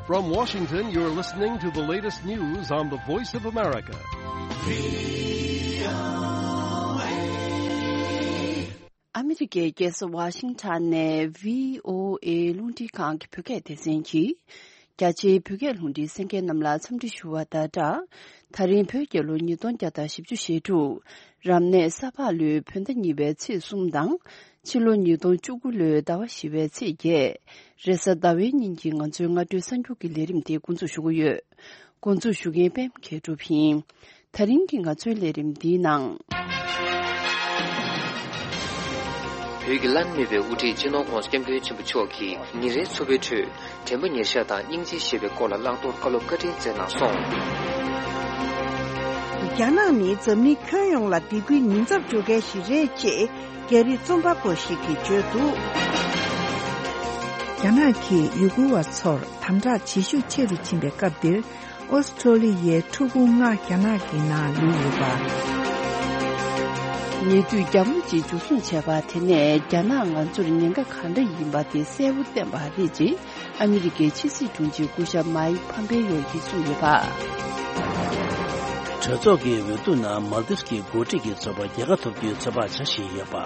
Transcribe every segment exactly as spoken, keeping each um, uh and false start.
From Washington, you're listening to the latest news on the Voice of America. ཨ་མི་རི་ཀའི་རྒྱལ་ས་ཝ་ཤིང་ཊོན་ནས་བྷི་ཨོ་ཨེ་རླུང་འཕྲིན་ཁང་གི་བོད་སྐད་སྡེ་ཚན་གྱིས། རྒྱ་ཆེའི་བོད་སྐད་རླུང་འཕྲིན་གསན་མཁན་རྣམས་ལ་འཚམས་འདྲི་ཞུ་བ་དང་སྦྲགས། ད་རིང་བོད་རྒྱལ་ལོ་ཉིས་སྟོང་བརྒྱ་དང་བཞི་བཅུ་ཞེ་དྲུག་རབ་གནས་ས་ཕག་ལོའི་བོད་ཟླ་གཉིས་པའི་ཚེས་གསུམ་དང་། ཕྱི་ལོ་ཉིས་སྟོང་བཅུ་དགུ་ལོའི་ཟླ་བ་བཞི་པའི་ཚེས་བརྒྱད། རེས་གཟའ་ཟླ་བའི་ཉིན་གྱི་ང་ཚོའི་སྔ་དྲོའི་གསར་འགྱུར་གྱི་ལས་རིམ་དེ་འགོ་འཛུགས་ཞུ་གི་ཡོད། འགོ་འཛུགས་ཞུ་མཁན་པད་མ་མཁས་གྲུབ་ཡིན། ད་རིང་གི་ང་ཚོའི་ལས་རིམ་འདིའི་ནང་། བོད་ཀྱི་བླ་ན་མེད་པའི་དབུ་ཁྲིད་སྤྱི་ནོར་༧གོང་ས་༧སྐྱབས་མགོན་ཆེན་པོ་མཆོག་གིས་ཉིན་རེའི་འཚོ་བའི་ཁྲོད་དྲན་པ་ཉེར་བཞག་དང་སྙིང་རྗེ་ཞེས་པའི་སྐོར་ལ་བླང་དོར་བཀའ་སློབ་བཀའ་དྲིན་སྩལ་གནང་སོང་། རྒྱ་ནག་ནི་འཛམ་གླིང་ཁྱོན་ཡོངས་ལ་སྡིགས་སྐུལ་ཉེན་ཚབས་འཇོག་མཁན་ཞིག་རེད་ཅེས་རྒྱ་རིགས་རྩོམ་པ་པོ་ཞིག་གིས་བརྗོད་འདུག་རྒྱ་ནག་གིས་ཡུ་གུར་བ་ཚོར་དམ་དྲག་བྱེད་ཤུགས་ཆེ་རུ་ཕྱིན་པའི་སྐབས་འདིར། ཨོ་སི་ཁྲོ་ལི་ཡའི་ཕྲུ་གུ་ལྔ་རྒྱ་ནག་གི་ནང་ལུས་ཡོད་པ། ཉེ་དུས་རྒྱ་མོ་གཅིག་འཇུ་བཟུང་བྱས་པ་དེ་ནས་རྒྱ་ནག་ང་ཚོར་ཉེན་ཁ་ག་འདྲ་ཡིན་པ་དེ་གསལ་པོ་བསྟན་པ་རེད་ཅེས་ཨ་མི་རི་ཀའི་ཕྱི་སྲིད་དྲུང་ཆེ་སྐུ་ཞབས་མཱིག་ཕམ་པེ་ཡོ་ཡིས་གསུངས་ཡོད་པ། གྲོས་ཚོགས་ཀྱི་འོས་བསྡུ་ནང་མཱལ་དིབ་ཀྱི་འགོ་ཁྲིད་ཀྱི་ཚོགས་པ་རྒྱལ་ཁ་ཐོབ་རྒྱུའི་ཚོད་དཔག་བྱ་བཞིན་ཡོད་པ།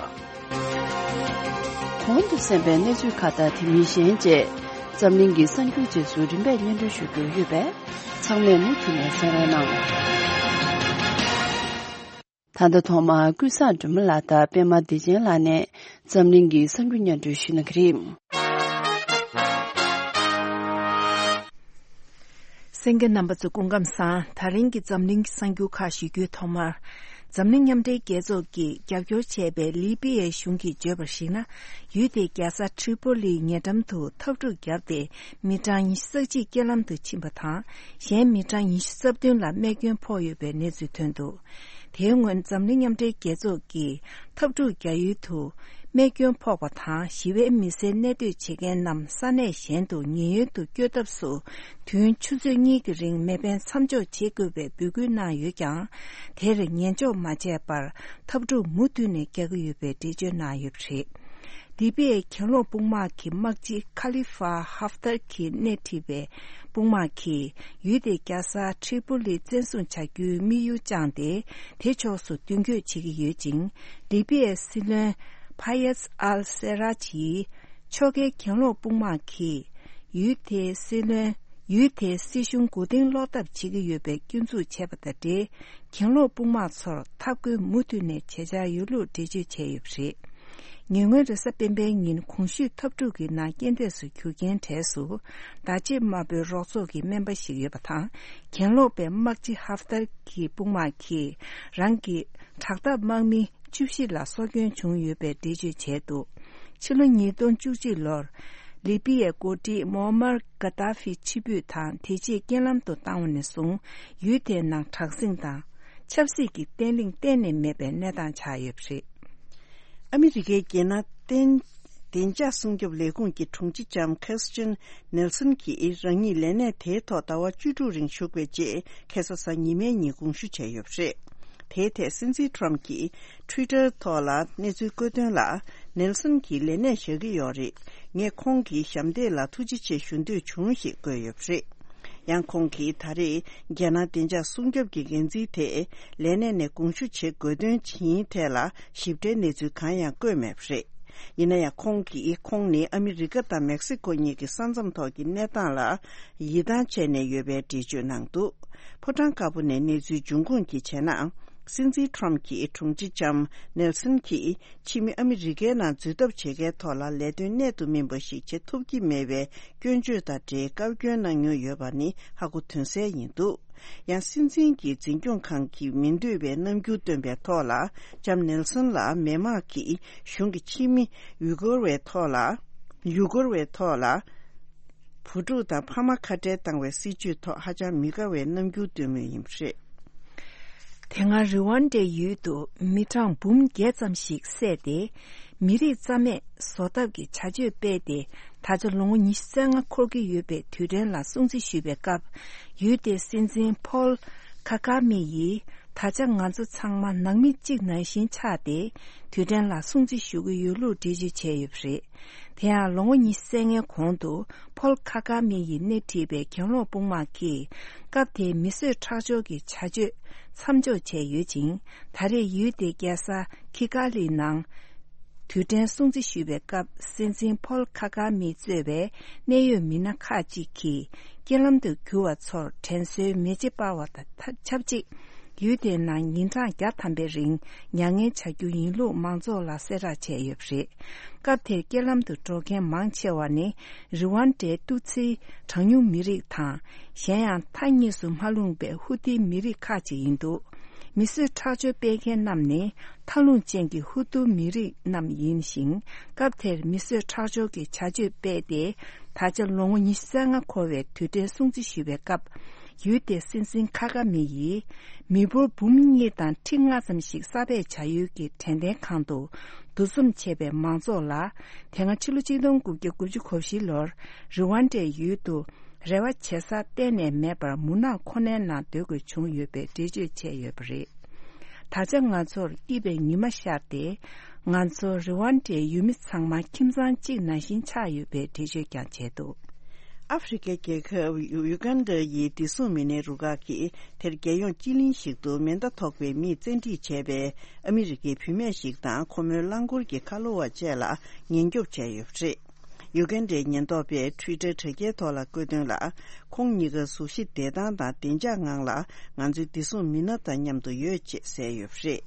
གོང་དུ་གསན་པའི་གནས་ཚུལ་ཁག་དང་དེ་མིན་གཞན་བཅས་འཛམ་གླིང་གི་གསར་འགྱུར་རྗེས་སུ་རིམ་པས་སྙན་སྒྲོན་ཞུ་རྒྱུ་ཡོད་པས་ཚང་མས་མུ་མཐུད་ནས་གསན་རོགས་གནང་། ད་ལྟ་ཐོག་མར་ཀུན་བཟང་སྒྲོལ་མ་ལགས་དང་པད་མ་བདེ་ཆེན་ལགས་ནས་འཛམ་གླིང་གི་གསར་འགྱུར་སྙན་སྒྲོན་ཞུ་གནང་གི་རེད། གསན་མཁན་རྣམ་པ་ཚོ་སྐུ་ཁམས་བཟང་། ད་རིང་གི་འཛམ་གླིང་གི་གསར་འགྱུར་ཁག་ཞུ་རྒྱུའི་ཐོག་མར། འཛམ་གླིང་མཉམ་འབྲེལ་རྒྱལ་ཚོགས་ཀྱིས་རྒྱབ་སྐྱོར་བྱས་པའི་ལི་པི་ཡའི་གཞུང་གིས་བརྗོད་པར་གཞིགས་ན། ཡུལ་དེའི་རྒྱལ་ས་ཁྲི་པོ་ལིའི་ཉེ་འགྲམ་དུ་འཐབ་འཁྲུག་བརྒྱབ་སྟེ། མི་གྲངས་ཉི་ཤུ་རྩ་གཅིག་རྐྱེན་ལམ་དུ་ཕྱིན་པ་དང་། གཞན་མི་གྲངས་ཉི་ཤུ་རྩ་བདུན་ལ་རྨས་སྐྱོན་ཕོག་ཡོད་པའི་གནས་ཚུལ་ཐོན་འདུག་དེའི་སྔོན་འཛམ་གླིང་མཉམ་འབྲེལ་རྒྱལ་ཚོགས་ཀྱིས་འཐབ་འཁྲུག་རྒྱག་ཡུལ་དུ། རྨས་སྐྱོན་ཕོག་པ་དང་ཞི་བའི་མི་སེར་གནས་སྡོད་བྱེད་མཁན་རྣམས་ས་གནས་གཞན་དུ་ཉེན་གཡོལ་དུ་བསྐྱོད་ཐབས་སུ་དུས་ཡུན་ཆུ་ཚོད་གཉིས་ཀྱི་རིང་མེ་འཕེན་མཚམས་འཇོག་བྱེད་དགོས་པའི་འབོད་སྐུལ་གནང་ཡོད་ཀྱང་། དེར་ཉན་འཇོག་མ་བྱས་པར་འཐབ་འཁྲུག་མུ་མཐུད་ནས་རྒྱག་གི་ཡོད་པའི་འགྲེལ་བརྗོད་གནང་ཡོད་པ་རེད། ལི་པི་ཡའི་གྱེན་ལོག་དཔུང་དམག་གི་དམག་སྤྱི་ཁ་ལི་ཧྥ་ཧབ་ཏར་གྱིས་སྣེ་ཁྲིད་པའི་དཔུང་དམག་གིས་ཡུལ་དེའི་རྒྱལ་ས་ཁྲི་པོ་ལི་བཙན་བཟུང་བྱ་རྒྱུའི་དམིགས་ཡུལ་བཅངས་ཏེ། དེ་ཕྱོགས་སུ་མདུན་སྐྱོད་བྱེད་ཀྱི་ཡོད་ཅིང་། ལི་པི་ཡའི་སྲིད་བློན་ཕ་ཡེས་ཨལ་སེ་རཱཇ་ཡིས། ཕྱོགས་འགལ་གྱེན་ལོག་དཔུང་དམག་གིས་ཡུལ་དེའི་སྲིད་བློན། ཡུལ་དེའི་སྲིད་གཞུང་མགོ་རྟིང་སློག་ཐབས་བྱེད་ཀྱི་ཡོད་པའི་སྐྱོན་འཛུགས་བྱས་པ་དང་འབྲེལ། གྱེན་ལོག་དཔུང་དམག་ཚོར་འཐབ་རྒོལ་མུ་མཐུད་ནས་བྱེད་འཆར་ཡོད་ལུགས་འགྲེལ་བརྗོད་བྱས་ཡོད་པ་རེད། ཉེ་སྔོན་རེས་གཟའ་སྤེན་པའི་ཉིན་གོང་ཞུས་འཐབ་འཁྲུག་གི་ནང་རྐྱེན་འདས་སུ་གྱུར་རྐྱེན་གྲས་སུ། བརྡ་ཆད་དམར་པོའི་རོགས་ཚོགས་ཀྱི་སྨན་པ་ཞིག་ཡོད་པ་དང་། གྱེན་ལོག་པའི་དམག་སྤྱི་ཧབ་ཏར་གྱི་དཔུང་དམག་གིས་རང་གི་དྲག་འཐབ་དམག་མི་བཅུ་བཞི་ལ་སྲོག་སྐྱོན་བྱུང་ཡོད་པའི་འགྲེལ་བརྗོད་བྱས་འདུག་ཕྱི་ལོ་ཉིས་སྟོང་བཅུ་གཅིག་ལོར། ལི་པི་ཡའི་འགོ་ཁྲིད་མོ་མར་ཀ་ཏཱ་ཧྥི་ཕྱིར་འབུད་དང་དེ་རྗེས་རྐྱེན་ལམ་དུ་བཏང་བ་ནས་བཟུང་། ཡུལ་དེའི་ནང་དྲག་ཟིང་དང་། ཆབ་སྲིད་ཀྱི་བརྟན་ལྷིང་གཏན་ནས་མེད་པའི་གནས་སྟངས་ཆགས་ཡོད་པ་རེད། ཨ་མི་རི་ཀའི་རྒྱལ་ནང་བདེ་བདེ་འཇགས་སྲུང་སྐྱོབ་ལས་ཁུངས་ཀྱི་དྲུང་ཆེ་ལྕམ་ཁེར་སི་ཊིན་ནེལ་སོན་གྱིས་རང་ཉིད་ལས་གནས་དེའི་ཐོག་ཟླ་བ་བཅུ་དྲུག་རིང་བཞུགས་པའི་རྗེས་ཁ་སང་གཟའ་ཉི་མའི་ཉིན་དགོངས་ཞུ་བྱས་ཡོད་པ་རེད། དེའི་ཐད་སྲིད་འཛིན་ཊམ་གྱིས་ཊུའི་ཊར་ཐོག་ལ་གནས་ཚུལ་བཀོད་དོན་ལ། ནེལ་སོན་གྱིས་ལས་གནས་བཞག་གི་ཡོད་རེད། ངས་ཁོང་གི་ཞབས་འདེགས་ལ་ཐུགས་རྗེ་ཆེ་ཞུ་འདོད་བྱུང་ཞེས་བཀོད་ཡོད་པ་རེད། ཡང་ཁོང་གིས་ད་རེས་རྒྱལ་ནང་བདེ་འཇགས་སྲུང་སྐྱོབ་ཀྱི་འགན་འཛིན་དེ་ལས་གནས་ནས་དགོངས་ཞུ་བྱེད་དགོས་དོན་ཇི་ཡིན་ཐད་ལ་ཞིབ་ཕྲའི་གནས་ཚུལ་གང་ཡང་བཀོད་མེད་པ་རེད། ཡིན་ན་ཡང་ཁོང་གིས་ཁོང་ནི་ཨ་མི་རི་ཀ་དང་མེག་སི་ཀོ་གཉིས་ཀྱི་ས་མཚམས་ཐོག་གི་གནས་སྟངས་ལ་ཡིད་ཐང་ཆད་ནས་ཡོད་པའི་འགྲེལ་བརྗོད་གནང་འདུག་ཕོ་བྲང་དཀར་པོ་ནས་གནས་ཚུལ་འབྱུང་ཁུངས་ཀྱིས་བྱས་ན། སྲིད་འཛིན་ཊམ་གྱི་དྲུང་ཆེ་ལྕམ་ནེལ་སོན་གྱིས་ཕྱི་མི་ཨ་མི་རི་ཀའི་ནང་འཛུལ་ཐབས་བྱེད་མཁན་ཐོག་ལ་ལས་དོན་གནད་དུ་སྨིན་པ་ཞིག་བྱེད་ཐུབ་ཀྱི་མེད་པའི་སྐྱོན་བརྗོད་དང་འབྲེལ་བཀའ་བཀྱོན་གནང་མྱོང་ཡོད་པ་ནི་ཧ་གོ་དོན་གསལ་ཡིན་འདུག་ཡང་སྲིད་འཛིན་གྱི་འཛིན་སྐྱོང་ཁང་གིས་མི་འདོད་པའི་རྣམ་འགྱུར་སྟོན་པའི་ཐོག་ལ་ལྕམ་ནེལ་སོན་ལ་མི་དམངས་ཀྱིས་གཞུང་གི་ཕྱི་མི་ཡུ་གུར་བའི་ཐོག་ལ་ཡུ་གུར་བའི་ཐོག་ལ། བུ་ཕྲུག་དང་ཕ་མ་ཁ་བྲལ་བཏང་བའི་སྲིད་བྱུས་ཐོག་ཧ་ཅང་མི་དགའ་བའི་རྣམ་འགྱུར་སྟོན་མུས་ཡིན་པ་རེད། དེ་སྔ་རི་ཝན་ཌའི་ཡུལ་དུ་མི་གྲངས་འབུམ་བརྒྱད་ཙམ་ཞིག་བསད་དེ། མི་རིགས་རྩ་མེད་བཟོ་ཐབས་ཀྱི་བྱ་སྤྱོད་སྤེལ་ཏེ། ད་ཆ་ལོ་ངོ་ཉི་ཤུ་རྩ་ལྔ་འཁོར་གྱི་ཡོད་པའི་དུས་དྲན་ལ་སྲུང་བརྩི་ཞུས་པའི་སྐབས། ཡུལ་དེའི་སྲིད་འཛིན་ཕོལ་ཁ་ཁ་མི་ཡིས། ད་ཆ་ང་ཚོ་ཚང་མ་ནང་མི་གཅིག་ནང་བཞིན་ཆགས་ཏེ། དུས་དྲན་ལ་སྲུང་བརྩི་ཞུ་གི་ཡོད་ལུགས་འགྲེལ་བརྗོད་བྱས་ཡོད་པ་རེད། དེ་ཡང་ལོ་ངོ་ཉི་ཤུ་རྩ་ལྔའི་གོང་དུ་ཕོལ་ཁ་ག་མི་ཡིས་སྣེ་ཁྲིད་པའི་གྱེན་ལོག་དཔུང་དམག་གིས་སྐབས་དེའི་མི་གསོད་ཁྲག་སྦྱོར་གྱི་བྱ་སྤྱོད་མཚམས་འཇོག་བྱས་ཡོད་ཅིང་། ད་རེས་ཡུལ་དེའི་རྒྱལ་ས་ཁི་ཀ་ལི་ནང་དུས་དྲན་སྲུང་བརྩི་ཞུ་བའི་སྐབས། སྲིད་འཛིན་ཕོལ་ཁ་ག་མི་གཙོས་པའི་གནད་ཡོད་མི་སྣ་ཁག་ཅིག་གིས་རྐྱེན་ལམ་དུ་གྱུར་བ་ཚོར་དྲན་གསོའི་མེ་ལྕེ་སྤར་བ་དང་ཆབས་ཅིག་ཡུལ་དེའི་ནང་ཉིན་གྲངས་བརྒྱ་ཐམ་པའི་རིང་མྱ་ངན་བྱ་རྒྱུ་ཡིན་ལུགས་མང་ཚོགས་ལ་གསལ་བསྒྲགས་བྱས་ཡོད་པ་རེད། སྐབས་དེར་རྐྱེན་ལམ་དུ་འགྲོ་མཁན་མང་ཆེ་བ་ནི་རི་ཝན་ཌའི་ཏུ་ཚིའི་གྲངས་ཉུང་མི་རིགས་དང་། གཞན་ཡང་མཐའ་གཉིས་སུ་མ་ལྷུང་པའི་ཧུ་ཏི་མི་རིགས་ཁག་ཅིག་ཡིན་འདུག་མི་གསོད་ཁྲག་སྦྱོར་སྤེལ་མཁན་རྣམས་ནི་མཐའ་ལྷུང་ཅན་གྱི་ཧུ་ཏུ་མི་རིགས་རྣམས་ཡིན་ཞིང་། སྐབས་དེར་མི་གསོད་ཁྲག་སྦྱོར་གྱི་བྱ་སྤྱོད་སྤེལ་ཏེ། ད་ཆ་ལོ་ངོ་ཉི་ཤུ་རྩ་ལྔ་འཁོར་བའི་དུས་དྲན་སྲུང་བརྩི་ཞུ་བའི་སྐབས། ཡུལ་དེའི་སྲིད་འཛིན་ཁ་ག་མི་ཡིས་མི་འབོར་འབུམ་གཉིས་དང་ཁྲི་ལྔ་ཙམ་ཞིག་གསར་སྦས་བྱ་ཡུལ་གྱི་དྲན་རྟེན་ཁང་དུ་འདུ་འཛོམས་བྱས་པའི་མང་ཚོགས་ལ། དེ་སྔ་ཕྱི་ལོ་ཆིག་སྟོང་དགུ་བརྒྱ་དགུ་བཅུ་གོ་བཞི་ལོར་རི་ཝན་ཌའི་ཡུལ་དུ་རེ་བ་བྱེད་ས་གཏན་ནས་མེད་པར་མུན་ནག་ཁོ་ནའི་ནང་སྡོད་དགོས་བྱུང་ཡོད་པའི་འགྲེལ་བརྗོད་བྱས་ཡོད་པ་རེད། ད་ཆ་ང་ཚོར་སྐྱིད་པའི་ཉི་མ་ཤར་ཏེ། ང་ཚོ་རི་ཝན་ཌའི་ཡུལ་མི་ཚང་མ་ཁྱིམ་ཚང་གཅིག་ནང་བཞིན་ཆགས་ཡོད་པའི་འགྲེལ་བརྗོད་ཀྱང་བྱས་འདུག་ཨ་ཧྥེ་རི་ཁའི་རྒྱལ་ཁབ་ཡུ་ཡུ་གན་ཌ་ཡི་བདེ་སྲུང་མི་སྣའི་རུ་ཁག་གིས་དེར་རྒྱལ་ཡོངས་སྤྱི་གླིང་ཞིག་ཏུ་མེ་མདའ་ཐོགས་པའི་མིས་བཙན་ཁྲིད་བྱས་པའི་ཨ་མི་རི་ཀའི་བུད་མེད་ཞིག་དང་ཁོ་མོའི་རླངས་འཁོར་གྱི་ཁ་ལོ་བ་བཅས་ལ་ཉེན་སྐྱོབ་བྱས་ཡོད་པ་རེད། ཡུ་གན་ཌའི་ཉེན་རྟོག་པས་ཊུའི་ཊར་དྲ་རྒྱའི་ཐོག་ལ་བཀོད་དོན་ལ། ཁོང་གཉིས་ཀ་གཟུགས་གཞི་བདེ་ཐང་དང་བདེ་འཇགས་ངང་ལ་ང་ཚོའི་བདེ་སྲུང་མི་སྣ་དང་མཉམ་དུ་ཡོད་ཅེས་གསལ་ཡོད་པ་རེད།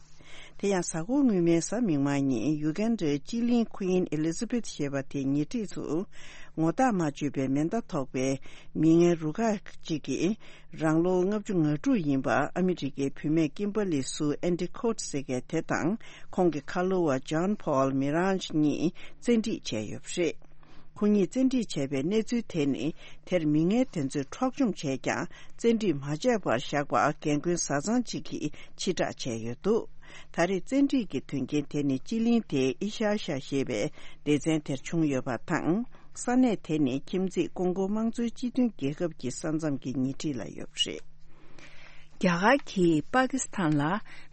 དེ་ཡང་གཟའ་འཁོར་སྔོན་མའི་གཟའ་མིག་དམར་ཉིན་ཡུ་གན་ཌའི་སྤྱི་གླིང་Queen Elizabeth ཞེས་པ་དེའི་ཉེ་འཁྲིས་སུ། ངོ་རྟགས་མ་བརྗོད་པའི་མེ་མདའ་ཐོགས་པའི་མི་ངན་རུ་ཁག་ཅིག་གིས། རང་ལོ་ལྔ་བཅུ་ང་དྲུག་ཡིན་པ་ཨ་མི་རི་ཀའི་བུད་མེད་ཀིམ་བྷར་ལི་སུ་ཨན་ཌི་ཁོ་ཊི་ཟེར་མཁན་དེ་དང་ཁོང་གི་ཁ་ལོ་བ་ཇོན་ཕོལ་མི་རང་ཇི་གཉིས་བཙན་ཁྲིད་བྱས་ཡོད་པ་རེད། ཁོ་གཉིས་བཙན་ཁྲིད་བྱས་པའི་གནས་ཚུལ་དེ་ནི་དེར་མི་ངན་དེ་ཚོས་འཕྲོག་བཅོམ་བྱས་ཀྱང་བཙན་ཁྲིད་མ་བྱས་པར་བཞག་པ་རྒན་རྒོན་བཟའ་ཚང་ཅིག་གིས་ཕྱིར་བསྒྲགས་བྱས་ཡོད་འདུག་ད་རེས་བཙན་ཁྲིད་ཀྱི་དོན་རྐྱེན་དེ་ནི་སྤྱི་གླིང་དེའི་ཨི་ཤར་ཤ་ཞེས་པའི་སྡེ་ཚན་དེར་བྱུང་ཡོད་པ་དང་། ས་གནས་དེ་ནི་ཁྱིམ་མཚེས་ཀོང་གོ་དམངས་གཙོའི་སྤྱི་མཐུན་རྒྱལ་ཁབ་ཀྱི་ས་མཚམས་ཀྱི་ཉེ་འཁྲིས་ལ་ཡོད་པ་རེད། རྒྱ་གར་གྱིས་པ་ཀི་སི་ཐན་ལ་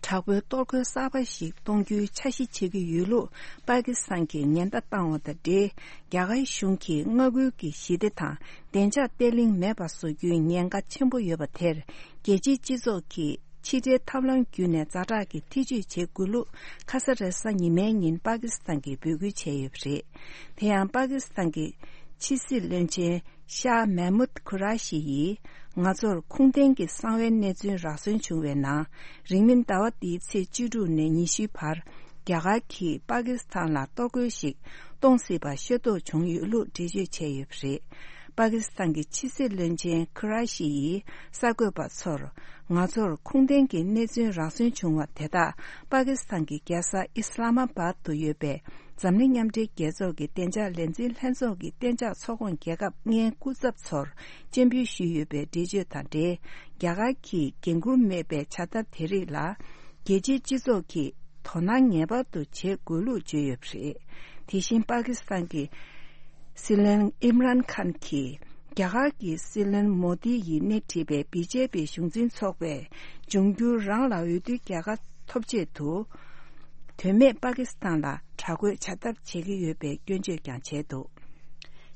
དྲག་པོའི་གཏོར་རྒོལ་གསར་པ་ཞིག་གཏོང་རྒྱུའི་འཆར་གཞི་བྱེད་ཀྱི་ཡོད་ལུགས་པ་ཀི་སི་ཐན་གྱིས་ཉེན་བརྡ་བཏང་བ་དང་འབྲེལ། རྒྱ་གར་གཞུང་གིས་མངའ་ཁུལ་གྱི་ཞི་བདེ་དང་བདེ་འཇགས་བརྟན་ལྷིང་མེད་པ་བཟོ་རྒྱུའི་ཉེན་ཁ་ཆེན་པོ་ཡོད་པ་དེར། རྒྱལ་སྤྱིའི་སྤྱི་ཚོགས་ཀྱིས་ཕྱི་འབྲེལ་ཐབས་ལམ་བརྒྱུད་ནས་ཛ་དྲག་གི་ཐེ་ཇུས་བྱེད་དགོས་ལུགས་ཁ་ས་རེས་གཟའ་ཉི་མའི་ཉིན་པ་ཀི་སི་ཐན་གྱིས་འབོད་སྐུལ་བྱས་ཡོད་པ་རེད། དེ་ཡང་པ་ཀི་སི་ཐན་གྱི་ཕྱི་སྲིད་བློན་ཆེན་ཤཱ་མེ་མུད་ཁུ་ར་ཤི་ཡིས། ང་ཚོར་ཁུངས་ལྡན་གྱི་གསང་བའི་གནས་ཚུལ་རག་སོན་བྱུང་བའི་ནང་། རིང་མིན་ཟླ་བ་འདིའི་ཚེས་བཅུ་དྲུག་ནས་ཉི་ཤུའི་བར། རྒྱ་གར་གྱིས་པ་ཀི་སི་ཐན་ལ་གཏོར་རྒོལ་ཞིག་གཏོང་སྲིད་པ་ཤེས་རྟོགས་བྱུང་ཡོད་ལུགས་འགྲེལ་བརྗོད་བྱས་ཡོད་པ་རེད། པ་ཀི་སི་ཐན་གྱི་ཕྱི་སྲིད་བློན་ཆེན་ཁུ་ར་ཤི་ཡིས་གསར་འགོད་པ་ཚོར། ང་ཚོར་ཁུངས་ལྡན་གྱི་གནས་ཚུལ་རག་སོན་བྱུང་བ་དེ་དག་པ་ཀི་སི་ཐན་གྱི་རྒྱལ་ས་ཨི་སི་ལ་མ་བཱད་དུ་ཡོད་པའི་འཛམ་གླིང་མཉམ་འབྲེལ་རྒྱལ་ཚོགས་ཀྱི་བདེ་འཇགས་ལས་འཛིན་ལྷན་ཚོགས་ཀྱི་གཏན་འཇགས་ཚོགས་ཁོངས་རྒྱལ་ཁབ་ལྔའི་སྐུ་ཚབ་ཚོར་སྤྱན་འབུལ་ཞུས་ཡོད་པའི་འགྲེལ་བརྗོད་དང་འབྲེལ། རྒྱ་གར་གྱིས་འགན་འཁུར་མེད་པའི་བྱ་ཐབས་དེ་རིགས་ལ། རྒྱལ་སྤྱིའི་སྤྱི་ཚོགས་ཀྱིས་དོ་སྣང་ངེས་པར་དུ་བྱེད་དགོས་ལུགས་བརྗོད་ཡོད་པ་རེད། དེ་བཞིན་པ་ཀི་སི་ཐན་གྱི་སྲིད་བློན་ཨིམ་རན་ཁཱན་གྱིས། རྒྱ་གར་གྱི་སྲིད་བློན་མོ་དི་ཡིས་སྣེ་ཁྲིད་པའི་བི་ཇེ་པི་གཞུང་འཛིན་ཚོགས་པས་འབྱུང་འགྱུར་རང་ལ་འོས་བསྡུའི་རྒྱལ་ཁ་ཐོབ་ཆེད་དུ། དོན་མེད་པ་ཀི་སི་ཐན་ལ་དྲག་རྒོལ་བྱ་ཐབས་བྱེད་ཀྱི་ཡོད་པའི་སྐྱོན་བརྗོད་ཀྱང་བྱས་འདུག་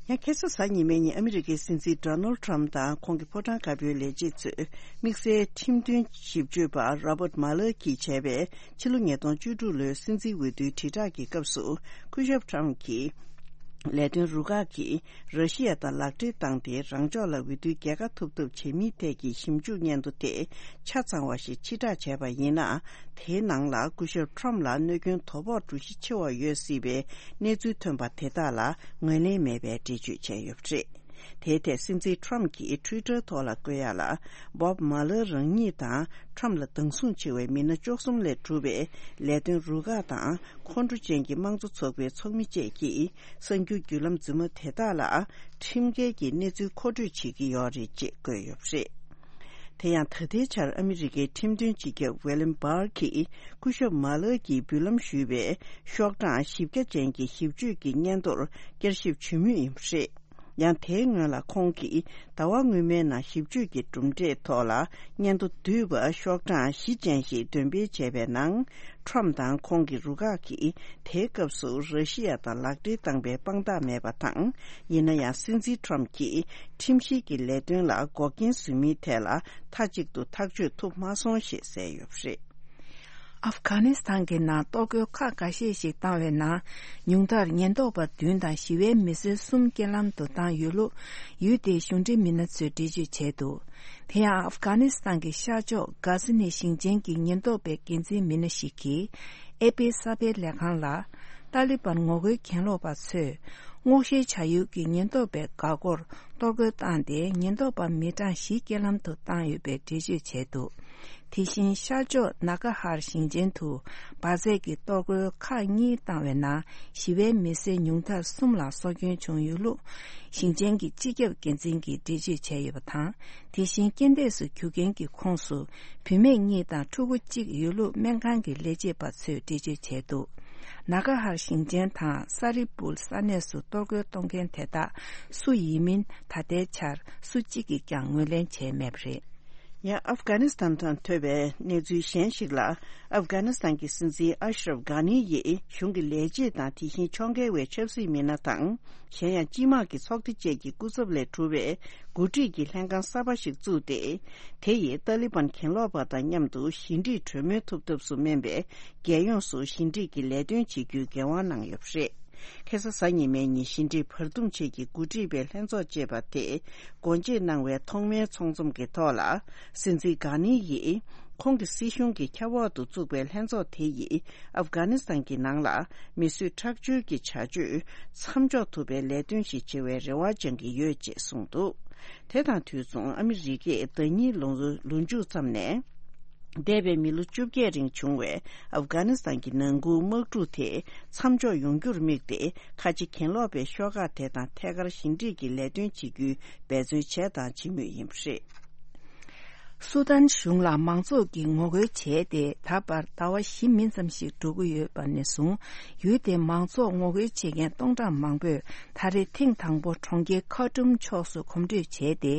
ཡང་ཁ་སང་གཟའ་ཉི་མའི་ཉིན་ཨ་མི་རི་ཀའི་སྲིད་འཛིན་ཌོ་ནལ་ཁྲམ་དང་ཁོང་གི་ཕོ་བྲང་དཀར་པོའི་ལས་བྱེད་ཚོས་དམིགས་བསལ་ཁྲིམས་དོན་ཞིབ་དཔྱོད་པ་རོ་བརྟ་མ་ལར་གྱིས་བྱས་པའི་ཕྱི་ལོ་ཉིས་སྟོང་བཅུ་དྲུག་ལོའི་སྲིད་འཛིན་འོས་བསྡུའི་དྲིལ་བསྒྲགས་ཀྱི་སྐབས་སུ། སྐུ་ཞབས་ཁྲམ་གྱིས་ལས་དོན་རུ་ཁག་གིས་ར་ཤི་ཡ་དང་ལག་འབྲེལ་བཏང་སྟེ་རང་ཕྱོགས་ལ་འོས་བསྡུའི་རྒྱལ་ཁ་ཐོབ་ཐབས་བྱེད་མིན་ཐད་ཀྱི་ཞིབ་འཇུག་སྙན་ཐོ་དེ་ཆ་ཚང་བ་ཞིག་ཕྱིར་བསྒྲགས་བྱས་པ་ཡིན་ན། དེའི་ནང་ལ་སྐུ་ཞབས་ཁྲམ་ལ་གནོད་སྐྱོན་དོ་ཕོག་འགྲོ་གཞི་ཆེ་བ་ཡོད་སྲིད་པའི་གནས་ཚུལ་ཐོན་པ་དེ་དག་ལ་ངོས་ལེན་མེད་པའི་འགྲེལ་བརྗོད་བྱས་ཡོད་པ་རེད། དེའི་ཐད་སྲིད་འཛིན་ཁྲམ་གྱིས་ཊུའི་ཊར་ཐོག་ལ་བཀོད་ཡག་ལ། བོབ་མ་ལར་རང་ཉིད་དང་ཁྲམ་ལ་སྡང་ཟུང་ཆེ་བའི་མི་སྣ་བཅུ་གསུམ་ལས་གྲུབ་པའི་ལས་དོན་རུ་ཁག་དང་ཁོང་ཁྲོ་ཅན་གྱི་དམངས་གཙོ་ཚོགས་པའི་ཚོགས་མི་བཅས་ཀྱིས་གསར་འགྱུར་བརྒྱུད་ལམ་རྫུན་མ་དེ་དག་ལ་ཁྲིམས་འགལ་གྱི་གནས་ཚུལ་མཁོ་སྤྲོད་བྱེད་ཀྱི་ཡོད་རེད་ཅེས་བཀོད་ཡོད་པ་རེད། དེ་ཡང་ད་ལྟའི་ཆར་ཨ་མི་རི་ཀའི་ཁྲིམས་དོན་སྤྱི་ཁྱབ་ཝེ་ལིམ་བྷར་གྱིས་སྐུ་ཞབས་མ་ལར་གྱིས་འབུལ་ལམ་ཞུས་པའི་ཤོག་གྲངས་བཞི་བརྒྱ་ཅན་གྱི་ཞིབ་དཔྱོད་ཀྱི་སྙན་ཐོར་བསྐྱར་ཞིབ་བྱེད་མུས་ཡིན་པ་རེད། ཡང་དེའི་སྔོན་ལ་ཁོང་གིས་ཟླ་བ་སྔོན་མའི་ནང་ཞིབ་དཔྱོད་ཀྱི་གྲུབ་འབྲས་ཐོག་ལ་སྙན་ཐོ་བསྡུས་པ་ཤོག་གྲངས་བཞི་ཅན་ཞིག་འདོན་སྤེལ་བྱས་པའི་ནང་། ཁྲོམ་དང་ཁོང་གི་རུ་ཁག་གིས་དེའི་སྐབས་སུ་ར་ཤི་ཡ་དང་ལག་འབྲེལ་བཏང་པའི་དཔང་རྟགས་མེད་པ་དང་། ཡིན་ན་ཡང་སྲིད་འཛིན་ཁྲོམ་གྱིས་ཁྲིམས་བཤེར་གྱི་ལས་དོན་ལ་འགོག་རྐྱེན་བཟོས་མིན་ཐད་ལ་མཐའ་གཅིག་ཏུ་ཐག་གཅོད་ཐུབ་མ་སོང་ཞེས་གསལ་ཡོད་པ་རེད། ཨབ་གྷ་ནི་སི་ཐན་གྱི་ནང་གཏོར་རྒོལ་ཁག་འགའ་ཤས་ཤིག་བཏང་བའི་ནང་། ཉུང་མཐར་ཉེན་རྟོག་པ་བདུན་དང་ཞི་བའི་མི་སེར་གསུམ་རྐྱེན་ལམ་དུ་བཏང་ཡོད་ལུགས་ཡུལ་དེའི་གཞུང་འབྲེལ་མི་སྣ་ཚོས་འགྲེལ་བརྗོད་བྱས་འདུག་དེ་ཡང་ཨབ་གྷ་ནི་སི་ཐན་གྱི་ཤར་ཕྱོགས་གྷ་ཟི་ནི་ཞིང་ཆེན་གྱི་ཉེན་རྟོག་པའི་འགན་འཛིན་མི་སྣ་ཞིག་གིས་ཨེ་པི་གསར་སྤེལ་ལས་ཁང་ལ། ཏཱ་ལི་བན་ངོ་རྒོལ་གྱེན་ལོག་པ་ཚོས་སྔོག་བཤེར་བྱ་ཡུལ་གྱི་ཉེན་རྟོག་པའི་འགག་སྒོར་གཏོར་རྒོལ་བཏང་སྟེ། ཉེན་རྟོག་པ་མི་གྲངས་བཞི་རྐྱེན་ལམ་དུ་བཏང་ཡོད་པའི་འགྲེལ་བརྗོད་བྱས་འདུག་དེ་བཞིན་ཤར་ཕྱོགས་ན་ཀ་ཧར་ཞིང་ཆེན་དུ་འབར་རྫས་ཀྱི་གཏོར་རྒོལ་ཁག་གཉིས་བཏང་བའི་ནང་ཞི་བའི་མི་སེར་ཉུང་མཐར་གསུམ་ལ་སྲོག་སྐྱོན་བྱུང་ཡོད་ལུགས་ཞིང་ཆེན་གྱི་སྤྱི་ཁྱབ་འགན་འཛིན་གྱིས་འགྲེལ་བརྗོད་བྱས་ཡོད་པ་དང་། དེ་བཞིན་རྐྱེན་འདས་སུ་གྱུར་མཁན་གྱི་ཁོངས་སུ་བུད་མེད་གཉིས་དང་ཕྲུ་གུ་གཅིག་ཡོད་ལུགས་སྨན་ཁང་གི་ལས་བྱེད་པ་ཚོས་འགྲེལ་བརྗོད་བྱས་འདུག་ན་ཀ་ཧར་ཞིང་ཆེན་དང་ས་རི་པུལ་ས་གནས་སུ་གཏོར་རྒོལ་གཏོང་མཁན་དེ་དག་སུ་ཡིན་མིན་ད་ལྟའི་ཆར་སུ་གཅིག་གིས་ཀྱང་ངོས་ལེན་བྱས་མེད་པ་རེད། ཡང་ཨབ་གྷ་ནི་སི་ཐན་དང་ཐོས་པའི་གནས་ཚུལ་གཞན་ཞིག་ལ། ཨབ་གྷ་ནི་སི་ཐན་གྱི་སྲིད་འཛིན་ཨ་ཤ་རབ་གྷ་ནི་ཡིས་གཞུང་གི་ལས་བྱེད་དང་དེ་བཞིན་ཕྱོགས་འགལ་བའི་ཆབ་སྲིད་མི་སྣ་དང་། གཞན་ཡང་སྤྱི་དམངས་ཀྱི་ཚོགས་སྡེ་བཅས་ཀྱི་སྐུ་ཚབ་ལས་གྲུབ་པའི་འགོ་ཁྲིད་ཀྱི་ལྷན་ཁང་གསར་པ་ཞིག་བཙུགས་ཏེ། དེ་ཡིས་ཏཱ་ལི་བན་གྱེན་ལོག་པ་དང་མཉམ་དུ་ཞི་འགྲིག་གྲོས་མོལ་ཐུབ་ཐབས་སུ་སྨན་པའི་རྒྱལ་ཡོངས་སུ་ཞི་འགྲིག་གི་ལས་དོན་བྱེད་རྒྱུའི་འགན་དབང་གནང་ཡོད་པ་རེད། ཁ་སང་གཟའ་ཉི་མའི་ཉིན་ཞི་འགྲིག་བར་འདུམ་ཆེད་ཀྱི་འགོ་ཁྲིད་པའི་ལྷན་ཚོགས་ཅེས་པ་དེ་སྒོ་འབྱེད་གནང་བའི་ཐོག་མའི་ཚོགས་འཛོམས་ཀྱི་ཐོག་ལ། སྲིད་འཛིན་གྷ་ནི་ཡིས་ཁོང་གི་སྲིད་གཞུང་གི་ཁྱབ་འོག་ཏུ་བཙུགས་པའི་ལྷན་ཚོགས་དེ་ཡིས་ཨབ་གྷ་ནི་སི་ཐན་གྱི་ནང་ལ་མི་གསོད་ཁྲག་སྦྱོར་གྱི་བྱ་སྤྱོད་མཚམས་འཇོག་ཐུབ་པའི་ལས་དོན་ཞིག་བྱེད་པའི་རེ་བ་བཅང་གི་ཡོད་ཅེས་གསུངས་འདུག་དེ་དང་དུས་མཚུངས་ཨ་མི་རི་ཀས་ཟླ་ཉིན་ལོ་ལོ་མཇུག་ཙམ་ནས། འདས་པའི་མི་ལོ་བཅོ་བརྒྱད་རིང་བྱུང་བའི་ཨབ་གྷ་ནི་སི་ཐན་གྱི་ནང་ཁུལ་དམག་འཁྲུག་དེ་མཚམས་འཇོག་ཡོང་རྒྱུར་དམིགས་ཏེ། ཁ་ཆེ་གྱེན་ལོག་པའི་ཤོག་ཁག་དེ་དང་ཐད་ཀར་ཞི་འགྲིག་གི་ལས་དོན་བྱེད་རྒྱུའི་འབད་བརྩོན་བྱས་དང་བྱེད་མུས་ཡིན་པ་རེད། སུ་དཱན་གཞུང་ལ་མང་ཚོགས་ཀྱིས་ངོ་རྒོལ་བྱས་ཏེ། ད་བར་ཟླ་བ་བཞི་མིན་ཙམ་ཞིག་འགྲོ་གི་ཡོད་པ་ནས་བཟུང་། ཡུལ་དེའི་མང་ཚོགས་ངོ་རྒོལ་བྱེད་མཁན་སྟོང་ཕྲག་མང་པོས་ད་རེས་ཐེངས་དང་པོ་གྲོང་ཁྱེར་ཁར་ཊུམ་ཕྱོགས་སུ་གོམ་བགྲོད་བྱས་ཏེ།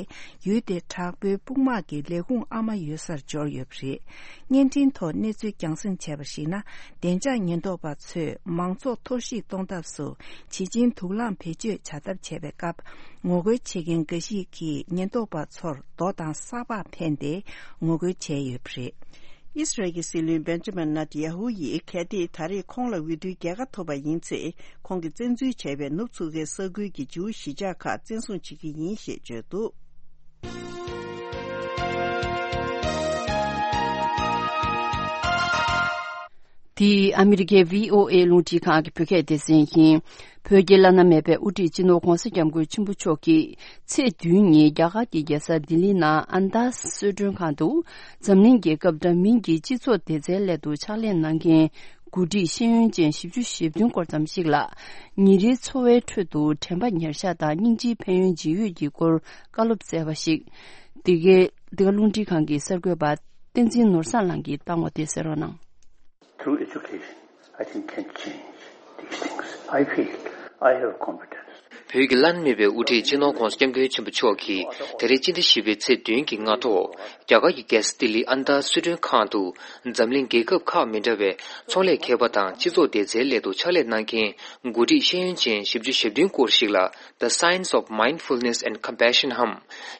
ཡུལ་དེའི་དྲག་པོའི་དཔུང་དམག་གི་ལས་ཁུངས་ཨ་མ་ཡོད་སར་འབྱོར་ཡོད་པ་རེད། བརྙན་འཕྲིན་ཐོག་གནས་ཚུལ་རྒྱང་སྲིང་བྱས་པར་གཞིགས་ན། བདེ་འཇགས་ཉེན་རྟོག་པ་ཚོས་མང་ཚོགས་གཏོར་བཤིག་གཏོང་ཐབས་སུ་བྱེད་ཆིངས་དུག་རླངས་བེད་སྤྱོད་བྱ་ཐབས་བྱས་པའི་སྐབས། ངོ་རྒོལ་བྱེད་མཁན་འགའ་ཞིག་གིས་ཉེན་རྟོག་པ་ཚོར་རྡོ་དང་སག་ཕག་འཕེན་ཏེ་ངོ་རྒོལ་བྱས་ཡོད་པ་རེད། ཨིས་རལ་གྱི་སྲིད་བློན་བེན་ཇ་མིན་ནེ་ཏན་ཡ་ཧུ་ཡིས་གལ་ཏེ་ད་རེས་ཁོང་ལ་འོས་བསྡུའི་རྒྱལ་ཁ་ཐོབ་པ་ཡིན་ཚེ། ཁོང་གིས་བཙན་འཛུལ་བྱས་པའི་ནུབ་མཚོ་ཁའི་ས་ཁུལ་གྱི་ཇིའུ་གཞིས་ཆགས་ཁག་བཙན་བཟུང་བྱེད་ཀྱི་ཡིན་ཞེས་བརྗོད་འདུག་འདི་ཨ་མི་རི་ཀའི་བྷི་ཨོ་ཨེ་རླུང་འཕྲིན་ཁང་གི་བོད་སྐད་སྡེ་ཚན་ཡིན། བོད་ཀྱི་བླ་ན་མེད་པའི་དབུ་ཁྲིད་སྤྱི་ནོར་༧གོང་ས་༧སྐྱབས་མགོན་ཆེན་པོ་མཆོག་གིས་ཚེས་བདུན་ཉིན་རྒྱ་གར་གྱི་རྒྱལ་ས་ལྡི་ལི་ནང་ཨན་དཱ་གསོལ་མགྲོན་ཁང་དུ་འཛམ་གླིང་རྒྱལ་ཁབ་འདྲ་མིན་གྱི་སྤྱི་ཚོགས་བདེ་རྩའི་སླད་དུ་ཕྱག་ལས་གནང་མཁན་འགོ་ཁྲིད་ཤེས་ཡོན་ཅན་བཞི་བཅུ་ཞེ་བདུན་སྐོར་ཙམ་ཞིག་ལ། ཉིན་རེའི་འཚོ་བའི་ཁྲོད་དུ་དྲན་པ་ཉེར་བཞག་དང་སྙིང་རྗེའི་ཕན་ཡོན་ཇི་ཡོད་ཀྱི་སྐོར་བཀའ་སློབ་སྩལ་བ་ཞིག་འདི་གའི་འདི་ག་རླུང་འཕྲིན་ཁང་གི་གསར་འགོད་པ་བསྟན་འཛིན་ནོར་བཟང་ལགས་ཀྱིས་བཏང་བ་དེ་གསན་རོགས་གནང་། Through education, I think can change these things. I feel I have confidence. བོད་ཀྱི་བླ་ན་མེད་པའི་དབུ་ཁྲིད་སྤྱི་ནོར་༧གོང་ས་༧སྐྱབས་མགོན་ཆེན་པོ་མཆོག་གིས་ད་རེས་སྤྱི་ཟླ་བཞི་པའི་ཚེས་བདུན་གྱི་སྔ་དྲོ། རྒྱ་གར་གྱི་རྒྱལ་ས་ལྡི་ལི་ཨན་དཱ་གསོལ་མགྲོན་ཁང་དུ་འཛམ་གླིང་རྒྱལ་ཁབ་ཁག་མི་འདྲ་བའི་ཚོང་ལས་མཁས་པ་དང་སྤྱི་ཚོགས་བདེ་རྩའི་སླད་དུ་ཕྱག་ལས་གནང་མཁན་འགོ་ཁྲིད་ཤེས་ཡོན་ཅན་བཞི་བཅུ་ཞེ་བདུན་སྐོར་ཞིག་ལ། The Science of Mindfulness and Compassion འམ།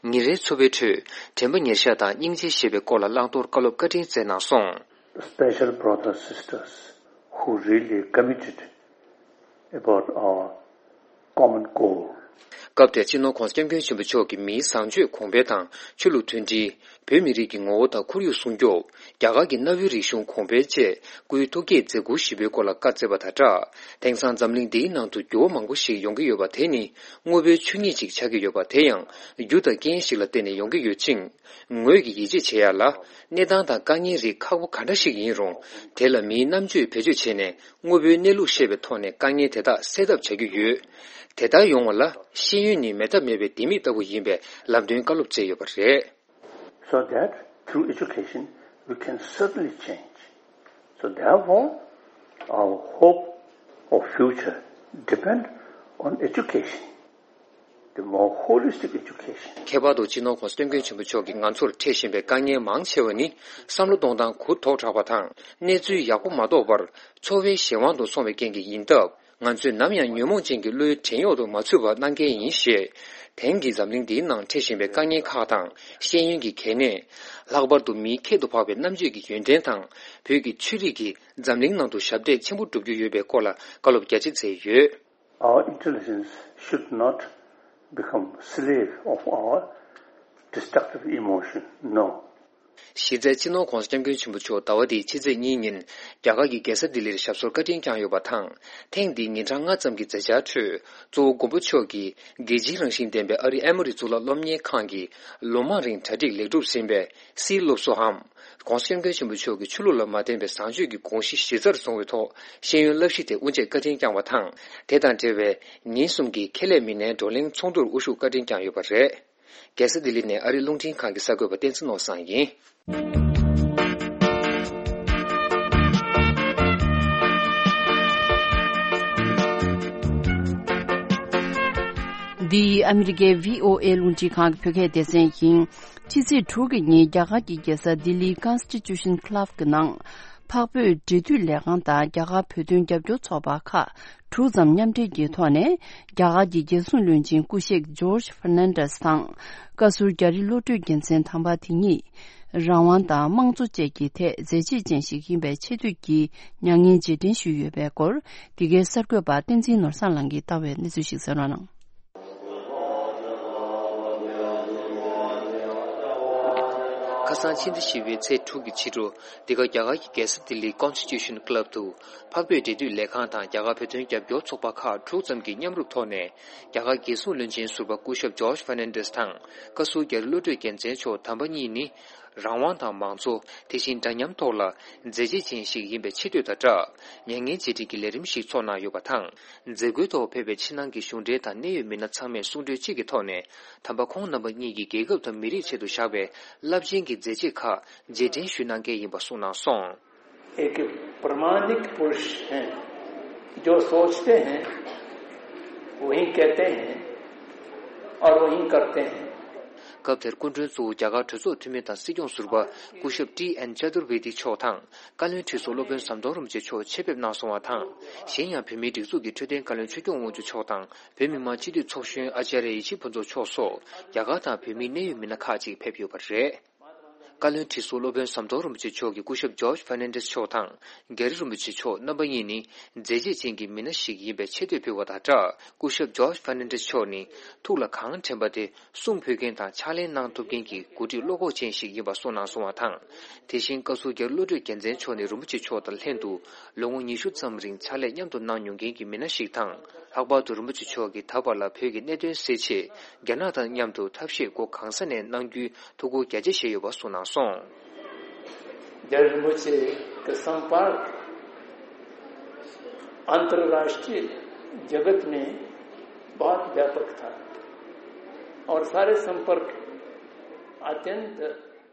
ཉིན་རེའི་འཚོ་བའི་ཁྲོད་དྲན་པ་ཉེར་བཞག་དང་སྙིང་རྗེ་ཞེས་པའི་སྐོར་ལ་བླང་དོར་བཀའ་སློབ་བཀའ་དྲིན་སྩལ་གནང་སོང་། Special brothers, sisters who really committed about our common goal. སྐབས་དེར་སྤྱི་ནོར་༧གོང་ས་༧སྐྱབས་མགོན་ཆེན་པོ་མཆོག་གིས་མིའི་བཟང་སྤྱོད་གོང་འཕེལ་དང་ཆོས་ལུགས་མཐུན་སྒྲིལ། བོད་མི་རིགས་ཀྱི་ངོ་བོ་དང་ཁོར་ཡུག་སྲུང་སྐྱོབ། རྒྱ་གར་གྱི་གནའ་བོའི་རིག་གཞུང་གོང་འཕེལ་བཅས་སྐུའི་ཐུགས་བསྐྱེད་མཛད་ཁུར་ཞིབ་པའི་སྐོར་ལ་བཀའ་སྩལ་བ་དང་སྦྲགས། དེང་སང་འཛམ་གླིང་འདིའི་ནང་དུ་འགྱུར་བ་མང་པོ་ཞིག་ཡོང་གི་ཡོད་པ་དེ་ནི་དངོས་པོའི་ཆོས་ཉིད་ཅིག་ཆགས་ཀྱི་ཡོད་པ་དེ་ཡང་རྒྱུ་དང་རྐྱེན་ཞིག་ལ་བརྟེན་ནས་ཡོང་གི་ཡོད་ཅིང་། ངོས་ཀྱིས་ཡིད་ཆེས་བྱེད་ཡ་ལ། གནས་སྟངས་དང་དཀའ་ངལ་རིགས་ཁག་པོ་ག་འདྲ་ཞིག་ཡིན་རུང་། དེ་ལ་མིའི་རྣམ་དཔྱོད་བེད་སྤྱོད་བྱས་ནས་དངོས་པོའི་གནས་ལུགས་ཤེས་པའི་ཐོག་ནས་དཀའ་ངལ་དེ་དག་སེལ་ཐབས་བྱ་རྒྱུ་ཡོད། དེ་ལྟར་ཡོང་བ་ལ་ཤེས་ཡོན་ནི་མེ་སྟག་མེད་པའི་ལྡེ་མིག་ལྟ་བུ་ཡིན་པའི་ལམ་སྟོན་བཀའ་སློབ་སྩལ་ཡོད་པ་རེད། So that through education we can certainly change. So therefore, our hope of future depend on education. the more holistic education. ཁྱད་པར་དུ་སྤྱི་ནོར་༸གོང་ས་༸སྐྱབས་མགོན་ཆེན་པོ་མཆོག་གིས་ང་ཚོར་འཕྲད་བཞིན་པའི་དཀའ་ངལ་མང་ཆེ་བ་ནི་བསམ་བློ་གཏོང་སྟངས་གུ་དོག་དྲགས་པ་དང་། གནས་ཚུལ་ཡག་པོ་མ་རྟོགས་པར་འཚོ་བའི་གཞན་དབང་དུ་སོང་བའི་རྐྱེན་གྱིས་ཡིན་སྟབས། ང་ཚོས་ནམ་ཡང་ཉོན་མོངས་ཅན་གྱི་བློའི་བྲན་གཡོག་ཏུ་མ་ཚུད་པ་གནང་གལ་ཡིན་ཞེས། དེང་གི་འཛམ་གླིང་འདིའི་ནང་འཕྲད་བཞིན་པའི་དཀའ་ངལ་ཁག་དང་ཤེས་ཡོན་གྱི་གལ་གནད། ལྷག་པར་དུ་མིའི་ཁྱད་དུ་འཕགས་པའི་རྣམ་དཔྱོད་ཀྱི་ཡོན་ཏན་དང་། བོད་ཀྱི་ཆོས་རིག་གིས་འཛམ་གླིང་ནང་དུ་ཞབས་འདེགས་ཆེན་པོ་སྒྲུབ་རྒྱུ་ཡོད་པའི་སྐོར་ལ་བཀའ་སློབ་རྒྱ་ཆེ་མཛད་ཡོད། Our intelligence should not become slave of our destructive emotion. No. གཞི་རྩའི་སྤྱི་ནོར་༸གོང་ས་༸སྐྱབས་མགོན་ཆེན་པོ་མཆོག་ཟླ་བ་འདིའི་ཕྱི་ཚེས་གཉིས་ཉིན་རྒྱ་གར་གྱི་རྒྱལ་ས་ལྡི་ལིར་ཞབས་སོར་བཀའ་དྲིན་བསྐྱངས་ཡོད་པ་དང་། ཐེངས་འདིའི་ཉིན་གྲངས་ལྔ་ཙམ་གྱི་མཛད་འཆར་ཁྲོད། གཙོ་བོ་མགོན་པོ་མཆོག་གིས་རྒྱལ་སྤྱིའི་རང་བཞིན་ལྡན་པའི་ཨ་རིའི་ཨེ་མོ་རི་གཙུག་ལག་སློབ་གཉེར་ཁང་གི་ལོ་མང་རིང་གྲ་སྒྲིག་ལེགས་གྲུབ་ཟིན་པའི་སིལ་སློབ་གསོའམ། ༸གོང་ས་༸སྐྱབས་མགོན་ཆེན་པོ་མཆོག་གིས་ཆོས་ལུགས་ལ་མ་བརྟེན་པའི་བཟང་སྤྱོད་ཀྱི་དགོངས་གཞི་གཞི་རྩར་བཟུང་བའི་ཐོག་ཤེས་ཡོན་བསླབ་གཞི་དེ་དབུ་འབྱེད་བཀའ་དྲིན་བསྐྱངས་པ་དང་། དེ་དང་འབྲེལ་བའི་ཉིན་གསུམ་གྱི་ཁེ་ལས་མི་སྣའི་བགྲོ་གླེང་ཚོགས་འདུར་དབུ་བཞུགས་བཀའ་དྲིན་བསྐྱངས་ཡོད་པ་རེད། རྒྱལ་ས་ལྡི་ལི་ནས་ཨ་རིའི་རླུང་འཕྲིན་ཁང་གི་གསར་འགོད་པ་བསྟན་འཛིན་ནོར་བཟང་ཡིན། འདི་ཨ་མི་རི་ཀའི་བྷི་ཨོ་ཨེ་རླུང་འཕྲིན་ཁང་གི་བོད་སྐད་སྡེ་ཚན་ཡིན། ཕྱི་ཚེས་དྲུག་གི་ཉིན་རྒྱ་གར་གྱི་རྒྱལ་ས་ལྡི་ལིའི་Constitution Club གི་ནང་། འཕགས་བོད་འབྲེལ་མཐུད་ལས་ཁང་དང་རྒྱ་གར་བོད་དོན་རྒྱབ་སྐྱོར་ཚོགས་པ་ཁག་དྲུག་ཙམ་མཉམ་འབྲེལ་གྱི་ཐོག་ནས། རྒྱ་གར་གྱི་རྒྱལ་སྲུང་བློན་ཆེན་སྐུ་གཤེགས་ཇོརྗ་ཧྥར་ནན་ཌེས་དང་། བཀའ་ཟུར་རྒྱ་རི་བློ་གྲོས་རྒྱལ་མཚན་དམ་པ་དེ་ཉིད། རང་དབང་དང་དམངས་གཙོ་བཅས་ཀྱི་ཐད་མཛད་རྗེས་ཅན་ཞིག་ཡིན་པའི་ཆེ་བསྟོད་ཀྱི་མྱ་ངན་རྗེས་དྲན་ཞུས་ཡོད་པའི་སྐོར། འདི་གའི་གསར་འགོད་པ་བསྟན་འཛིན་ནོར་བཟང་ལགས་ཀྱིས་བཏང་བའི་གནས་ཚུལ་ཞིག་གསན་རོགས་གནང་། ཁ་སང་ཕྱི་ཟླ་བཞི་པའི་ཚེས་དྲུག་གི་ཕྱི་དྲོ། འདི་ག་རྒྱ་གར་གྱི་རྒྱལ་ས་ལྡི་ལིའི་Constitution Club དུ། འཕགས་བོད་འབྲེལ་མཐུད་ལས་ཁང་དང་རྒྱ་གར་བོད་དོན་རྒྱབ་སྐྱོར་ཚོགས་པ་ཁག་དྲུག་ཙམ་གྱིས་མཉམ་རུབ་ཐོག་ནས། རྒྱ་གར་རྒྱལ་སྲུང་བློན་ཆེན་ཟུར་པ་སྐུ་ཞབས་ཇོརྗ་ཧྥར་ནན་ཌེས་དང་། བཀའ་ཟུར་རྒྱ་རི་བློ་གྲོས་རྒྱལ་མཚན་མཆོག་དམ་པ་གཉིས་ནི། རང་དབང་དང་མང་གཙོ། དེ་བཞིན་འདྲ་མཉམ་ཐོག་ལ་མཛད་རྗེས་ཅན་ཞིག་ཡིན་པའི་ཆེ་བསྟོད་དང་སྦྲགས། མྱ་ངན་རྗེས་དྲན་གྱི་ལས་རིམ་ཞིག་ཚོགས་གནང་ཡོད་པ་དང་། མཛད་སྒོའི་ཐོག་ཕེབས་པའི་ཕྱི་ནང་གི་གཞུང་འབྲེལ་དང་གནད་ཡོད་མི་སྣ་ཚང་མས་གསུང་གྲོས་གཅིག་གི་ཐོག་ནས། དམ་པ་ཁོང་རྣམ་པ་གཉིས་ཀྱིས་རྒྱལ་ཁབ་དང་མི་རིགས་ཆེད་དུ་བཞག་པའི་རླབས་ཆེན་གྱི་མཛད་རྗེས་ཁག་རྗེས་དྲན་ཞུ་གནང་གལ་ཡིན་པ་གསུངས་གནང་སོང་། एक प्रामाणिक पुरुष हैं, जो सोचते हैं, वही कहते हैं और वही करते हैं। སྐབས་དེར་སྐུ་མགྲོན་གཙོ་བོ་རྒྱ་གར་གྲོས་ཚོགས་འཐུས་མི་དང་སྲིད་སྐྱོང་ཟུར་པ་སྐུ་ཞབས་ཏི་ཨེན་ཅ་དུར་ཝེ་ཏི་མཆོག་དང་། བཀའ་བློན་ཁྲི་ཟུར་སློབ་དཔོན་ཟམ་གདོང་རིན་པོ་ཆེ་མཆོག་ཆེད་ཕེབས་གནང་སོང་བ་དང་། གཞན་ཡང་བོད་མིའི་སྒྲིག་འཛུགས་ཀྱི་འཕྲོད་བསྟེན་བཀའ་བློན་ཆོས་སྐྱོང་དབང་ཕྱུག་མཆོག་དང་། བོད་མི་མང་སྤྱི་འཐུས་ཚོགས་གཞོན་ཨ་ཅཱརྱ་ཡེ་ཤེས་ཕུན་ཚོགས་མཆོག་སོགས་རྒྱ་གར་དང་བོད་མིའི་གནད་ཡོད་མི་སྣ་ཁག་ཅིག་ཕེབས་ཡོད་པ་རེད། བཀའ་བློན་ཁྲི་ཟུར་སློབ་དཔོན་ཟམ་གདོང་རིན་པོ་ཆེ་མཆོག་གིས་སྐུ་ཞབས་ཇོརྗ་ཧྥར་ནན་ཌེས་མཆོག་དང་རྒྱ་རི་རིན་པོ་ཆེ་མཆོག་རྣམ་པ་གཉིས་ནི་མཛད་རྗེས་ཅན་གྱི་མི་སྣ་ཞིག་ཡིན་པའི་ཆེ་བསྟོད་ཕུལ་བ་དང་སྦྲགས། སྐུ་ཞབས་ཇོརྗ་ཧྥར་ནན་ཌེས་མཆོག་ནི་ཐུགས་ལ་གང་དྲན་པ་དེ་གསུང་ཕུལ་མཁན་དང་ཕྱག་ལས་གནང་ཐུབ་མཁན་གྱི་འགོ་ཁྲིད་བློ་ཁོག་ཅན་ཞིག་ཡིན་པ་གསུངས་གནང་སོང་བ་དང་། དེ་བཞིན་བཀའ་ཟུར་རྒྱ་རི་བློ་གྲོས་རྒྱལ་མཚན་མཆོག་ནི་རིན་པོ་ཆེ་མཆོག་དང་ལྷན་དུ་ལོ་ངོ་ཉི་ཤུ་ཙམ་རིང་ཕྱག་ལས་མཉམ་དུ་གནང་མྱོང་མཁན་གྱི་མི་སྣ་ཞིག་དང་། ལྷག་པར་དུ་རིན་པོ་ཆེ་མཆོག་གིས་ད་བར་ལ་བོད་ཀྱི་གནད་དོན་སེལ་ཆེད་རྒྱ་ནག་དང་མཉམ་དུ་ཐབས་ཤེས་སྒོ་གང་ས་ནས་གནང་རྒྱུའི་ཐུགས་ཁུར་རྒྱ་ཆེ་བཞེས་ཡོད་པ་གསུངས་གནང་སོང་། जय रिम्पोछे का संपर्क अंतर्राष्ट्रीय जगत में बहुत व्यापक था और सारे संपर्क अत्यंत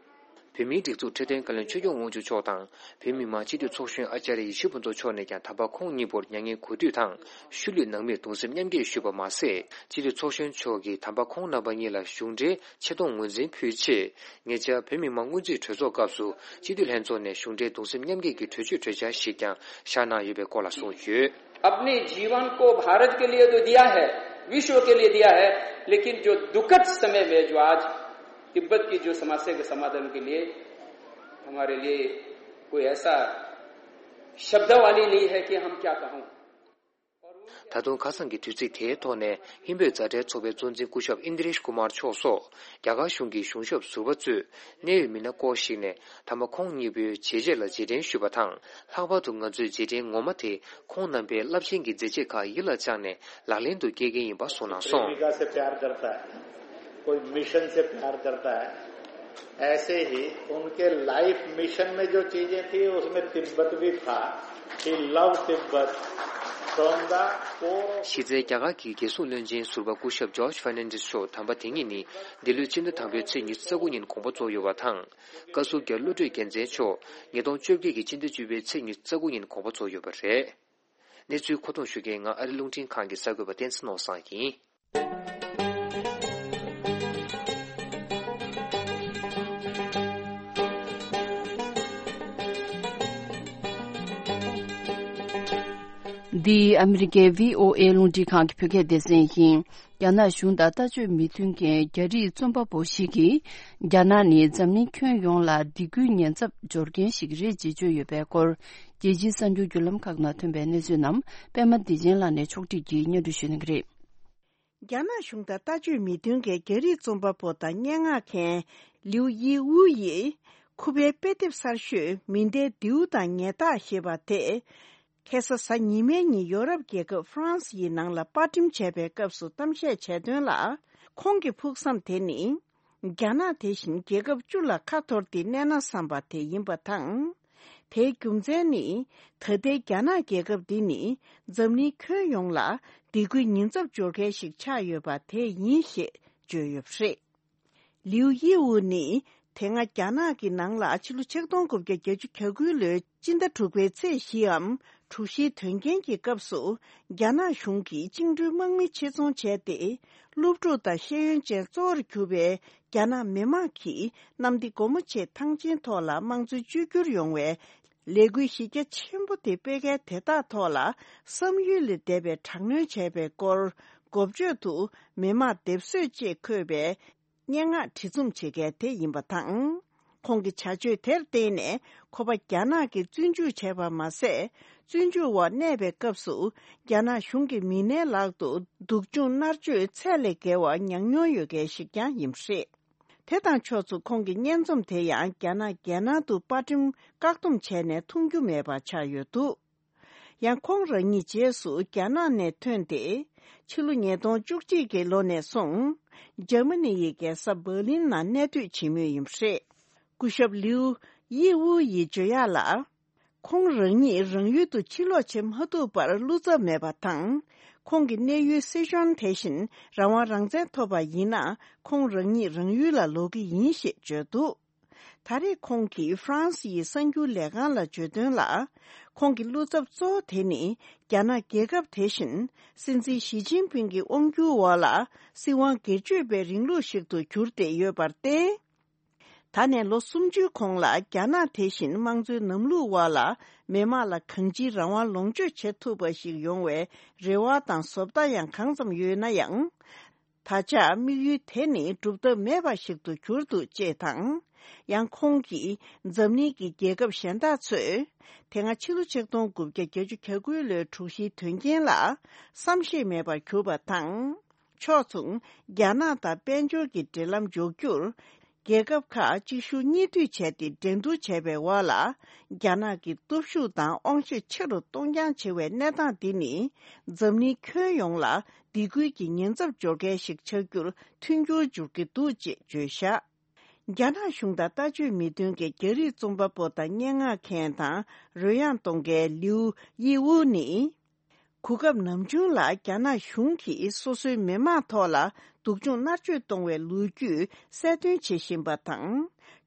བོད་མིའི་སྒྲིག་འཛུགས་འཕྲོད་བསྟེན་བཀའ་བློན་ཆོས་སྐྱོང་དབང་ཕྱུག་མཆོག་དང་། བོད་མི་མང་སྤྱི་འཐུས་ཚོགས་གཞོན་ཨ་ཅཱརྱ་ཡེ་ཤེས་ཕུན་ཚོགས་མཆོག་ནས་ཀྱང་དམ་པ་ཁོང་གཉིས་པོར་མྱ་ངན་གུས་འདུད་དང་། ཤུལ་ལུས་ནང་མིར་གདུང་སེམས་མཉམ་སྐྱེད་ཞུས་པ་མ་ཟད། སྤྱི་འཐུས་ཚོགས་གཞོན་མཆོག་གིས་དམ་པ་ཁོང་རྣམ་པ་གཉིས་ལ་གཞུང་འབྲེལ་ཆེ་མཐོང་ངོས་འཛིན་ཕུལ་ཆེད། ཉེ་ཆར་བོད་མི་མང་སྔོན་རྩིས་གྲོས་ཚོགས་སྐབས་སུ་སྤྱི་འཐུས་ལྷན་ཚོགས་ནས་གཞུང་འབྲེལ་གདུང་སེམས་མཉམ་སྐྱེད་ཀྱི་གྲོས་ཆོད་གྲོས་འཆར་ཞིག་ཀྱང་བཞག་གནང་ཡོད་པའི་སྐོར་ལ་གསུངས་ཡོད། अपने जीवन को भारत के लिए तो दिया है, विश्व के लिए दिया है, लेकिन जो दुखद समय में जो आज तिब्बत की जो समस्या के समाधान के लिए हमारे लिए कोई ऐसा शब्दावली नहीं है कि हम क्या कहों। ད་དུང་ཁ་སང་གི་དུས་ཚིགས་དེའི་ཐོག་ནས་ཧིན་བོད་མཛའ་འབྲེལ་ཚོགས་པའི་གཙོ་འཛིན་སྐུ་ཞབས་ཨིན་དྲེཤ་ཀུ་མར་མཆོག་སོགས་རྒྱ་གར་གཞུང་གི་གཞུང་ཞབས་ཟུར་པ་གཙོས་གནད་ཡོད་མི་སྣ་སྐོར་ཞིག་ནས་དམ་པ་ཁོང་གཉིས་པོའི་བྱས་རྗེས་ལ་རྗེས་དྲན་ཞུས་པ་དང་། ལྷག་པར་དུ་ང་ཚོའི་རྗེས་དྲན་ངོ་མ་དེ་ཁོང་རྣམ་པའི་རླབས་ཆེན་གྱི་མཛད་རྗེས་ཁག་ཡིད་ལ་བཅངས་ནས་ལག་ལེན་དུ་བསྐྱལ་གྱི་ཡིན་པ་གསུངས་གནང་སོང་། प्रेमिका से प्यार करता है, कोई मिशन से प्यार करता है, ऐसे ही उनके लाइफ मिशन में जो चीजें थी, उसमें तिब्बत भी था। He loved Tibet from the core of གཞི་རྩའི་རྒྱ་གར་གྱི་རྒྱལ་སྲུང་བློན་ཆེན་ཟུར་པ་སྐུ་ཞབས་ཇོརྗ་ཧྥར་ནན་ཌེས་མཆོག་དམ་པ་དེ་ཉིད་ནི་འདི་ལོའི་ཕྱི་ཟླ་དང་པོའི་ཚེས་ཉི་ཤུ་རྩ་དགུ་ཉིན་དགོངས་པ་རྫོགས་ཡོད་པ་དང་། བཀའ་ཟུར་རྒྱ་རི་བློ་གྲོས་རྒྱལ་མཚན་མཆོག་ཉིས་སྟོང་བཅོ་བརྒྱད་ཀྱི་ཕྱི་ཟླ་བཅུ་པའི་ཚེས་ཉི་ཤུ་རྩ་དགུ་ཉིན་དགོངས་པ་རྫོགས་ཡོད་པ་རེད། གནས་ཚུལ་མཁོ་གཏོང་ཞུ་མཁན་ང་ཨ་རི་རླུང་འཕྲིན་ཁང་གི་གསར་འགོད་པ་བསྟན་འཛིན་ནོར་བཟང་ཡིན། འདི་ཨ་མི་རི་ཀའི་བྷི་ཨོ་ཨེ་རླུང་འཕྲིན་ཁང་གི་བོད་སྐད་སྡེ་ཚན་ཡིན། རྒྱ་ནག་གཞུང་དང་ལྟ་སྤྱོད་མི་མཐུན་མཁན་རྒྱ་རིགས་རྩོམ་པ་པོ་ཞིག་གིས། རྒྱ་ནག་ནི་འཛམ་གླིང་ཁྱོན་ཡོངས་ལ་སྡིགས་སྐུལ་ཉེན་ཚབས་སྦྱོར་མཁན་ཞིག་རེད་ཅེས་བརྗོད་ཡོད་པའི་སྐོར། རྒྱལ་སྤྱིའི་གསར་འགྱུར་བརྒྱུད་ལམ་ཁག་ནང་ཐོན་པའི་གནས་ཚུལ་རྣམས་པད་མ་བདེ་ཆེན་ལགས་ནས་ཕྱོགས་སྒྲིག་གིས་སྙན་སྒྲོན་ཞུ་གནང་གི་རེད། རྒྱ་ནག་གཞུང་དང་ལྟ་སྤྱོད་མི་མཐུན་མཁན་རྒྱ་རིགས་རྩོམ་པ་པོ་དང་སྙན་ངག་མཁན་ལིའུ་ཡི་ཝུ་ཡིས། ཁུ་པའི་དཔེ་དེབ་གསར་ཤོས་མི་འདའི་མདེའུ་དང་ཉལ་ཐག་ཞེས་པ་དེ། ཁ་སང་གཟའ་ཉི་མའི་ཉིན་ཡོ་རོབ་རྒྱལ་ཁབ་ཧྥ་རན་སི་ཡི་ནང་ལ་པར་སྐྲུན་བྱས་པའི་སྐབས་སུ་གཏམ་བཤད་བྱས་དོན་ལ། ཁོང་གི་ཕུགས་བསམ་དེ་ནི། རྒྱ་ནག་དེ་བཞིན་རྒྱལ་ཁབ་བཅུ་ལ་ཁ་འཐོར་ཏེ་གནས་ན་བསམ་པ་དེ་ཡིན་པ་དང་། དེའི་རྒྱུ་མཚན་ནི། ད་ལྟའི་རྒྱ་ནག་རྒྱལ་ཁབ་འདི་ནི། འཛམ་གླིང་ཁྱོན་ཡོངས་ལ་སྡིགས་སྐུལ་ཉེན་ཚབས་སྦྱོར་མཁན་ཞིག་ཆགས་ཡོད་པ་དེ་ཡིན་ཞེས་བརྗོད་ཡོད་པ་རེད། ལིའུ་ཡི་ཝུ་ནི། དེ་སྔ་རྒྱ་ནག་གི་ནང་ལ་ཕྱི་ལོ་ཆིག་སྟོང་དགུ་བརྒྱ་བརྒྱད་ཅུ་གྱ་དགུ་ལོའི་སྤྱི་ཟླ་དྲུག་པའི་ཚེས་བཞིའམ་དྲུག་བཞིའི་དོན་རྐྱེན་གྱི་སྐབས་སུ། རྒྱ་ནག་གཞུང་གིས་བཅིངས་འགྲོལ་དམག་མི་ཆེད་རྫོང་བྱས་ཏེ། སློབ་ཕྲུག་དང་ཤེས་ཡོན་ཅན་གཙོ་བོར་གྱུར་པའི་རྒྱ་ནག་མི་མང་གིས་གནམ་བདེ་སྒོ་མོ་ཆེའི་ཐང་ཆེན་ཐོག་ལ་དམངས་གཙོའི་བཅོས་བསྒྱུར་ཡོང་བའི་ལས་འགུལ་གཞི་རྒྱ་ཆེན་པོ་དེ་སྤེལ་མཁན་དེ་དག་ཐོག་ལ་བསམ་ཡུལ་ལས་འདས་པའི་དྲག་གནོན་བྱས་པའི་སྐོར། འགོ་བརྗོད་དུ་མི་མང་སྡེབ་གསོད་ཅེས་འཁོད་པའི་སྙན་ངག་བྲིས་རྩོམ་བྱེད་མཁན་དེ་ཡིན་པ་དང་། ཁོང་གི་བྱ་སྤྱོད་དེར་བརྟེན་ནས་ཁོ་པ་རྒྱ་ནག་གིས་བཙོན་འཇུག་བྱས་པ་མ་ཟད། བཙོན་འཇུག་འོག་གནས་པའི་སྐབས་སུ། རྒྱ་ནག་གཞུང་གི་མི་སྣའི་ལག་ཏུ་སྡུག་སྦྱོང་མནར་གཅོད་ཚད་ལས་བརྒལ་བ་མྱངས་མྱོང་ཡོད་མཁན་ཞིག་ཀྱང་ཡིན་པ་རེད། དེ་དང་ཕྱོགས་མཚུངས་ཁོང་གི་སྙན་རྩོམ་དེ་ཡང་རྒྱ་ནག་རྒྱལ་ནང་དུ་པར་སྐྲུན་བཀག་སྡོམ་བྱས་ནས་མཐོང་རྒྱུ་མེད་པ་ཆགས་ཡོད་འདུག། ཡང་ཁོང་རང་ཉིད་རྗེས་སུ་རྒྱ་ནག་ནས་ཐོན་ཏེ། ཕྱི་ལོ་ཉིས་སྟོང་བཅུ་གཅིག་གི་ལོ་ནས་བཟུང་། འཇར་མ་ནི་ཡི་རྒྱལ་ས་འབར་ལིན་ནང་གནས་སྡོད་བྱེད་མུས་ཡིན་པ་རེད། སྐུ་ཞབས་ལིའུ་ཡི་ཝུ་ཡིས་བརྗོད་ཡག་ལ། ཁོང་རང་ཉིད་རང་ཡུལ་དུ་ཕྱིར་ལོག་བྱེད་མ་ཐུབ་པར་བློ་འཚབ་མེད་པ་དང་། ཁོང་གི་གནས་ཡུལ་སི་ཤོན་དེ་བཞིན་རང་དབང་རང་བཙན་ཐོབ་པ་ཡིན་ན། ཁོང་རང་ཉིད་རང་ཡུལ་ལ་ལོག་གི་ཡིན་ཞེས་བརྗོད་འདུག། ད་རེས་ཁོང་གིས་ཧྥ་རན་སི་ཡི་གསར་འགྱུར་ལས་ཁང་ལ་བརྗོད་དོན་ལ། ཁོང་གི་བློ་འཚབ་གཙོ་བོ་དེ་ནི། རྒྱ་ནག་རྒྱལ་ཁབ་དེ་བཞིན་སྲིད་འཛིན་ཞི་ཅིན་ཕིང་གི་དབང་སྒྱུར་འོག་ལ་སྲིད་དབང་སྒེར་གཅོད་པའི་རིང་ལུགས་ཤིག་ཏུ་གྱུར་ཏེ་ཡོད་པར་བརྟེན། ད་ནས་ལོ་སུམ་ཅུའི་གོང་ལ་རྒྱ་ནག་དེ་བཞིན་དམངས་གཙོའི་ལམ་ལུགས་འོག་ལ་མི་དམངས་ལ་གང་ཅིའི་རང་དབང་ལོངས་སྤྱོད་བྱེད་ཐུབ་པ་ཞིག་ཡོང་བའི་རེ་བ་དང་བཟོ་ལྟ་ཡང་གང་ཙམ་ཡོད་ན་ཡང་། ད་ཆ་དམིགས་ཡུལ་དེ་ནི་འགྲུབ་ཐབས་མེད་པ་ཞིག་ཏུ་གྱུར་འདུག་ཅེས་དང་། ཡང་ཁོང་གིས་འཛམ་གླིང་གི་རྒྱལ་ཁབ་གཞན་དག་ཚོས། དེ་སྔ་ཕྱི་ལོ་ཆིག་སྟོང་དགུ་བརྒྱ་བརྒྱད་ཅུ་གྱ་དགུ་ལོའི་དྲུག་བཞིའི་དོན་རྐྱེན་ལ་བསམ་ཤེས་མེད་པར་གྱུར་པ་དང་། ཕྱོགས་མཚུངས། རྒྱ་ནག་དང་དཔལ་འབྱོར་གྱི་འབྲེལ་ལམ་འཇོག་རྒྱུར། རྒྱལ་ཁབ་ཁག་གཅིག་མཇུག་གཉིས་མཐུད་བྱས་ཏེ་འགྲན་བསྡུར་བྱས་པའི་འོག་ལ། རྒྱ་ནག་གི་སྟོབས་ཤུགས་དང་དབང་ཤེད་ཆེ་རུ་གཏོང་རྐྱང་བྱེད་པའི་གནས་སྟངས་འདི་ནི། འཛམ་གླིང་ཁྱོན་ཡོངས་ལ་སྡིགས་སྐུལ་གྱི་ཉེན་ཚབས་སྦྱོར་མཁན་ཞིག་ཆགས་རྒྱུར་མཐུན་འགྱུར་འབྱུང་གི་འདུག་ཅེས་བརྗོད་བཞག། རྒྱ་ནག་གཞུང་དང་ལྟ་སྤྱོད་མི་མཐུན་གྱི་རྒྱ་རིགས་རྩོམ་པ་པོ་དང་སྙན་ངག་མཁན་དང་རོལ་དབྱངས་གཏོང་མཁན་ལིའུ་ཡི་ཝུ་ནི། གོ་སྐབས་ནམ་བྱུང་ལ་རྒྱ་ནག་གཞུང་གིས་སོ་སོའི་མི་མང་ཐོག་ལ་སྡུག་སྦྱོང་མནར་གཅོད་གཏོང་བའི་ལོ་རྒྱུས་གསལ་སྟོན་བྱེད་བཞིན་པ་དང་།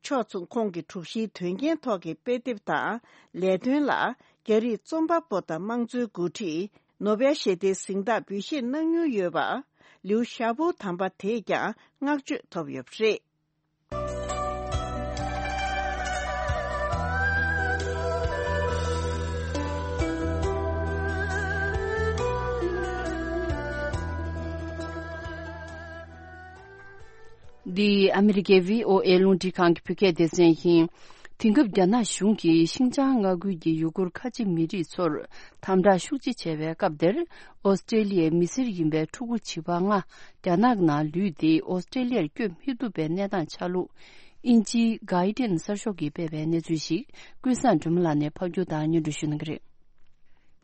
ཕྱོགས་མཚུངས་ཁོང་གི་དྲུག་བཞིའི་དོན་རྐྱེན་ཐོག་གི་དཔེ་དེབ་དང་ལས་དོན་ལ། རྒྱ་རིགས་རྩོམ་པ་པོ་དང་དམངས་གཙོའི་འགོ་ཁྲིད། ནོ་བེལ་ཞི་བདེའི་གཟེངས་རྟགས་འབུལ་བཞེས་གནང་མྱོང་ཡོད་པ། ལིའུ་ཞའོ་པོ་དམ་པ་དེས་ཀྱང་བསྔགས་བརྗོད་ཐོབ་ཡོད་པ་རེད། འདི་ཨ་མི་རི་ཀའི་བྷི་ཨོ་ཨེ་རླུང་འཕྲིན་ཁང་གི་བོད་སྐད་སྡེ་ཚན་ཡིན། དེང་སྐབས་རྒྱ་ནག་གཞུང་གིས་ཤིན་ཅང་མངའ་ཁུལ་གྱི་ཡུ་གུར་ཁ་ཆེ་མི་རིགས་ཚོར་དམ་དྲག་ཤུགས་ཆེ་བྱས་པའི་སྐབས་དེར། ཨོ་སི་ཀྲེ་ལི་ཡའི་མི་སེར་ཡིན་པའི་ཕྲུ་གུ་བྱིས་པ་ལྔ་རྒྱ་ནག་ནང་ལུས་ཏེ་ཨོ་སི་ཀྲེ་ལི་ཡར་བསྐྱོད་མི་ཐུབ་པའི་གནས་སྟངས་ཆགས་ལུགས། དབྱིན་ཇིའི་Guardian་གསར་ཤོག་གིས་སྤེལ་བའི་གནས་ཚུལ་ཞིག་ཀུན་བཟང་སྒྲོལ་མ་ལགས་ནས་ཕབ་སྒྱུར་དང་སྙན་སྒྲོན་ཞུ་གནང་གི་རེད།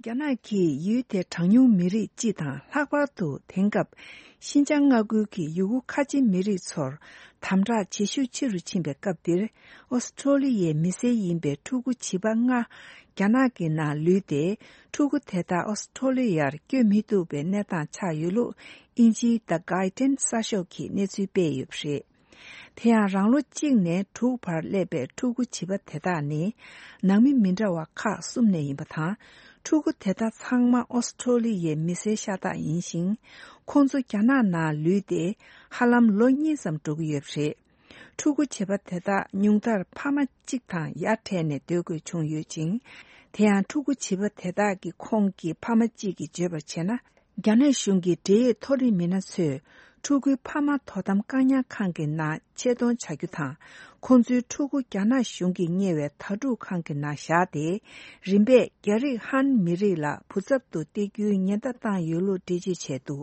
རྒྱ་ནག་གིས་ཡུལ་དེའི་གྲངས་ཉུང་མི་རིགས་སྤྱི་དང་ལྷག་པར་དུ་དེང་སྐབས་ཤིན་ཅང་མངའ་ཁུལ་གྱི་ཡུ་གུར་ཁ་ཆེ་མི་རིགས་ཚོར་དམ་དྲག་བྱེད་ཤུགས་ཆེ་རུ་ཕྱིན་པའི་སྐབས་འདིར། ཨོ་སི་ཀྲོ་ལི་ཡའི་མི་སེར་ཡིན་པའི་ཕྲུ་གུ་བྱིས་པ་ལྔ་རྒྱ་ནག་གི་ནང་ལུས་ཏེ། ཕྲུ་གུ་དེ་དག་ཨོ་སི་ཀྲོ་ལི་ཡར་བསྐྱོད་མི་ཐུབ་པའི་གནས་སྟངས་ཆགས་ཡོད་ལུགས་དབྱིན་ཇིའི་The Guardian་གསར་ཤོག་གིས་གནས་ཚུལ་སྤེལ་ཡོད་པ་རེད། དེ་ཡང་རང་ལོ་གཅིག་ནས་དྲུག་བར་སླེབས་པའི་ཕྲུ་གུ་བྱིས་པ་དེ་དག་ནི་ནང་མི་མི་འདྲ་བ་ཁག་གསུམ་ནས་ཡིན་པ་དང་། ཕྲུ་གུ་དེ་དག་ཚང་མ་ཨོ་སི་ཀྲོ་ལི་ཡའི་མི་སེར་ཤ་སྟག་ཡིན་ཞིང་། ཁོང་ཚོ་རྒྱ་ནག་ནང་ལུས་ཏེ་ཧ་ལམ་ལོ་གཉིས་ཙམ་འགྲོ་གི་ཡོད་པ་རེད། ཕྲུ་གུ་བྱིས་པ་དེ་དག་ཉུང་མཐར་ཕ་མ་གཅིག་དང་ཡར་འཕྲད་ནས་སྡོད་དགོས་བྱུང་ཡོད་ཅིང་། དེ་ཡང་ཕྲུ་གུ་བྱིས་པ་དེ་དག་གི་ཁོངས་ཀྱི་ཕ་མ་གཅིག་གིས་བརྗོད་པར་བྱས་ན། རྒྱ་ནག་གཞུང་གི་འབྲེལ་ཡོད་མཐོ་རིམ་མི་སྣ་ཚོས་ཕྲུ་གུའི་ཕ་མ་དོ་དམ་བཀག་ཉར་ཁང་གི་ནང་ཆེད་གཏོང་བྱ་རྒྱུ་དང་། ཁོང་ཚོའི་ཕྲུ་གུ་རྒྱ་ནག་གཞུང་གིས་གཉེར་བའི་དྭ་ཕྲུག་ཁང་གི་ནང་བཞག་སྟེ། རིམ་པས་རྒྱ་རིགས་ཧན་མི་རིགས་ལ་བུ་ཚབ་ཏུ་སྟེར་རྒྱུའི་ཉེན་བརྡ་བཏང་ཡོད་ལུགས་འགྲེལ་བརྗོད་བྱས་འདུག་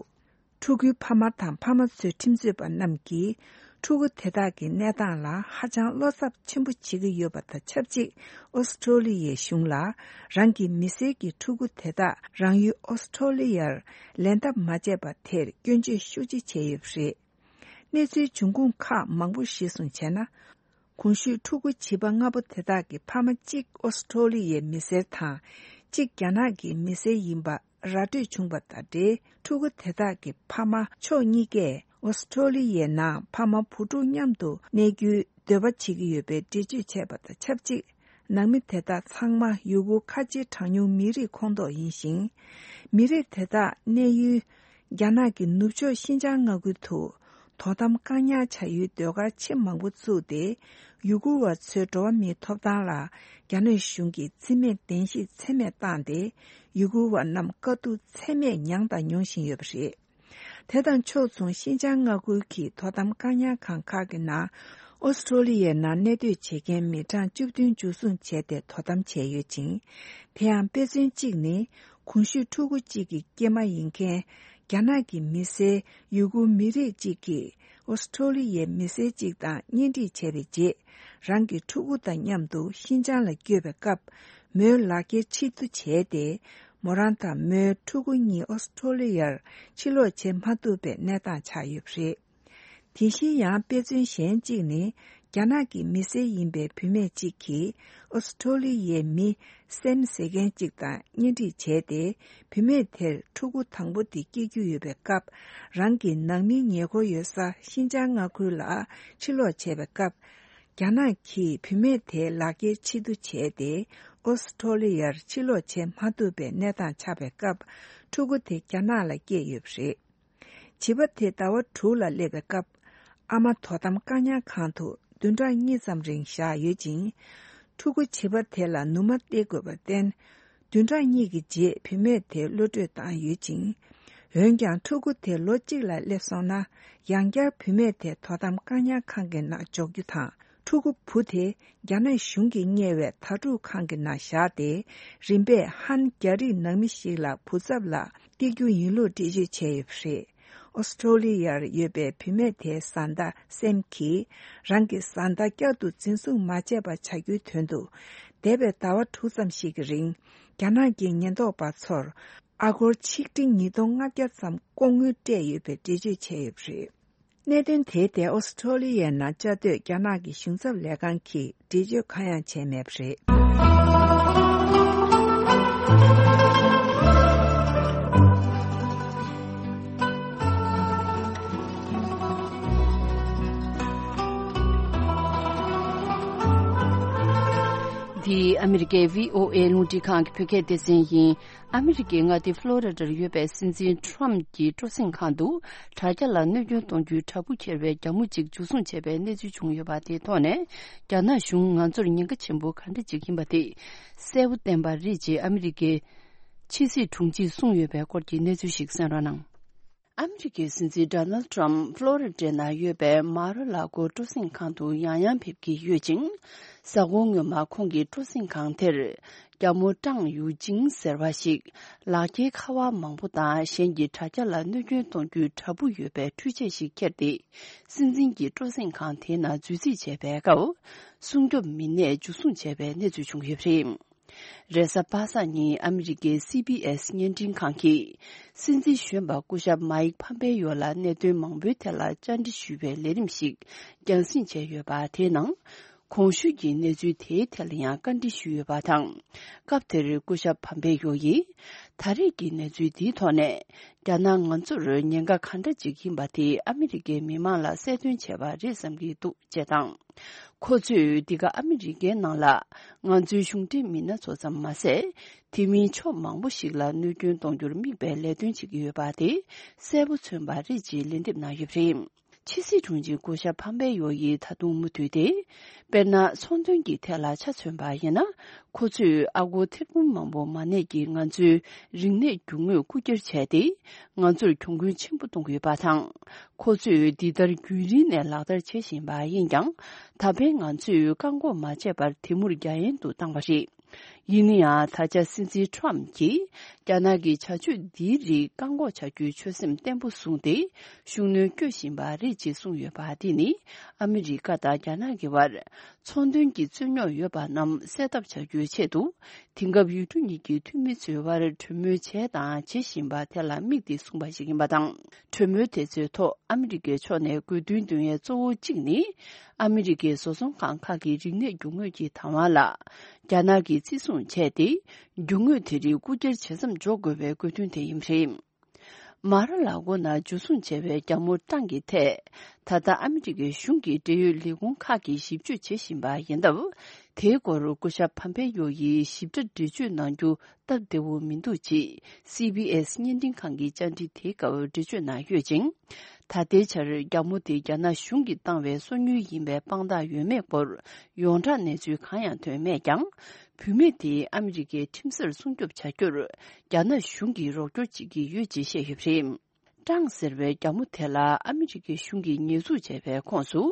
ཕྲུ་གུའི་ཕ་མ་དང་ཕ་མ་ཚོའི་ཁྲིམས་རྩོད་པ་རྣམས་ཀྱིས། ཕྲུ་གུ་དེ་དག་གི་གནས་སྟངས་ལ་ཧ་ཅང་བློ་འཚབ་ཆེན་པོ་བྱེད་ཀྱི་ཡོད་པ་དང་ཆབས་ཅིག་ཨོ་སི་ཁྲོ་ལི་ཡའི་གཞུང་ལ། རང་གི་མི་སེར་གྱི་ཕྲུ་གུ་དེ་དག་རང་ཡུལ་ཨོ་སི་ཁྲོ་ལི་ཡར་ལེན་ཐབས་མ་བྱས་པ་དེར་སྐྱོན་བརྗོད་ཤུགས་ཆེ་བྱས་ཡོད་པ་རེད། གནས་ཚུལ་འབྱུང་ཁུངས་ཁག་མང་པོ་གཞིར་བཟུང་བྱས་ན། གོང་ཞུས་ཕྲུ་གུ་བྱིས་པ་ལྔ་པོ་དེ་དག་གི་ཕ་མ་གཅིག་ཨོ་སི་ཁྲོ་ལི་ཡའི་མི་སེར་དང་། གཅིག་རྒྱ་ནག་གི་མི་སེར་ཡིན་པ་ར་སྤྲོད་བྱུང་པ་དང་འབྲེལ། ཕྲུ་གུ་དེ་དག་གི་ཕ་མ་ཕྱོགས་གཉིས་ཀས་ཨོ་སི་ཁྲོ་ལི་ཡའི་ནང་ཕ་མ་བུ་ཕྲུག་མཉམ་དུ་གནས་རྒྱུའི་འདོད་པ་བྱེད་ཀྱི་ཡོད་པའི་འགྲེལ་བརྗོད་བྱས་པ་དང་ཆབས་ཅིག་ནང་མི་དེ་དག་ཚང་མ་ཡུ་གུར་ཁ་ཆེའི་གྲངས་ཉུང་མི་རིགས་ཁོངས་གཏོགས་ཡིན་ཞིང་། མི་རིགས་དེ་དག་གནས་ཡུལ་རྒྱ་ནག་གི་ནུབ་ཕྱོགས་ཤིན་ཅང་མངའ་ཁུལ་དུ། དོ་དམ་བཀག་ཉར་བྱ་ཡུལ་སྡོད་སྒར་ཆེས་མང་པོ་བཙུགས་ཏེ། ཡུ་གུར་བ་ཚོའི་འགྲོ་བ་མིའི་ཐོབ་ཐང་ལ་རྒྱ་ནག་གཞུང་གིས་བརྩི་མེད་གདན་ཞུས་ཚད་མེད་བཏང་སྟེ། ཡུ་གུར་བ་རྣམས་དཀའ་སྡུག་ཚད་མེད་མྱངས་དང་མྱོང་བཞིན་ཡོད་པ་རེད། དེ་དང་ཕྱོགས་མཚུངས་ཤིན་ཅང་མངའ་ཁུལ་གྱི་དོ་དམ་བཀག་ཉར་ཁང་ཁག་གི་ནང་། ཨོ་སི་ཁྲོ་ལི་ཡའི་ནང་གནས་སྡོད་བྱེད་མཁན་མི་གྲངས་བཅུ་བདུན་འཇུ་བཟུང་བྱས་ཏེ་དོ་དམ་བྱས་ཡོད་ཅིང་། དེ་ཡང་དཔེ་མཚོན་གཅིག་ནི། གོང་ཞུས་ཕྲུ་གུ་གཅིག་གི་སྐྱེས་མ་ཡིན་མཁན། རྒྱ་ནག་གི་མི་སེར་ཡུ་གུར་མི་རིགས་གཅིག་གིས་ཨོ་སི་ཁྲོ་ལི་ཡའི་མི་སེར་གཅིག་དང་གཉེན་སྒྲིག་བྱས་པའི་རྗེས། རང་གི་ཕྲུ་གུ་དང་མཉམ་དུ་ཤིན་ཅང་ལ་བསྐྱོད་པའི་སྐབས། མོའི་ལག་འཁྱེར་ཕྱིར་བསྡུ་བྱས་ཏེ། མོ་རང་དང་མོའི་ཕྲུ་གུ་གཉིས་ཨོ་སི་ཁྲོ་ལི་ཡར་ཕྱིར་ལོག་བྱེད་མ་ཐུབ་པའི་གནས་སྟངས་ཆགས་ཡོད་པ་རེད། དེ་བཞིན་ཡང་དཔེ་མཚོན་གཞན་གཅིག་ནི། རྒྱ་ནག་གི་མི་སེར་ཡིན་པའི་བུད་མེད་ཅིག་གིས་ཨོ་སི་ཁྲོ་ལི་ཡའི་མི་སེམ་ཟེར་མཁན་ཅིག་དང་གཉེན་སྒྲིག་བྱས་ཏེ། བུད་མེད་དེར་ཕྲུ་གུ་དང་པོ་དེ་སྐྱེ་རྒྱུ་ཡོད་པའི་སྐབས། རང་གི་ནང་མིའི་ཉེ་འཁོར་ཡོད་ས་ཤིན་ཅང་མངའ་ཁུལ་ལ་ཕྱིར་ལོག་བྱས་པའི་སྐབས། རྒྱ་ནག་གིས་བུད་མེད་དེའི་ལག་འཁྱེར་ཕྱིར་བསྡུ་བྱས་ཏེ། ཨོ་སི་ཁྲོ་ལི་ཡར་ཕྱིར་ལོག་བྱེད་མ་ཐུབ་པའི་གནས་སྟངས་ཆགས་པའི་སྐབས། ཕྲུ་གུ་དེ་རྒྱ་ནག་ལ་སྐྱེས་ཡོད་པ་རེད། བྱིས་པ་དེ་ཟླ་བ་དྲུག་ལ་སླེབས་པའི་སྐབས། ཨ་མ་དོ་དམ་བཀག་ཉར་ཁང་དུ་བདུན་ཕྲག་གཉིས་ཙམ་རིང་བཞག་ཡོད་ཅིང་། ཕྲུ་གུ་བྱིས་པ་དེ་ལ་ནུ་མ་སྟེར་དགོས་པར་བརྟེན། བདུན་ཕྲག་གཉིས་ཀྱི་རྗེས་བུད་མེད་དེ་གློད་བཀྲོལ་བཏང་ཡོད་ཅིང་། འོན་ཀྱང་ཕྲུ་གུ་དེ་ལོ་གཅིག་ལ་སླེབས་སོང་ན། ཡང་བསྐྱར་བུད་མེད་དེ་དོ་དམ་བཀག་ཉར་ཁང་གི་ནང་འཇོག་རྒྱུ་དང་། ཕྲུ་གུ་བུ་དེ་རྒྱ་ནག་གཞུང་གིས་གཉེར་བའི་དྭ་ཕྲུག་ཁང་གི་ནང་བཞག་སྟེ། རིམ་པས་ཧན་རྒྱ་རིགས་ནང་མི་ཞིག་ལ་བུ་ཚབ་ལ་སྟེར་རྒྱུ་ཡིན་ལུགས་འགྲེལ་བརྗོད་བྱས་ཡོད་པ་རེད། ཨོ་སི་ཁྲོ་ལི་ཡར་ཡོད་པའི་བུད་མེད་དེའི་བཟའ་ཟླ་སེམ་གྱིས། རང་གི་བཟའ་ཟླ་བསྐྱར་དུ་འཛིན་བཟུང་མ་བྱས་པ་བྱ་རྒྱུའི་དོན་དུ། འདས་པའི་ཟླ་བ་དྲུག་ཙམ་ཞིག་གི་རིང་། རྒྱ་ནག་གི་ཉེན་རྟོག་པ་ཚོར་ཨ་སྒོར་ཆིག་ཁྲི་ཉིས་སྟོང་ལྔ་བརྒྱ་ཙམ་ལྐོག་དངུལ་སྤྲད་ཡོད་པའི་འགྲེལ་བརྗོད་བྱས་ཡོད་པ་རེད། གནད་དོན་དེའི་ཐད་ཨོ་སི་ཁྲོ་ལི་ཡའི་ནང་བཅའ་སྡོད་རྒྱ་ནག་གི་གཞུང་ཚབ་ལས་ཁང་གིས་འགྲེལ་བརྗོད་གང་ཡང་བྱས་མེད་པ་རེད། འདི་ཨ་མི་རི་ཀའི་བྷི་ཨོ་ཨེ་རླུང་འཕྲིན་ཁང་གི་བོད་སྐད་སྡེ་ཚན་ཡིན། ཨ་མི་རི་ཀའི་མངའ་སྡེ་ཕློ་རི་ཌར་ཡོད་པའི་སྲིད་འཛིན་ཊྲམ་གྱི་སྤྲོ་གསེང་ཁང་དུ། དྲ་རྒྱ་ལ་གནོད་སྐྱོན་གཏོང་རྒྱུའི་བྲག་ཕུག་ཁྱེར་བའི་རྒྱ་མོ་གཅིག་འཇུ་བཟུང་བྱས་པའི་གནས་ཚུལ་བྱུང་ཡོད་པ་དེའི་ཐོག་ནས། རྒྱ་ནག་གཞུང་ང་ཚོར་ཉེན་ཁ་ཆེན་པོ་ག་འདྲ་ཅིག་ཡིན་པ་དེ་གསལ་པོ་བསྟན་པ་རེད་ཅེས་ཨ་མི་རི་ཀའི་ཕྱི་སྲིད་དྲུང་ཆེས་གསུངས་ཡོད་པའི་སྐོར་གྱི་གནས་ཚུལ་ཞིག་གསན་རོགས་གནང་། ཨ་མི་རི་ཀའི་སྲིད་འཛིན་ཌོ་ནལ་ཌི་ཊྲམ་ཕློ་རི་ཌའི་ནང་ཡོད་པའི་མ་ར་ལ་ཀོ་སྤྲོ་གསེང་ཁང་དུ་ཡང་ཡང་ཕེབས་ཀྱི་ཡོད་ཅིང་། གཟའ་འཁོར་སྔོན་མ་ཁོང་གི་སྤྲོ་གསེང་ཁང་དེར། རྒྱ་མོ་ཀྲང་ཡུའུ་ཅིང་ཟེར་བ་ཞིག་ལག་འཁྱེར་ཁ་པར་མང་པོ་དང་གཞན་གྱི་དྲ་རྒྱ་ལ་གནོད་སྐྱོན་གཏོང་རྒྱུའི་བྲག་ཕུག་ཡོད་པའི་འཕྲུལ་ཆས་ཤིག་ཁྱེར་ཏེ། སྲིད་འཛིན་གྱི་སྤྲོ་གསེང་ཁང་དེའི་ནང་འཛུལ་རྩིས་བྱས་པའི་སྐབས། སྲུང་སྐྱོབ་མི་སྣས་འཇུ་བཟུང་བྱས་པའི་གནས་ཚུལ་བྱུང་ཡོད་པ་རེད། རེས་གཟའ་པ་སངས་ཉིན་ཨ་མི་རི་ཀའི་སི་བྷི་ཨེས་བརྙན་འཕྲིན་ཁང་གིས། སྲིད་འཛིན་གཞོན་པ་སྐུ་ཞབས་མཱིག་ཕམ་པེ་ཡོ་ལ་གནད་དོན་མང་པོའི་ཐད་ལ་བཅར་འདྲི་ཞུ་བའི་ལས་རིམ་ཞིག་རྒྱང་སྲིང་བྱས་ཡོད་པ་དེའི་ནང་། གོང་ཞུས་ཀྱི་གནས་ཚུལ་དེའི་ཐད་ལ་ཡང་བཀའ་འདྲི་ཞུས་ཡོད་པ་དང་། སྐབས་དེར་སྐུ་ཞབས་ཕམ་པེ་ཡོ་ཡིས། ད་རེས་ཀྱི་གནས་ཚུལ་འདིའི་ཐོག་ནས། རྒྱ་ནག་ང་ཚོར་ཉེན་ཁ་ག་འདྲ་ཅིག་ཡིན་པ་དེ་ཨ་མི་རི་ཀའི་མི་མང་ལ་གསལ་སྟོན་བྱས་པ་རེད་བསམ་གྱི་འདུག་ཅེས་དང་། ཁོ་ཚོས་འདི་ག་ཨ་མི་རི་ཀའི་ནང་ལ་ང་ཚོའི་གཞུང་འབྲེལ་མི་སྣ་ཚོ་ཙམ་མ་ཟད། དེ་མིན་ཕྱོགས་མང་པོ་ཞིག་ལ་གནོད་སྐྱོན་གཏོང་རྒྱུར་དམིགས་པའི་ལས་དོན་བྱེད་ཀྱི་ཡོད་པ་དེ་གསལ་པོ་མཚོན་པ་རེད་ཅེས་ལན་འདེབས་གནང་ཡོད་པ་རེད། ཕྱི་སྲིད་དྲུང་ཆེ་སྐུ་ཞབས་ཕམ་པེ་ཡོ་ཡིས་ད་དུང་མུ་མཐུད་དེ། དཔེར་ན། ཚོང་དོན་གྱི་ཐད་ལ་ཆ་མཚོན་པ་ཡིན་ན། ཁོ་ཚོས་ཨ་སྒོར་ཐེར་འབུམ་མང་པོ་མ་གནས་ཀྱིས་ང་ཚོའི་རིག་གནས་རྒྱུ་དངོས་རྐུ་འཁྱེར་བྱས་ཏེ། ང་ཚོར་གྱོང་གུན་ཆེན་པོ་གཏོང་གི་ཡོད་པ་དང་། ཁོ་ཚོས་འདི་ལྟར་རྒྱུན་རིང་ནས་ལག་བསྟར་བྱེད་བཞིན་པ་ཡིན་ཀྱང་། ད་ཕན་ང་ཚོས་བཀག་འགོག་མ་བྱས་པར་དེ་མུར་རྒྱ་ཡན་དུ་བཏང་བ་རེད། ཡིན་ན་ཡང་། ད་ཆ་སྲིད་འཛིན་ཁྲོམ་གྱིས་རྒྱ་ནག་གི་བྱ་སྤྱོད་འདིའི་རིགས་བཀག་འགོག་བྱ་རྒྱུའི་ཆོད་སེམས་བརྟན་པོ་བཟུང་སྟེ། ཤུགས་སྣོན་བསྐྱོད་བཞིན་པ་རེད་ཅེས་གསུངས་ཡོད་པ། འདི་ནི་ཨ་མི་རི་ཀ་དང་རྒྱ་ནག་གི་བར་ཚོང་དོན་གྱི་རྩོད་རྙོག་ཡོད་པ་རྣམས་སེལ་ཐབས་བྱ་རྒྱུའི་ཆེད་དུ། དེང་སྐབས་ཡུལ་གྲུ་གཉིས་ཀྱི་འཐུས་མི་ཚོའི་བར་གྲོས་མོལ་བྱས་དང་བྱེད་བཞིན་པ་དེ་ལ་དམིགས་ཏེ་གསུངས་པ་ཞིག་ཡིན་པ་དང་། གྲོས་མོལ་དེ་ཚོའི་ཐོག་ཨ་མི་རི་ཀའི་ཕྱོགས་ནས་དགོས་འདུན་འདོན་ཡས་གཙོ་བོ་གཅིག་ནི། ཨ་མི་རི་ཀའི་བཟོ་ཚོང་ཁང་ཁག་གི་རིག་གནས་རྒྱུ་དངོས་ཀྱི་བདག་དབང་ལ་རྒྱ་ནག་གིས་བརྩི་སྲུང་བྱས་ཏེ། རྒྱུ་དངོས་དེ་རིགས་རྐུ་འཁྱེར་བྱེད་མཚམས་འཇོག་དགོས་པའི་དགོས་འདུན་དེ་ཡིན་པ་རེད། མ་ར་ལ་གོ་ན་འཇུ་བཟུང་བྱས་པའི་རྒྱ་མོ་ཀྲང་གི་ཐད། ད་ལྟ་ཨ་མི་རི་ཀའི་གཞུང་གི་འབྲེལ་ཡོད་ལས་ཁུངས་ཁག་གིས་ཞིབ་དཔྱོད་བྱེད་བཞིན་པ་ཡིན་སྟབས། དེའི་སྐོར་སྐུ་ཞབས་ཕམ་པེ་ཡོ་ཡིས་ཞིབ་ཕྲ་འགྲེལ་བརྗོད་གནང་རྒྱུ་སྟབས་བདེ་བོ་མི་འདུག་ཅེས་སི་བྷི་ཨེས་བརྙན་འཕྲིན་ཁང་གི་བཅར་འདྲི་དེའི་སྐབས་འགྲེལ་བརྗོད་གནང་ཡོད་ཅིང་། ད་ལྟའི་ཆར་རྒྱ་མོ་དེ་རྒྱ་ནག་གཞུང་གིས་བཏང་བའི་སོ་ཉུལ་ཡིན་པའི་དཔང་རྟགས་ཡོད་མེད་སྐོར་ཡོངས་གྲགས་གནས་ཚུལ་གང་ཡང་ཐོན་མེད་ཀྱང་། བུད་མེད་དེ་ཨ་མི་རི་ཀའི་ཁྲིམས་སར་སྲུང་སྐྱོབ་བྱ་རྒྱུར་རྒྱ་ནག་གཞུང་གིས་རོགས་སྐྱོར་བྱེད་ཀྱི་ཡོད་ཅེས་བཤད་ཡོད་པ་རེད། ཀྲང་ཟེར་བའི་རྒྱ་མོ་དེ་ལ་ཨ་མི་རི་ཀའི་གཞུང་གིས་ཉེས་འཛུགས་བྱས་པའི་ཁོངས་སུ།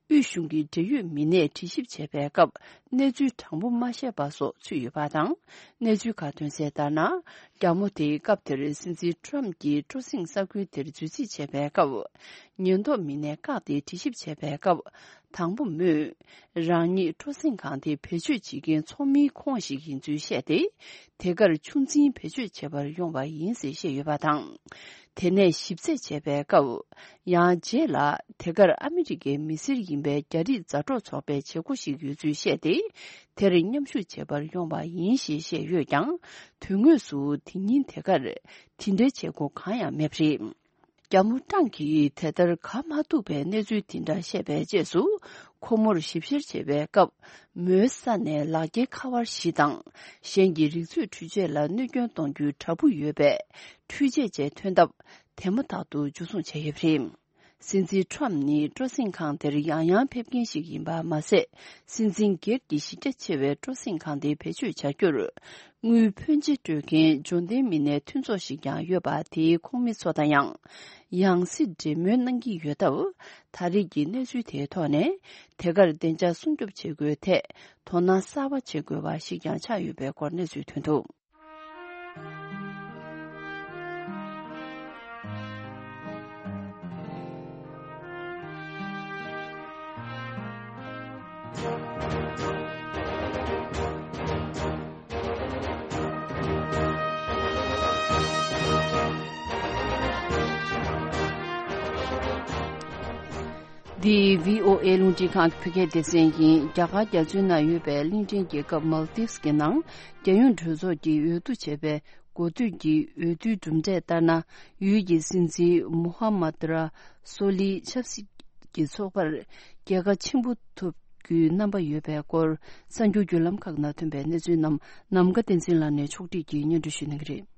དབུས་གཞུང་གི་འབྲེལ་ཡོད་མི་སྣས་དྲི་ཞིབ་བྱས་པའི་སྐབས། གནས་ཚུལ་དྲང་པོ་མ་བཤད་པ་སོགས་ཚུད་ཡོད་པ་དང་། གནས་ཚུལ་ཁག་ཐོན་གསལ་ལྟར་ན། རྒྱ་མོ་དེས་སྐབས་དེར་སྲིད་འཛིན་ཁྲོམ་གྱིས་སྤྲོ་གསེང་ས་ཁུལ་དེར་འཛུལ་རྩིས་བྱས་པའི་སྐབས། ཉེན་རྟོག་མི་སྣས་བཀག་སྟེ་དྲི་ཞིབ་བྱས་པའི་སྐབས། དང་པོ་མོས། རང་ཉིད་སྤྲོ་གསེང་ཁང་དེ་བེད་སྤྱོད་བྱེད་མཁན་ཚོགས་མིའི་ཁོངས་ཤིག་ཡིན་ཚུལ་བཤད་དེ། དེ་གར་ཆུ་འཛིན་བེད་སྤྱོད་བྱེད་པར་ཡོང་བ་ཡིན་ཞེས་བཤད་ཡོད་པ་དང་། དེ་ནས་ཞིབ་རྩད་བྱས་པའི་སྐབས། ཡང་རྗེས་ལ་དེ་གར་ཨ་མི་རི་ཀའི་མི་སེར་ཡིན་པའི་རྒྱ་རིགས་མཛའ་གྲོགས་ཚོགས་པའི་བྱེད་སྒོ་ཞིག་ཡོད་ཚུལ་བཤད་དེ། དེར་མཉམ་ཞུགས་བྱེད་པར་ཡོང་བ་ཡིན་ཞེས་བཤད་ཡོད་ཀྱང་། དོན་དངོས་སུ་དེ་ཉིན་དེ་གར་དེ་འདྲའི་བྱེད་སྒོ་གང་ཡང་མེད་པ་རེད། རྒྱ་མོ་ཀྲང་གིས་དེ་ལྟར་ག་མ་ཐུག་པའི་གནས་ཚུལ་དེ་འདྲ་བཤད་པའི་རྗེས་སུ། ཁོ་མོར་ཞིབ་བཤེར་བྱེད་པའི་སྐབས། མོའི་ས་ནས་ལག་འཁྱེར་ཁ་པར་བཞི་དང་། གཞན་གྱི་རིག་མཛོད་འཕྲུལ་ཆས་ལ་གནོད་སྐྱོན་གཏོང་རྒྱུའི་དྲ་འབུ་ཡོད་པའི་འཕྲུལ་ཆས་བཅས་ཐོན་སྟབས། དེ་མ་ཐག་ཏུ་འཇུ་བཟུང་བྱས་ཡོད་པ་རེད། སྲིད་འཛིན་ཁྲོམ་ནི་སྤྲོ་གསེང་ཁང་དེར་ཡང་ཡང་ཕེབས་མཁན་ཞིག་ཡིན་པ་མ་ཟད། སྲིད་འཛིན་སྒེར་གྱི་གཞི་རྒྱ་ཆེ་བའི་སྤྲོ་གསེང་ཁང་དེ་བེད་སྤྱོད་བྱ་རྒྱུར། དངུལ་ཕོན་ཆེ་སྤྲོད་མཁན་འབྱོར་ལྡན་མི་སྣif་མཐུན་ཚོགས་ཤིག་ཀྱང་ཡོད་པ། དེའི་ཁོངས་མི་ཚོ་དང་ཡང་ཡང་སེ་འབྲེལ་མོལ་གནང་གི་ཡོད་སྟབས། ད་རེས་ཀྱི་གནས་ཚུལ་དེའི་ཐོག་ནས། དེ་གར་བདེ་འཇགས་སྲུང་སྐྱོབ་བྱེད་དགོས་ཐད་དོ་སྣང་གསར་པ་བྱེད་དགོས་པ་ཞིག་ཀྱང་ཆགས་ཡོད་པའི་སྐོར་གནས་ཚུལ་ཐོན་འདུག་འདི་བྷི་ཨོ་ཨེ་རླུང་འཕྲིན་ཁང་གི་བོད་སྐད་སྡེ་ཚན་ཡིན། རྒྱ་གར་རྒྱ་མཚོའི་ནང་ཡོད་པའི་གླིང་ཕྲན་རྒྱལ་ཁབ་Maldives་གི་ནང་རྒྱལ་ཡོངས་གྲོས་ཚོགས་ཀྱིས་འོས་བསྡུ་བྱས་པའི་འགོ་སྟོད་ཀྱི་འོས་བསྡུའི་གྲུབ་འབྲས་ལྟར་ན། ཡུལ་གྱི་སྲིད་འཛིན་མུ་ཧམ་མད་ར་སོ་ལིའི་ཆབ་སྲིད་ཀྱི་ཚོགས་པར་རྒྱལ་ཁ་ཆེན་པོ་ཐོབ་རྒྱུའི་རྣམ་པ་ཡོད་པའི་སྐོར། གསར་འགྱུར་བརྒྱུད་ལམ་ཁག་ནང་ཐོན་པའི་གནས་ཚུལ་རྣམས་ནམ་མཁའ་བསྟན་འཛིན་ལགས་ནས་ཕྱོགས་སྒྲིག་གིས་སྙན་སྒྲོན་ཞུ་གནང་གི་རེད།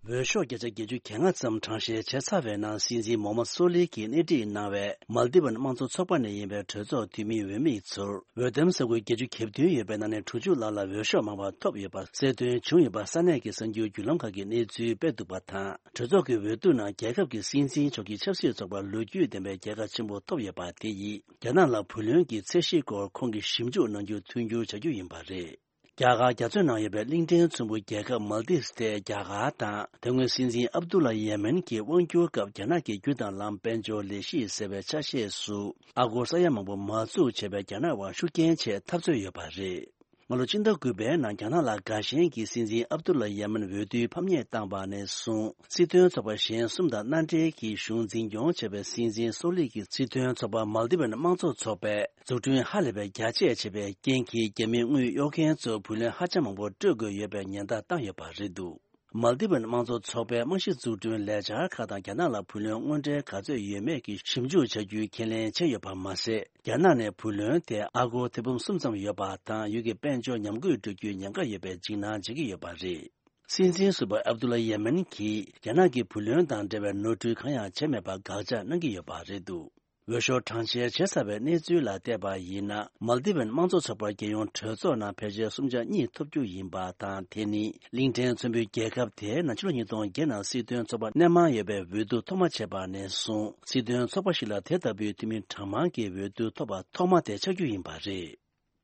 འོས་ཤོག་བརྒྱ་ཆ་བརྒྱད་ཅུ་གྱ་ལྔ་ཙམ་གྲངས་བཤེར་བྱས་ཚར་བའི་ནང་སྲིད་འཛིན་མོ་ཧམ་མད་སོ་ལི་གིས་སྣེ་ཁྲིད་གནང་བའི་མཱལ་ཏི་ཝན་དམངས་གཙོ་ཚོགས་པ་ནས་ཡིན་པའི་གྲོས་ཚོགས་འཐུས་མིའི་འོས་མི་ཚོར་འོས་འདེམས་ས་ཁུལ་བརྒྱད་ཅུ་གྱ་བདུན་ཡོད་པའི་ནང་ནས་དྲུག་ཅུ་ལྷག་ལ་འོས་ཤོག་མང་བ་ཐོབ་ཡོད་པ་གསལ་སྟོན་བྱུང་ཡོད་པ་ས་གནས་ཀྱི་གསར་འགྱུར་བརྒྱུད་ལམ་ཁག་གིས་གནས་ཚུལ་སྤེལ་འདུག་པ་དང་། གྲོས་ཚོགས་ཀྱི་འོས་བསྡུ་ནང་རྒྱལ་ཁབ་ཀྱི་སྲིད་འཛིན་མཆོག་གི་ཆབ་སྲིད་ཚོགས་པར་ལོ་རྒྱུས་ལྡན་པའི་རྒྱལ་ཁ་ཆེན་པོ་ཐོབ་ཡོད་པ་དེ་ཡིས་རྒྱ་ནག་ལ་བུ་ལོན་གྱི་ཚད་གཞིའི་སྐོར་ཁོང་གིས་ཞིབ་འཇུག་གནང་རྒྱུ་མཐུན་འགྱུར་བྱ་རྒྱུ་ཡིན་པ་རེད། རྒྱ་གར་རྒྱ་མཚོའི་ནང་ཡོད་པའི་གླིང་ཕྲན་ཚོམ་བུ་རྒྱལ་ཁབ་མཱལ་ཏིབ་སི་དེ་རྒྱ་གར་དང་། དེ་སྔོན་སྲིད་འཛིན་ཨབ་དུ་ལ་ཡེ་མེན་གྱི་དབང་སྒྱུར་སྐབས་རྒྱ་ནག་གི་རྒྱུ་དང་ལམ་དཔལ་འབྱོར་ལས་གཞི་ཟེར་བའི་ཆ་ཤས་སུ་ཨ་སྒོར་ས་ཡ་མང་པོ་མ་བཙུགས་བྱས་པའི་རྒྱ་ནག་དབར་ཤུགས་རྐྱེན་ཆེ་འཐབ་རྩོད་ཡོད་པ་རེད། སྔ་ལོ་སྤྱི་ཟླ་དགུ་པའི་ནང་རྒྱ་ནག་ལ་དགའ་ཞེན་གྱི་སྲིད་འཛིན་ཨབ་དུ་ལ་ཡེ་མེན་འོས་བསྡུའི་ཕམ་ཉེས་བཏང་བ་ནས་བཟུང་། སྲིད་དོན་ཚོགས་པ་གཞན་གསུམ་དང་མནའ་འབྲེལ་གྱིས་གཞུང་འཛིན་སྐྱོང་བྱས་པའི་སྲིད་འཛིན་སོ་ལི་གི་སྲིད་དོན་ཚོགས་པ་མཱལ་ཏི་ཝན་དམངས་གཙོ་ཚོགས་པས་འཛུགས་སྐྲུན་ཧ་ལས་པའི་རྒྱ་ཆེ་བྱས་པའི་རྐྱེན་གྱིས་རྒྱ་མིའི་དངུལ་གཡོག་མཁན་ཚོ་བུ་ལོན་ཧ་ཅང་མང་པོ་སྤྲོད་དགོས་ཡོད་པའི་ཉེན་བརྡ་བཏང་ཡོད་པ་རེད་འདུག་མཱལ་ཏི་ཝན་དམངས་གཙོ་ཚོགས་པའི་རྨང་གཞི་འཛུགས་སྐྲུན་ལས་འཆར་ཁག་དང་རྒྱ་ནག་ལ་བུ་ལོན་དངོས་འབྲེལ་ག་ཚོད་ཡོད་མེད་ཀྱི་ཞིབ་འཇུག་བྱ་རྒྱུའི་ཁས་ལེན་བྱས་ཡོད་པ་མ་ཟད། རྒྱ་ནག་ནས་བུ་ལོན་དེ་ཨ་སྒོར་ཐེར་འབུམ་གསུམ་ཙམ་ཡོད་པ་དང་། ཡུལ་གྱི་དཔལ་འབྱོར་ཉམས་རྒུད་འགྲོ་རྒྱུའི་ཉེན་ཁ་ཡོད་པའི་འཇིགས་སྣང་བྱེད་ཀྱི་ཡོད་པ་རེད། སྲིད་འཛིན་ཟུར་པ་ཨབ་དུ་ལ་ཡེ་མེན་གྱིས་རྒྱ་ནག་གིས་བུ་ལོན་དང་འབྲེལ་བའི་ནོར་འཁྲུལ་གང་ཡང་བྱས་མེད་པར་དགག་བྱ་གནང་གི་ཡོད་པ་རེད་འདུག་འོས་ཤོག་གྲངས་བཅད་བྱེད་ཚར་བའི་གནས་ཚུལ་ལ་བལྟས་པ་ཡིན་ན། མལ་དི་བན་དམངས་གཙོ་ཚོགས་པར་རྒྱལ་ཡོངས་གྲོས་ཚོགས་ནང་ཕལ་ཆེར་གསུམ་ཆ་གཉིས་ཐོབ་རྒྱུ་ཡིན་པ་དང་། དེ་ནི་གླིང་ཕྲན་ཚོན་པོའི་རྒྱལ་ཁབ་དེའི་ནང་ཕྱི་ལོ་ཉིས་སྟོང་བརྒྱད་ནང་སྲིད་དོན་ཚོགས་པ་སྣེ་མང་ཡོད་པའི་འོས་བསྡུ་ཐོག་མ་བྱས་པ་ནས་བཟུང་། སྲིད་དོན་ཚོགས་པ་ཞིག་ལ་དེ་ལྟ་བུའི་འཐུས་མི་གྲངས་མང་གི་འོས་བསྡུ་ཐོབ་པ་ཐོག་མ་དེ་ཆགས་རྒྱུ་ཡིན་པ་རེད།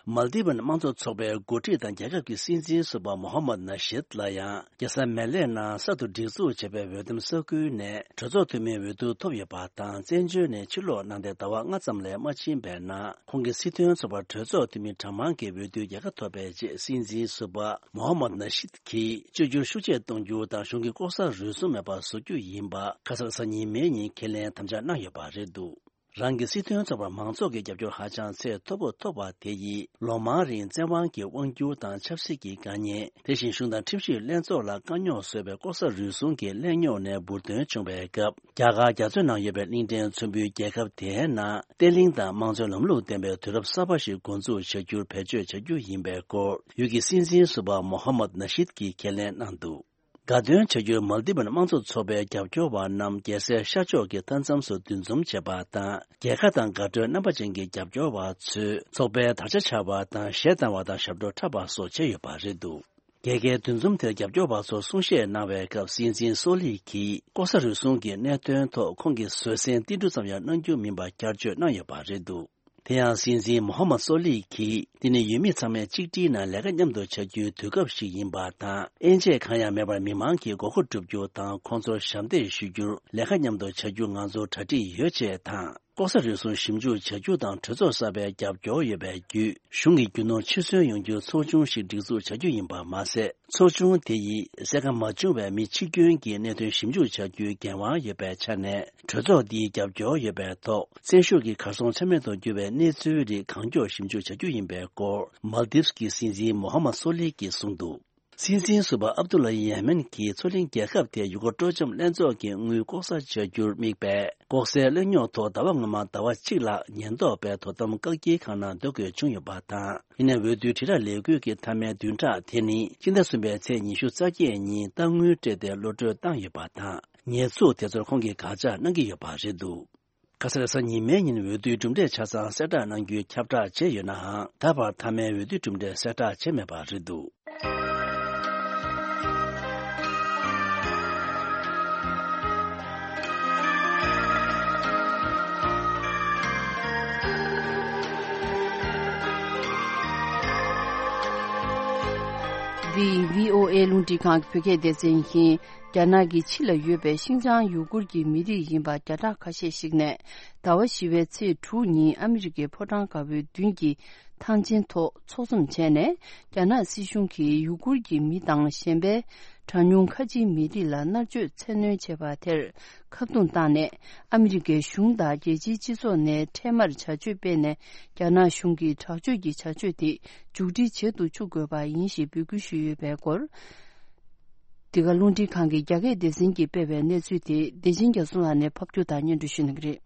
མལ་དི་བན་དམངས་གཙོ་ཚོགས་པའི་འགོ་ཁྲིད་དང་རྒྱལ་ཁབ་ཀྱི་སྲིད་འཛིན་ཟུར་པ་མོ་ཧམ་མད་ན་ཤིད་ལ་ཡང་། རྒྱལ་ས་མེ་ལེ་ནང་གསར་དུ་སྒྲིག་འཛུགས་བྱས་པའི་འོས་འདེམས་ས་ཁུལ་ནས་གྲོས་ཚོགས་འཐུས་མིའི་འོས་བསྡུ་ཐོབ་ཡོད་པ་དང་། བཙན་བྱོལ་ནས་ཕྱིར་ལོག་གནང་སྟེ་ཟླ་བ་ལྔ་ཙམ་ལས་མ་ཕྱིན་པའི་ནང་། ཁོང་གིས་སྲིད་དོན་ཚོགས་པར་གྲོས་ཚོགས་འཐུས་མི་གྲངས་མང་གི་འོས་བསྡུའི་རྒྱལ་ཁ་ཐོབ་པའི་རྗེས། སྲིད་འཛིན་ཟུར་པ་མོ་ཧམ་མད་ན་ཤིད་ཀྱིས་བཅོས་བསྒྱུར་ཤུགས་ཆེ་གཏོང་རྒྱུ་དང་། གཞུང་གི་ལྐོག་ཟ་རུལ་སུངས་མེད་པར་བཟོ་རྒྱུ་ཡིན་པ། ཁ་སང་གཟའ་ཉི་མའི་ཉིན་ཁས་ལེན་དམ་བཅའ་གནང་ཡོད་པ་རེད་འདུག་རང་གི་སྲིད་དོན་ཚོགས་པར་མང་ཚོགས་ཀྱི་རྒྱབ་སྐྱོར་ཧ་ཅང་ཚད་མཐོ་པོ་ཐོབ་པ་དེ་ཡིས། ལོ་མང་རིང་བཙན་དབང་གི་དབང་སྒྱུར་དང་ཆབ་སྲིད་ཀྱི་དཀའ་ཉེན། དེ་བཞིན་གཞུང་དང་ཁྲིམས་ཞིབ་ལྷན་ཚོགས་ལ་དཀའ་རྙོག་བཟོས་པའི་ལྐོག་ཟ་རུལ་སུངས་ཀྱི་གླེང་རྙོག་ནས་འབུར་ཐོན་བྱུང་བའི་སྐབས། རྒྱ་གར་རྒྱ་མཚོའི་ནང་ཡོད་པའི་གླིང་ཕྲན་ཚོན་པོའི་རྒྱལ་ཁབ་དེའི་ནང་བརྟན་ལྷིང་དང་དམངས་གཙོའི་ལམ་ལུགས་ལྡན་པའི་དུས་རབས་གསར་པ་ཞིག་འགོ་འཛུགས་བྱ་རྒྱུར་བེད་སྤྱོད་བྱ་རྒྱུ་ཡིན་པའི་སྐོར། ཡུལ་གྱི་སྲིད་འཛིན་ཟུར་པ་མོ་ཧམ་མད་ན་ཤིད་ཀྱིས་ཁས་ལེན་གནང་འདུག་དགའ་སྟོན་བྱ་རྒྱུར་མལ་དི་བན་དམངས་གཙོ་ཚོགས་པའི་རྒྱབ་སྐྱོར་བ་རྣམས་རྒྱལ་སའི་ཤར་ཕྱོགས་ཀྱི་མཐའ་མཚམས་སུ་འདུ་འཛོམས་བྱས་པ་དང་། རྒྱལ་ཁ་དང་དགའ་སྤྲོའི་རྣམ་པ་ཅན་གྱི་རྒྱབ་སྐྱོར་བ་ཚོས་ཚོགས་པའི་དར་ཆ་འཕྱར་བ་དང་། གཞས་བཏང་བ་དང་ཞབས་བྲོ་འཁྲབ་པ་སོགས་བྱས་ཡོད་པ་རེད་འདུག་རྒྱལ་ཁའི་འདུ་འཛོམས་དེར་རྒྱབ་སྐྱོར་བ་ཚོར་གསུང་བཤད་གནང་བའི་སྐབས། སྲིད་འཛིན་སོ་ལི་གིས་ལྐོག་ཟ་རུལ་སུངས་ཀྱི་གནད་དོན་ཐོག་ཁོང་གིས་བཟོད་བསྲན་ཏིལ་འབྲུ་ཙམ་ཡང་གནང་རྒྱུ་མིན་པ་བསྐྱར་བརྗོད་གནང་ཡོད་པ་རེད་འདུག་དེ་ཡང་སྲིད་འཛིན་མོ་ཧམ་མད་སོ་ལི་གིས། འདི་ནི་ཡུལ་མི་ཚང་མས་གཅིག་སྒྲིལ་ངང་ལས་ཀ་མཉམ་དུ་བྱ་རྒྱུའི་དུས་སྐབས་ཤིག་ཡིན་པ་དང་། དབྱེ་འབྱེད་གང་ཡང་མེད་པར་མི་མང་གི་དགོས་མཁོ་བསྒྲུབ་རྒྱུ་དང་། ཁོང་ཚོར་ཞབས་འདེགས་ཞུ་རྒྱུར་ལས་ཀ་མཉམ་དུ་བྱ་རྒྱུ་ང་ཚོར་གྲ་སྒྲིག་ཡོད་ཅེས་དང་། ལྐོག་ཟ་རུལ་སུངས་ཞིབ་འཇུག་བྱ་རྒྱུ་དང་། གྲོས་ཚོགས་གསར་པའི་རྒྱབ་སྐྱོར་ཡོད་པའི་བརྒྱུད། གཞུང་གི་རྒྱུ་ནོར་ཕྱིར་གསོན་ཡོང་རྒྱུའི་ཚོགས་ཆུང་ཞིག་སྒྲིག་འཛུགས་བྱ་རྒྱུ་ཡིན་པ་མ་ཟད། ཚོགས་ཆུང་དེ་ཡིས་གསལ་ཁ་མ་བྱུང་བའི་མི་འཆི་སྐྱོན་གྱི་གནད་དོན་ཞིབ་འཇུག་བྱ་རྒྱུའི་འགན་དབང་ཡོད་པའི་ཆ་ནས། གྲོས་ཚོགས་འདིའི་རྒྱབ་སྐྱོར་ཡོད་པའི་ཐོག་བཙན་ཤུགས་ཀྱིས་གར་སོང་ཆ་མེད་དུ་གྱུར་བའི་གནས་ཚུལ་རིགས་གང་མགྱོགས་ཞིབ་འཇུག་བྱ་རྒྱུ་ཡིན་པའི་སྐོར། མལ་དིབ་ཀྱི་སྲིད་འཛིན་མོ་ཧམ་མད་སོ་ལི་གིས་གསུངས་འདུག་སྲིད་འཛིན་ཟུར་པ་ཨབ་དུ་ལ་ཡེ་མེན་གྱིས་མཚོ་གླིང་རྒྱལ་ཁབ་དེར་ཡུ་གུར་སྤྲོ་འཆམ་ལྷན་ཚོགས་ཀྱི་དངུལ་ལྐོག་ཟ་བྱ་རྒྱུར་དམིགས་པའི་ལྐོག་ཟའི་གླེང་རྙོག་ཐོག་ཟླ་བ་སྔོན་མ་ཟླ་བ་གཅིག་ལྷག་ཉེན་རྟོག་པས་དོ་དམ་བཀག་སྐྱིལ་ཁང་ནང་སྡོད་དགོས་བྱུང་ཡོད་པ་དང་། ཡིན་ནའི་འོས་བསྡུའི་དྲིལ་བསྒྲགས་ལས་འགུལ་གྱི་མཐའ་མའི་བདུན་ཕྲག་དེ་ནི། སྤྱི་ཟླ་གསུམ་པའི་ཚེས་ཉི་ཤུ་རྩ་བརྒྱད་ཉིན་རྟ་དངུལ་སྤྲད་དེ་གློད་བཀྲོལ་བཏང་ཡོད་པ་དང་། ཉེས་འཛུགས་དེ་ཚོར་ཁོང་གིས་དགག་བྱ་གནང་གི་ཡོད་པ་རེད་འདུག་ཁ་སང་རེས་གཟའ་ཉི་མའི་ཉིན་འོས་བསྡུའི་གྲུབ་འབྲས་ཆ་ཚང་གསལ་བསྒྲགས་གནང་རྒྱུའི་ཁྱབ་བསྒྲགས་བྱས་ཡོད་ནའང་། ད་བར་མཐའ་མའི་འོས་བསྡུའི་གྲུབ་འབྲས་གསལ་བསྒྲགས་བྱས་མེད་པ་རེད་འདུག་འདི་བྷི་ཨོ་ཨེ་རླུང་འཕྲིན་ཁང་གི་བོད་སྐད་སྡེ་ཚན་ཡིན། རྒྱ་ནག་གི་ཕྱི་ལ་ཡོད་པའི་ཤིན་ཅང་ཡུ་གུར་གྱི་མི་རིགས་ཡིན་པ་བརྒྱ་ཕྲག་ཁ་ཤས་ཤིག་ནས། ཟླ་བ་བཞི་པའི་ཚེས་དྲུག་ཉིན་ཨ་མི་རི་ཀའི་ཕོ་བྲང་དཀར་པོའི་མདུན་གྱི་ཐང་ཆེན་ཐོག་ཚོགས་འཛོམས་བྱས་ནས། རྒྱ་ནག་སྲིད་གཞུང་གིས་ཡུ་གུར་གྱི་མི་དང་གཞན་པའི་གྲངས་ཉུང་ཁ་ཆེའི་མི་རིགས་ལ་མནར་གཅོད་བཙན་གནོན་བྱས་པ་དེར་ཁ་རྡུང་བཏང་ནས། ཨ་མི་རི་ཀའི་གཞུང་དང་རྒྱལ་སྤྱིའི་སྤྱི་ཚོགས་ནས་འཕྲལ་མར་བྱ་སྤྱོད་སྤེལ་ནས། རྒྱ་ནག་གཞུང་གིས་དྲག་སྤྱོད་ཀྱི་བྱ་སྤྱོད་དེ་མཇུག་སྒྲིལ་བྱེད་དུ་བཅུག་དགོས་པ་ཡིན་ཞེས་འབོད་སྐུལ་ཞུས་ཡོད་པའི་སྐོར། འདི་ག་རླུང་འཕྲིན་ཁང་གི་རྒྱ་སྐད་སྡེ་ཚན་གྱིས་སྤེལ་བའི་གནས་ཚུལ་དེ་བདེ་ཆེན་རྒྱ་མཚོ་ལགས་ནས་ཕབ་སྒྱུར་དང་སྙན་སྒྲོན་ཞུ་གནང་གི་རེད།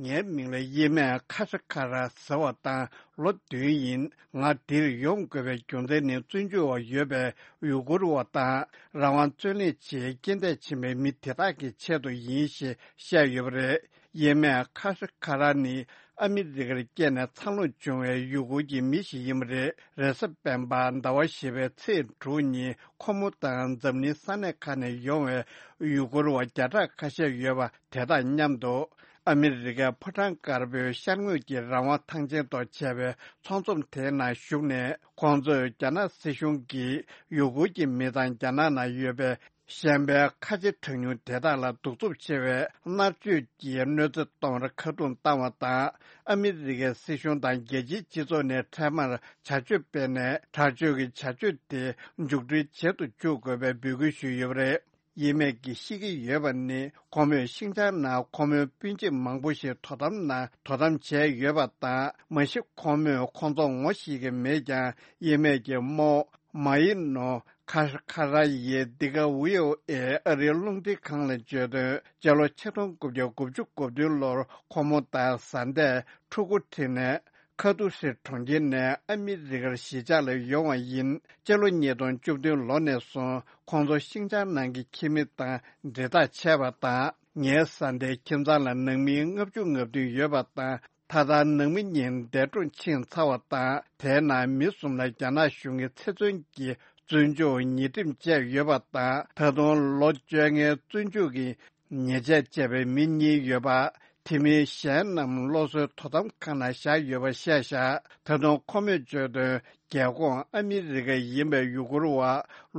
ངའི་མིང་ལ་གཡེར་མས་ཁ་ཧྲ་ཁ་ར་ཟེར་བ་དང་ལོ་བདུན་ཡིན། ང་འདིར་ཡོང་དགོས་པའི་རྒྱུ་མཚན་ནི། བཙོན་འཇུག་འོག་ཡོད་པའི་ཡུ་གུར་བ་དང་རང་དབང་རྩོད་ལེན་ཆེད་རྐྱེན་འདས་ཕྱིན་པའི་མི་དེ་དག་གི་ཆེད་དུ་ཡིན་ཞེས་བཤད་ཡོད་པ་རེད། གཡེར་མས་ཁ་ཧྲ་ཁ་ར་ནི་ཨ་མི་རི་ཀར་སྐྱེས་ནས་འཚར་ལོངས་བྱུང་བའི་ཡུ་གུར་གྱི་མི་ཞིག་ཡིན་པ་རེད། རེས་གཟའ་སྤེན་པ་ཟླ་བ་བཞི་པའི་ཚེས་དྲུག་ཉིན་ཁོ་མོ་དང་འཛམ་གླིང་ས་གནས་ཁག་ནས་ཡོང་བའི་ཡུ་གུར་བ་བརྒྱ་ཕྲག་ཁ་ཤས་ཡོད་པ་དེ་དང་མཉམ་དུ། ཨ་མི་རི་ཀའི་ཕོ་བྲང་དཀར་པོའི་ཤར་ངོས་ཀྱི་རང་དབང་ཐང་ཆེན་ཐོག་བྱས་པའི་ཚོགས་འཛོམས་དེའི་ནང་ཞུགས་ནས། ཁོང་ཚོས་རྒྱ་ནག་སྲིད་གཞུང་གིས་ཡུ་གུར་གྱི་མི་དང་རྒྱ་ནག་ནང་ཡོད་པའི་གཞན་པའི་ཁ་ཆེ་གྲངས་ཉུང་དེ་དག་ལ་གདུག་རྩུབ་ཆེ་བའི་མནར་གཅོད་ཀྱིས་གནོད་འཚེ་གཏོང་བར་ཁ་རྡུང་བཏང་བ་དང་། ཨ་མི་རི་ཀའི་སྲིད་གཞུང་དང་རྒྱལ་སྤྱིའི་སྤྱི་ཚོགས་ནས་འཕྲལ་མར་བྱ་སྤྱོད་སྤེལ་ནས། དྲག་སྤྱོད་ཀྱི་བྱ་སྤྱོད་དེ་མཇུག་སྒྲིལ་བྱེད་དུ་བཅུག་དགོས་པའི་འབོད་སྐུལ་ཞུས་ཡོད་པ་རེད། གཡེར་མས་ཀྱིས་བཤད་ཀྱི་ཡོད་པ་ནི། ཁོ་མོས་ཤིང་ཅང་ནང་ཁོ་མོའི་སྤུན་མཆེད་མང་པོ་ཞིག་དོ་དམ་ནང་དོ་དམ་བྱས་ཡོད་པ་དང་། མ་གཞི་ཁོ་མོས་ཁོང་ཚོ་ངོ་ཤེས་ཀྱི་མེད་ཀྱང་། གཡེར་མས་ཀྱི་རྨོ་མ་ཡི་ནོ་ཁ་ཁ་ར་ཡིས་འདི་ག་བྷི་ཨོ་ཨེ་ཨ་རིའི་རླུང་འཕྲིན་ཁང་ལ་བརྗོད་དོན། སྤྱི་ལོ་ཆིག་སྟོང་དགུ་བརྒྱ་དགུ་བཅུ་གོ་བདུན་ལོར་ཁོ་མོ་དང་བཟའ་ཟླས་ཕྲུ་གུ་ཁྲིད་ནས། ཁ་ཐུ་ཧྲི་གྲོང་ཁྱེར་ནས་ཨ་མི་རི་ཀར་གཞིས་ཆགས་ལ་ཡོང་བ་ཡིན། སྤྱི་ལོ་ཉིས་སྟོང་བཅུ་བདུན་ལོ་ནས་བཟུང་ཁོང་ཚོ་ཤིང་ཅང་ནང་གི་ཁྱིམ་མི་དང་འབྲེལ་ཐག་ཆད་པ་དང་ ངའི་བཟའ་ཟླའི་ཁྱིམ་ཚང་ལ་ནང་མི་ལྔ་བཅུ་ང་བདུན་ཡོད་པ་དང་། ད་ལྟ་ནང་མི་གཉིས་འདས་གྲོངས་ཕྱིན་ཚར་བ་དང་། དེའི་ནང་མི་གསུམ་ལ་རྒྱ་ནག་གཞུང་གིས་ཚེ་བཙོན་གྱི་བཙོན་འཇུག་ཉེས་ཁྲིམས་བཅས་ཡོད་པ་དང་། ད་དུང་ལོ་བཅོ་ལྔའི་བཙོན་འཇུག་གི་ཉེས་ཆད་བཅད་པའི་མི་གཉིས་ཡོད་པ། དེ་མིན་གཞན་རྣམས་སློབ་གསོའི་དོ་དམ་ཁང་ནང་བཞག་ཡོད་པ་བཤད་བཞག་ད་དུང་ཁོ་མོས་བརྗོད་དོན། རྒྱལ་ཁོངས་ཨ་མི་རི་ཀ་ཡིན་པའི་ཡུ་གུར་བ་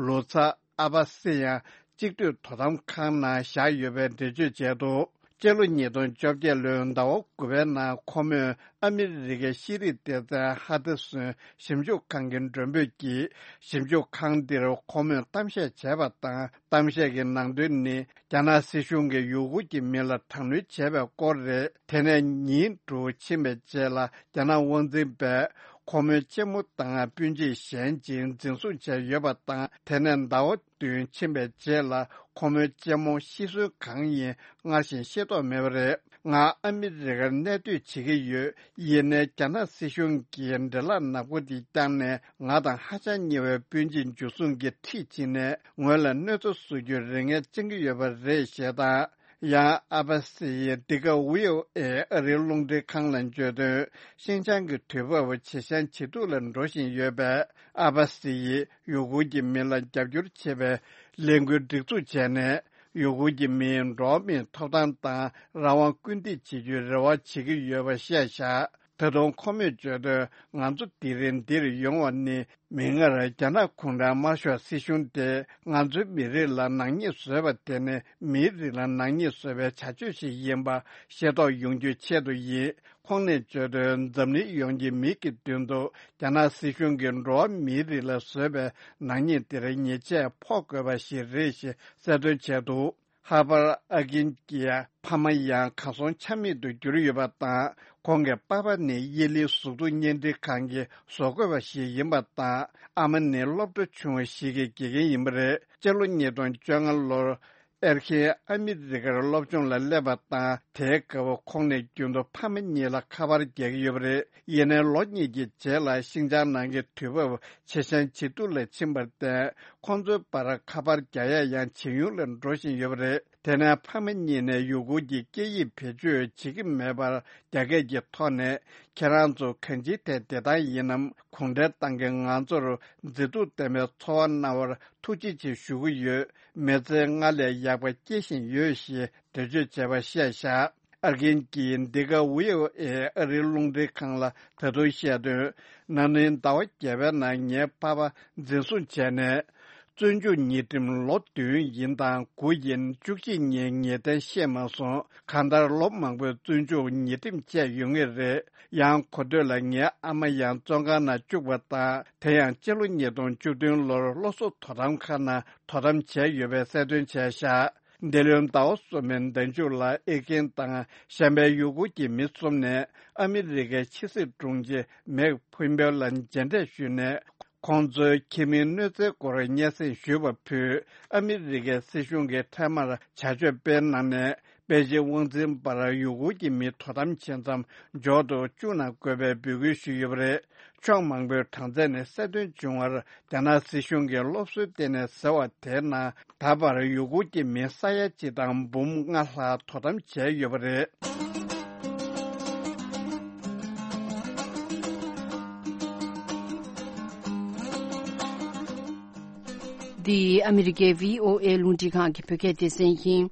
ལོ་ཙཱ་ཨ་བ་སི་ཡང་གཅིག་སྡུད་དོ་དམ་ཁང་ནང་བཞག་ཡོད་པའི་འགྲེལ་བརྗོད་བྱས་འདུག་སྤྱི་ལོ་ཉིས་སྟོང་བཅོ་བརྒྱད་ལོའི་ཟླ་བ་དགུ་པའི་ནང་ཁོ་མོས་ཨ་མི་རི་ཀའི་ཤེས་རིག་སྡེ་ཚན་ཧ་ཏེ་སོན་ཞིབ་འཇུག་ཁང་གི་མགྲོན་འབོད་ཀྱིས། ཞིབ་འཇུག་ཁང་འདིར་ཁོ་མོས་གཏམ་བཤད་བྱས་པ་དང་། གཏམ་བཤད་ཀྱི་ནང་དོན་ནི། རྒྱ་ནག་སྲིད་གཞུང་གིས་ཡུ་གུར་གྱི་མི་ལ་དྲག་གནོན་བྱས་པའི་སྐོར་རེད། དེ་ནས་ཉིན་དྲུག་ཕྱིན་པའི་རྗེས་ལ། རྒྱ་ནག་དབང་འཛིན་པས་ཁོ་མོའི་གཅེན་མོ་དང་སྤུན་མཆེད་གཞན་གཅིག་འཛིན་བཟུང་བྱས་ཡོད་པ་དང་། དེ་ནས་ཟླ་བ་བདུན་ཕྱིན་པའི་རྗེས་ལ། ཁོ་མོའི་གཅེན་མོ་ཤི་གསོན་གང་ཡིན་སྔར་བཞིན་ཤེས་རྟོགས་མེད་པ་རེད། ང་ཨ་མི་རི་ཀར་གནས་སྡོད་བྱེད་ཀྱི་ཡོད། ཡིན་ནའི་རྒྱ་ནག་སྲིད་གཞུང་གིས་འདྲེ་ལག་ནག་པོ་འདི་བརྐྱངས་ནས། ང་དང་ཧ་ཅང་ཉེ་བའི་སྤུན་མཆེད་འཇུ་བཟུང་གིས་ཁྲིད་ཕྱིན་ནས། ངོས་ལ་གནོད་འཚེ་བཟོ་རྒྱུའི་རེ་ངན་བཅང་གི་ཡོད་པ་རེད་ཞེས་དང་། ཡང་ཨ་བ་སི་ཡིས་འདི་ག་ཝི་ཨོ་ཨེ་ཨ་རིའི་རླུང་འཕྲིན་ཁང་ལ་བརྗོད་དོན། ཤིན་ཅང་གི་དུས་བབ་ཇེ་ཞན་ཇེ་སྡུག་ལ་འགྲོ་བཞིན་ཡོད་པས། ཨ་བ་སི་ཡིས་ཡུ་གུར་གྱི་མི་ལ་རྒྱབ་སྐྱོར་བྱེད་པའི་ལས་འགུལ་སྒྲིག་འཛུགས་བྱས་ནས། ཡུ་གུར་གྱི་མིའི་འགྲོ་བ་མིའི་ཐོབ་ཐང་དང་རང་དབང་སྐུལ་འདེད་བྱེད་རྒྱུའི་རེ་བ་བྱེད་ཀྱི་ཡོད་པ་བཤད་བཞག་ད་དུང་ཁོ་མོས་བརྗོད་དོན། ང་ཚོ་དེ་རིང་འདིར་ཡོང་བ་ནི། མིག་སྔར་རྒྱ་ནག་གུང་ཁྲན་དམར་ཤོག་སྲིད་གཞུང་དེ། ང་ཚོའི་མི་རིགས་ལ་ནག་ཉེས་བཟོས་པ་དེ་ནི། མིའི་རིགས་ལ་ནག་ཉེས་བཟོས་པའི་བྱ་སྤྱོད་ཞིག་ཡིན་པ་ཤེས་རྟོགས་ཡོང་རྒྱུའི་ཆེད་དུ་ཡིན། ཁོང་ནས་བརྗོད་དོན། འཛམ་གླིང་ཡོངས་ཀྱི་མི་གི་མདུན་དུ། རྒྱ་ནག་སྲིད་གཞུང་གིས་འགྲོ་བ་མིའི་རིགས་ལ་བཟོས་པའི་ནག་ཉེས་དེར་ཉེས་ཆད་ཕོག་དགོས་པ་ཞིག་རེད་ཞེས་གསལ་སྟོན་བྱས་འདུག་ཧར་པར་ཨ་ཀིན་གྱི་ཕ་མ་ཡང་གར་སོང་ཆ་མེད་དུ་གྱུར་ཡོད་པ་དང་། ཁོང་གི་པ་ཕ་ནི་དབྱི་ལིང་གཟུགས་མཐོང་བརྙན་འཕྲིན་ཁང་གི་བཟོ་བཀོད་པ་ཞིག་ཡིན་པ་དང་། ཨ་མ་ནི་སློབ་གྲྭ་ཆུང་བ་ཞིག་གི་དགེ་རྒན་ཡིན་པ་རེད། སྤྱི་ལོ་ཉིས་སྟོང་བཅོ་ལྔ་ལོར། ཨེར་ཁིན་ཨ་མི་རི་ཀར་སློབ་སྦྱོང་ལ་སླེབས་པ་དང་། དེའི་སྐབས་ཁོང་ནས་རྒྱུན་དུ་ཕ་མ་གཉིས་ལ་ཁ་པར་རྒྱག་གི་ཡོད་པ་རེད། ཡིན་ནའི་ལོ་གཉིས་ཀྱི་རྗེས་ལ་ཤིན་ཅང་ནང་གི་དུས་བབ་ཇེ་ཞན་ཇེ་སྡུག་ལ་ཕྱིན་པར་བརྟེན། ཁོང་ཚོའི་བར་ཁ་པར་རྒྱག་ཡ་ཡང་ཇེ་ཉུང་ལ་འགྲོ་བཞིན་ཡོད་པ་རེད། དེ་ནས་ཕ་མ་གཉིས་ནས་ཡུ་གུར་གྱི་སྐད་ཡིག་བེད་སྤྱོད་བྱེད་ཀྱི་མེད་པར་རྒྱ་སྐད་ཀྱི་ཐོག་ནས། ཁྱེད་རང་ཚོ་གང་ཅིའི་ཐད་བདེ་ཐང་ཡིན་ནམ། གུང་ཁྲན་ཏང་གིས་ང་ཚོར་མཛེས་སྡུག་ལྡན་པའི་འཚོ་བ་གནང་བར་ཐུགས་རྗེ་ཆེ་ཞུ་གི་ཡོད། མི་ཚེ་སྔར་ལས་ཡག་པ་སྐྱེལ་བཞིན་ཡོད་ཞེས་འགྲེལ་བརྗོད་བྱས་པ་བཤད་བཞག་ཨར་གིན་གྱིས་འདི་ག་ཝི་ཨོ་ཨེ་ཨ་རིའི་རླུང་འཕྲིན་ཁང་ལ་ད་དུང་བཤད་དོན། ན་ནིང་ཟླ་བ་བརྒྱད་པའི་ནང་ངའི་ཕ་པ་འཛིན་བཟུང་བྱས་ནས། བཙོན་འཇུག་ཉེས་ཁྲིམས་ལོ་བདུན་ཡིན་དང་དགུ་ཡིན། བཅུ་གཅིག་ཉིན་ངེས་གཏན་བཤད་མ་སོང་། གང་ལྟར་ལོ་མང་པོའི་བཙོན་འཇུག་ཉེས་ཁྲིམས་བཅད་ཡོད་ངེས་རེད། ཡང་གོ་ཐོས་ལ་ངའི་ཨ་མ་ཡང་བཙོན་ཁང་ནང་བཅུག་པ་དང་། དེ་ཡང་སྤྱི་ལོ་ཉིས་སྟོང་བཅུ་བདུན་ལོར་སློབ་གསོ་དོ་དམ་ཁང་ནང་དོ་དམ་བྱས་ཡོད་པའི་གསལ་སྟོན་བྱས་བཞག་འདི་ལོའི་ཟླ་བ་གསུམ་པའི་ཟླ་མཇུག་ལ་ཨེར་གིན་དང་གཞན་པའི་ཡུ་གུར་གྱི་མི་གསུམ་ནས་ཨ་མི་རི་ཀའི་ཕྱི་སྲིད་དྲུང་ཆེ་མེག་ཕུན་པེ་ལ་མཇལ་འཕྲད་ཞུས་ནས། ཁོང་ཚོའི་ཁྱིམ་མིའི་གནོད་འཚེའི་སྐོར་སྙན་སེང་ཞུས་པ་ཕུད། ཨ་མི་རི་ཀའི་སྲིད་གཞུང་གིས་འཕྲལ་མར་བྱ་སྤྱོད་སྤེལ་གནང་ནས། པེ་ཅིན་དབང་འཛིན་པར་ཡུ་གུར་གྱི་མི་དོ་དམ་བྱེད་མཚམས་འཇོག་ཏུ་བཅུག་གནང་དགོས་པའི་འབོད་སྐུལ་ཞུས་ཡོད་པ་རེད། ཕྱོགས་མང་པོའི་གྲངས་ཚད་ནས་གསལ་སྟོན་བྱུང་བར། རྒྱ་ནག་སྲིད་གཞུང་གིས་སློབ་གསོའི་སྟེང་ནས་ཟེར་བ་དེའི་ནང་། ད་བར་ཡུ་གུར་གྱི་མི་ས་ཡ་གཅིག་དང་འབུམ་ལྔ་ལྷག་དོ་དམ་བྱས་ཡོད་པ་རེད། འདི་ཨ་མི་རི་ཀའི་ཝི་ཨོ་ཨེ་རླུང་འཕྲིན་ཁང་གི་བོད་སྐད་སྡེ་ཚན་ཡིན།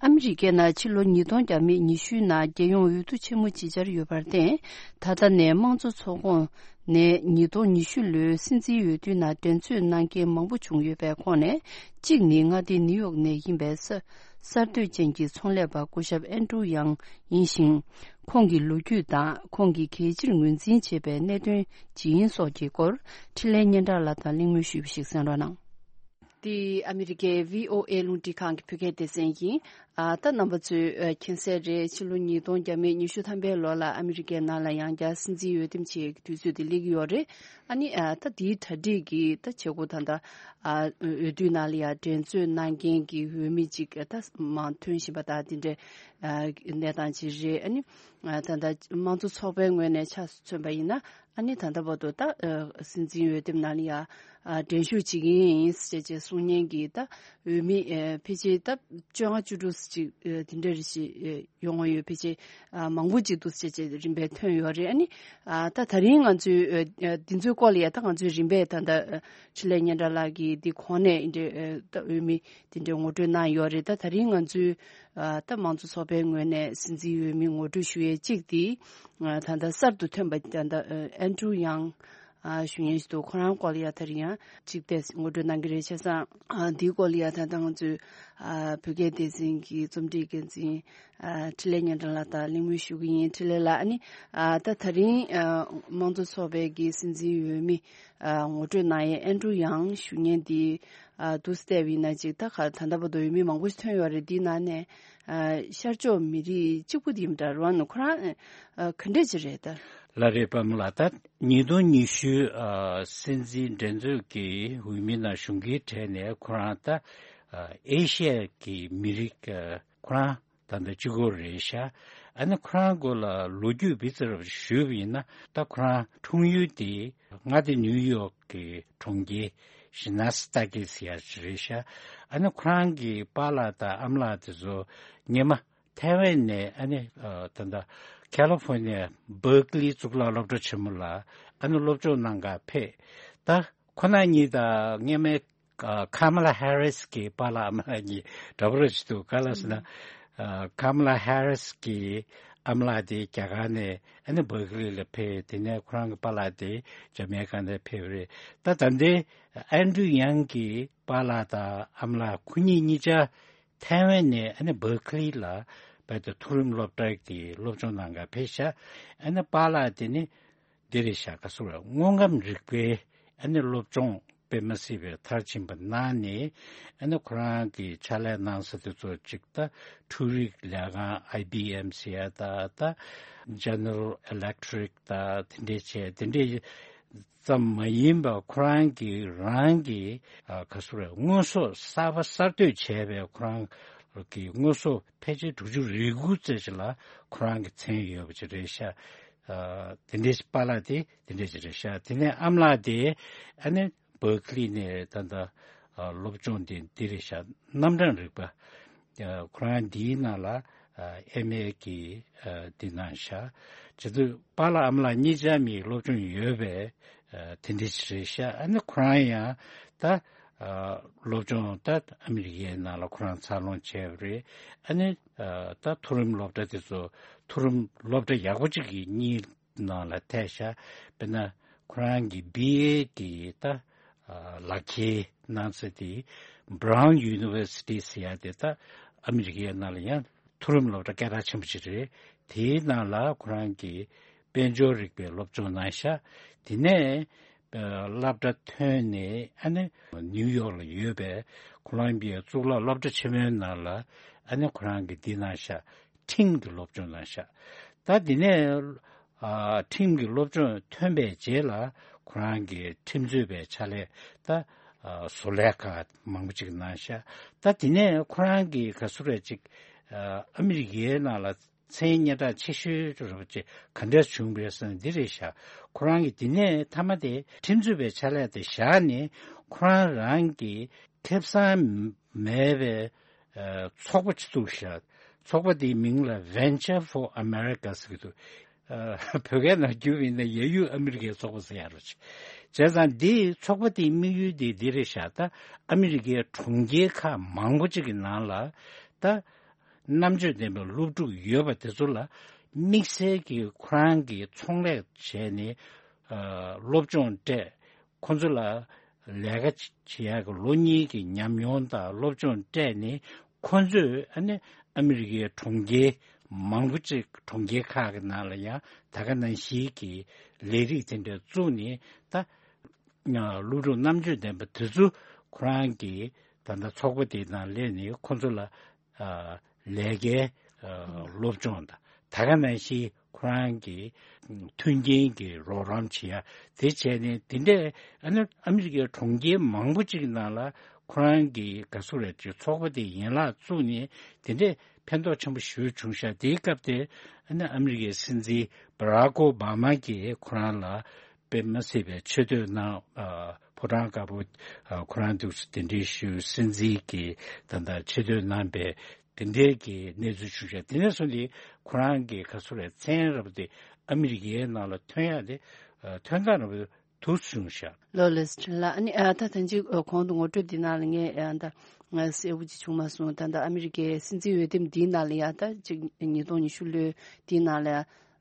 ཨ་མི་རི་ཀའི་ནང་ཕྱི་ལོ་ཉིས་སྟོང་བརྒྱ་མེད་ཉི་ཤུའི་ནང་རྒྱལ་ཡོངས་འོས་བསྡུ་ཆེན་མོ་ཅིག་བཅར་ཡོད་པར་བརྟེན། ད་ལྟ་ནས་དམངས་གཙོ་ཚོགས་ཁོངས་ནས་ཉིས་སྟོང་ཉི་ཤུ་ལོའི་སྲིད་འཛིན་འོས་བསྡུའི་ནང་འགྲན་རྩོད་གནང་མཁན་མང་པོ་བྱུང་ཡོད་པའི་ཁོངས་ནས། གཅིག་ནི་མངའ་སྡེ་ནིའུ་ཡོག་ནས་ཡིན་པའི་ས་གསར་གཏོད་ཅན་གྱི་ཚོང་ལས་པ་སྐུ་ཞབས་ཨན་ཀྲུའུ་ཡང་ཡིན་ཞིང་། ཁོང་གི་ལོ་རྒྱུས་དང་ཁོང་གིས་གལ་ཆེར་ངོས་འཛིན་བྱེད་པའི་གནད་དོན་ཇི་ཡིན་སོགས་ཀྱི་སྐོར་འཕྲིན་ལས་སྙན་གྲགས་ལགས་དང་གླེང་མོལ་ཞུས་པ་ཞིག་གསན་རོགས་གནང་། འདི་ཨ་མི་རི་ཀའི་ཝི་ཨོ་ཨེ་རླུང་འཕྲིན་ཁང་གི་བོད་སྐད་སྡེ་ཚན་ཡིན། ཨ། ད་རྣམ་པ་ཚོས་ཨ་མཁྱེན་གསལ་རེད། ཕྱི་ལོ་ཉིས་སྟོང་བརྒྱ་མེད་ཉི་ཤུ་ཐམ་པའི་ལོ་ལ་ཨ་མི་རི་ཀའི་ནང་ལ་ཡང་བསྐྱར་སྲིད་འཛིན་འོས་འདེམས་བྱེད་ཀྱི་དུས་ཚོད་དེ་སླེབས་ཀྱི་ཡོད་རེད། ཨ་ནི་ཨ་ད་དེའི་གྲ་སྒྲིག་གི་ད་བྱེད་སྒོ་ད་ལྟ་ཨ་འོས་བསྡུའི་ནང་ལ་ཡང་འགྲན་རྩོད་གནང་མཁན་གྱི་འོས་མི་ཅིག་ད་མང་ཐོན་བཞིན་པ་དང་དེ་འདྲའི་ཨ་གནས་སྟངས་ཅིག་རེད། ཨ་ནི་ཨ་ད་ལྟ་དམངས་གཙོ་ཚོགས་པའི་ངོས་ནས་ཆ་མཚོན་པ་ཡིན་ན། ཨ་ནི་ད་ལྟ་བར་དུ་ད་ཨ་སྲིད་འཛིན་འོས་འདེམས་ནང་ལ་ཡ་ཨ་འགྲན་ཞུགས་བྱེད་ཀྱི་ཡིན་ཞེས་བྱས་གསུང་མཁན་གྱི་ད་འོས་མི་ཨ་ཕལ་ཆེར་ད་བཅོ་ལྔ་བཅུ་དྲུག་ ཅིག་ཨ་དེ་འདྲ་རེ་ཞིག་ཨ་ཡོང་བ་ཡོད་པའི་ཆེད་ཨ་མང་པོ་ཅིག་འདུག་སེ་བྱས་བྱས་རིམ་པས་ཐོན་ཡོད་རེད། ཨ་ནི་ཨ་ད་ད་རིང་ང་ཚོའི་ཨ་ཨ་འདི་ཚོའི་སྐོར་ལ་ཡ་ད་ང་ཚོའི་རིམ་པས་ད་ད་ཨ་འཕྲིན་ལས་སྙན་གྲགས་ལགས་ཀྱིས་འདི་གོང་ནས་འདི་འདྲའི་ཨ་ད་འོས་མི་དེ་འདྲའི་ངོ་སྤྲོད་གནང་ཡོད་རེད། ད་ད་རིང་ང་ཚོའི་ཨ་ད་མང་གཙོ་ཚོགས་པའི་ངོས་ནས་སྲིད་འཛིན་འོས་མི་ངོ་སྤྲོད་ཞུ་ཡས་གཅིག་དེ་ཨ་ད་ད་གསར་དུ་ཐོན་པ་ད་ད་ཨ་ཨན་ཌྲུ་ཡང་ཨ་ཞུ་མཁན་ཞིག་འདུག་ཁོ་རང་སྐོར་ལ་ཡ་ད་རིང་ཡང་གཅིག་དེ་ངོ་སྤྲོད་གནང་གི་རེད། བྱས་ཙང་ཨ་འདིའི་སྐོར་ལ་ཡ་ད་ད་ང་ཚོའི་ཨ་བོད་སྐད་སྡེ་ཚན་གྱི་རྩོམ་སྒྲིག་འགན་འཛིན་ཨ་འཕྲིན་ལས་སྙན་གྲགས་ལགས་དང་གླེང་མོལ་ཞུ་གི་ཡིན། འཕྲིན་ལས་ལགས། ཨ་ནི་ཨ་ད་ད་རིང་ཨ་དམངས་གཙོ་ཚོགས་པའི་གི་སྲིད་འཛིན་འོས་མི་ཨ་ངོ་སྤྲོད་གནང་ཡས་ཨན་ཌྲུ་ཡང་ཞུ་མཁན་དེ་ཨ་འདུག་སེ་བལྟས་པ་ཡིན་ན་ཅིག་ད་ག་ད་ལྟ་བར་དུ་འོས་མི་མང་པོ་ཞིག་ཐོན་ཡོད་རེད། དེའི་ནང་ནས་ཨ་ཤར་ཕྱོགས་མི་རིགས་གཅིག་པུ་དེ་ཡིན་པ་འདྲ་རོ། ཨ་ནི་ཁོ་རང་ཨ་ག་འདྲས་ཅིག་རེད་ད། ལགས་རེད། པདྨ་ལགས། ད་ཉིས་སྟོང་ཉི་ཤུ་ཨ་སྲིད་འཛིན་འགྲན་རྩོད་ཀྱི་འོས་མི་ནང་ཞུགས་མཁན་གྲས་ནས་ཁོ་རང་ད་ཨ་ཨེ་ཤི་ཡ་གི་མི་རིགས་ཨ་ཁོ་རང་ད་ལྟ་གཅིག་པོ་རེད་ཤག་ཨ་ནི་ཁོ་རང་སྐོར་ལ་ལོ་རྒྱུས་ལྦི་ཙི་ར་ཞུས་པ་ཡིན་ན། ད་ཁོ་རང་འཁྲུངས་ཡུལ་དེ་མངའ་སྡེ་ནིའུ་ཡོག་གི་གྲོང་ཁྱེར་ཤི་ན་སི་ཏ་ཀི་ཟེར་ཡ་ཅིག་རེད་ཤག་ཨ་ནི་ཁོ་རང་གི་པཱ་ལགས་དང་ཨ་མ་ལགས་དེ་ཚོ་སྔོན་མ་ཐའེ་ཝན་ནས་ཨ་ནི་ཨ་ད་ལྟ་ཁ་ལི་ཧྥོར་ནི་ཡ་བར་ཀ་ལི་གཙུག་ལག་སློབ་གྲྭ་ཆེན་མོ་ལ་ཨ་ནི་སློབ་སྦྱོང་གནང་ག་ཕེབས། ད་ཁོ་རང་གཉིས་དང་སྔོན་མའི་ཨ་ཁ་མ་ལ་ཧེ་རིས་ཀྱི་པཱ་ལགས་ཨ་མ་ལགས་གཉིས་འདྲ་པོ་རེ་ཞིག་འདུག་ག་ལ་ཟེར་ན། ཨ་ཁ་མ་ལ་ཧེ་རིས་ཀྱི་ཨ་མ་ལགས་དེ་རྒྱ་གར་ནས་ཨ་ནི་བར་ཀ་ལི་ལ་ཕེབས། དེ་ནས་ཁོ་རང་གི་པཱ་ལགས་དེ་ཇ་མེ་ཀ་ནས་ཕེབས་རེད། ད་ད་ལྟའི་ཨན་ཌྲུ་ཡང་གི་པཱ་ལགས་དང་ཨ་མ་ལགས་ཁོ་གཉིས་གཉིས་ཆ་ཐའེ་ཝན་ནས་ཨ་ནི་བར་ཀ་ལི་ལ་བལ་དུ་མཐོ་རིམ་སློབ་གྲྭ་གི་སློབ་སྦྱོང་གནང་ག་ཕེབས་ཤག་ཨ་ནི་པཱ་ལགས་དེ་ནི་འདི་རེད་ཤག་ག་སུ་རེད། དངོས་ཁམས་རིག་པའི་ཨ་ནི་སློབ་སྦྱོང་དཔེ་མ་སྲིད་པའི་མཐར་ཕྱིན་པ་གནང་ནས། ཨ་ནི་ཁོ་རང་གི་ཕྱག་ལས་གནང་ས་དེ་ཚོ་གཅིག་ད་འཕྲུལ་རིག་ལས་ཁང་ཨའི་བི་ཨེམ་ཟེར་ཡ་ད་ད་ཇེ་ནེ་རལ་ཨི་ལེག་ཊི་རིག་ད་དེ་འདྲས་བྱས། དེ་འདྲས་ཙམ་མ་ཡིན་པར་ཁོ་རང་གི་རང་གི་ཨ་ག་སུ་རེད། དངོས་ཟོག་གསར་པ་གསར་གཏོད་བྱས་པའི་ཁོ་རང་གི་དངོས་ཟོག་ཕལ་ཆེར་དྲུག་ཅུ་རེ་དགུ་ཙམ་ཞིག་ལ་ཁོ་རང་གི་མཚན་ཡོད་པ་ཅིག་རེད་ཤག་ཨ་དེ་འདྲའི་པཱ་ལགས་དེ་དེ་འདྲའི་ཅིག་རེད་ཤག་དེ་ནས་ཨ་མ་ལགས་དེ་ཨ་ནི་བར་ཀ་ལི་ནས་ད་ལྟ་ཨ་སློབ་སྦྱོང་དེ་འདི་རེད་ཤག་རྣམ་གྲངས་རིག་པ། ཨ་ཁོ་རང་འདིའི་ནང་ལ་ཨ་ཨེམ་ཨེ་གི་ཨ་འདི་གནང་ཤག་བྱས་ཙང་པཱ་ལགས་ཨ་མ་ལགས་གཉིས་ཆ་མིའི་སློབ་སྦྱོང་ཡོད་པའི་ཨ་དེ་འདྲའི་ཅིག་རེད་ཤག་ཨ་ནི་ཁོ་རང་ཡང་ད་ཨ་སློབ་སྦྱོང་ད་ཨ་མི་རི་ཀའི་ནང་ལ་ཁོ་རང་འཚར་ལོངས་བྱས་པ་རེད། ཨ་ནི་ཨ་ད་མཐོ་རིམ་སློབ་གྲྭ་དེ་ཚོ་མཐོ་རིམ་སློབ་གྲྭ་ཡག་པོ་གཅིག་གི་གཉིས་ནང་ལ་ཐེ་ཤག་དཔེར་ན་ཁོ་རང་གི་བི་ཨེ་གི་ད་ཨ་ལག་ཁྱེར་གནང་ས་དེ་Brown University ཟེར་ཡ་དེ་ད་ཨ་མི་རི་ཀའི་ནང་ལ་ཡང་མཐོ་རིམ་སློབ་གྲྭ་སྐད་གྲགས་ཆེན་པོ་ཅིག་རེད། དེའི་ནང་ལ་ཁོ་རང་གི་དཔལ་འབྱོར་རིག་པའི་སློབ་སྦྱོང་གནང་ཤག་དེ་ནས་ཨ་སློབ་གྲྭ་ཐོན་ནས་ཨ་ནི་ནིའུ་ཡོག་ལ་ཡོད་པའི་ཁོ་ལོམ་བི་ཡ་གཙུག་ལག་སློབ་གྲྭ་ཆེན་མོའི་ནང་ལ་ཨ་ནི་ཁོ་རང་གིས་འདི་གནང་ཤག་ཁྲིམས་ཀྱི་སློབ་སྦྱོང་གནང་ཤག་ད་དེ་ནས་ཨ་ཁྲིམས་ཀྱི་སློབ་སྦྱོང་ཐོན་པའི་རྗེས་ལ་ཁོ་རང་གིས་ཁྲིམས་རྩོད་པའི་ཕྱག་ལས་ད་ཨ་བཟོ་ལས་ཁག་མང་པོ་ཅིག་གནང་ཤག་ད་དེ་ནས་ཁོ་རང་གིས་ག་སུ་རེད་ཅིག་ཨ་ཨ་མི་རི་ཀའི་ནང་ལ་མཚན་སྙན་གྲགས་ཆེ་ཤོས་རེད་པ་ཅིག་ག་འདྲས་བྱུང་བ་རེད་ཟེར་ན་འདི་རེད་ཤག་ཁོ་རང་གིས་དེ་ནས་མཐའ་མ་དེ་ཁྲིམས་རྩོད་པའི་ཕྱག་ལས་དེ་བཞག་ནས་ཁོ་རང་རང་གི་ཁེ་བཟང་མེད་པའི་ཨ་ཚོགས་པ་ཅིག་བཙུགས་ཤག་ཚོགས་པ་དེའི་མིང་ལ་Venture for America ཟེར་གྱི་འདུག་ཨ་བོད་སྐད་ནང་བསྒྱུར་བ་ཡིན་ན་ཡ་ཡུལ་ཨ་མི་རི་ཀའི་ཚོགས་པ་ཟེར་ཡ་རེད། བྱས་ཙང་འདིའི་ཚོགས་པ་དེའི་དམིགས་ཡུལ་དེ་འདི་རེད་ཤག་ད་ཨ་མི་རི་ཀའི་གྲོང་ཁྱེར་ཁག་མང་པོ་ཅིག་གི་ནང་ལ་ད་རྣམ་དཔྱོད་ལྡན་པའི་སློབ་ཕྲུག་ཡོད་པ་དེ་ཚོ་ལ་དམིགས་བསལ་གྱི་ཁོ་རང་གིས་ཚོང་ལས་བྱས་ནས་ཨ་སློབ་སྦྱོང་སྤྲད། ཁོ་ཚོ་ལ་ལས་ཀ་བྱེད་ཡག་གི་ལོ་གཉིས་ཀྱི་ཉམས་མྱོང་དང་སློབ་སྦྱོང་སྤྲད་ནས་ཁོ་ཚོས་ཨ་ནི་ཨ་མི་རི་ཀའི་གྲོང་ཁྱེར་མང་པོ་ཅིག་གྲོང་ཁྱེར་ཁག་གི་ནང་ལ་ཡང་ད་ག་ནང་བཞིན་གྱི་ལས་རིགས་དེ་འདྲ་བཙུགས་ནས་ད་སློབ་ཕྲུག་རྣམ་དཔྱོད་ལྡན་པ་དེ་ཚོ་ཁོ་རང་གི་ད་ལྟ་ཚོགས་པ་དེའི་ནང་སླེབས་ནས་ཁོ་ཚོ་ལ་ཨ་ལས་ཀའི་ཨ་སློབ་སྦྱོང་དང་ད་ག་ནང་བཞིན་ཁོ་རང་གི་མཐུན་རྐྱེན་གྱི་རོགས་རམ་བྱེད་ཡ་དེ་བྱས་ནས་དེ་འདྲས་ཨ་ནི་ཨ་མི་རི་ཀའི་གྲོང་ཁྱེར་མང་པོ་ཅིག་ནང་ལ་ཁོ་རང་གི་ག་སུ་རེད་ཅིག་ཚོགས་པ་དེ་ཡན་ལག་བཙུགས་ནས་དེ་འདྲས་ཕན་ཐོགས་ཆེན་པོ་ཞེ་པོ་བྱུང་ཤག་དེའི་སྐབས་དེ་ཨ་ནི་ཨ་མི་རི་ཀའི་སྲིད་འཛིན་བྷ་རག་ཨོ་བྷ་མ་གིས་ཁོ་རང་ལ་དཔེ་མ་སྲིད་པའི་ཆེ་བསྟོད་གནང་། ཨ་ཕོ་བྲང་དཀར་པོ་ཨ་ཁོ་རང་འདུག་སེ་གདན་འདྲེན་ཞུས། སྲིད་འཛིན་གྱིས་ད་ལྟ་ཆེ་བསྟོད་གནང་པའི་ དེ་འདྲའི་གི་གནས་ཚུལ་བྱུང་ཤག་དེ་ནས་བཟུང་སྟེ་ཁོ་རང་གི་ག་ཚོད་རེད། མཚན་རབ་དེ་ཨ་མི་རི་ཀའི་ནང་ལ་ཐོན་ཡག་དེ་ཐོན་སྟངས་རབ་དེ་དུས་བྱུང་ཤག་ལོ་ལེགས་བྱུང་ལ། ཨ་ནི་ཨ་ད་ཐེངས་གཅིག་གོང་དུ་ངོ་སྤྲོད་འདི་ནང་ལ་ངས་ཨ་ད་ང་གསལ་པོ་ཅིག་བྱུང་མ་སོང་། ད་ད་ཨ་མི་རི་ཀའི་སྲིད་འཛིན་འོས་འདེམས་འདིའི་ནང་ལ་ཡ་ད་ཅིག་ཉིས་སྟོང་ཉི་ཤུ་ལོའི་འདིའི་ནང་ལ་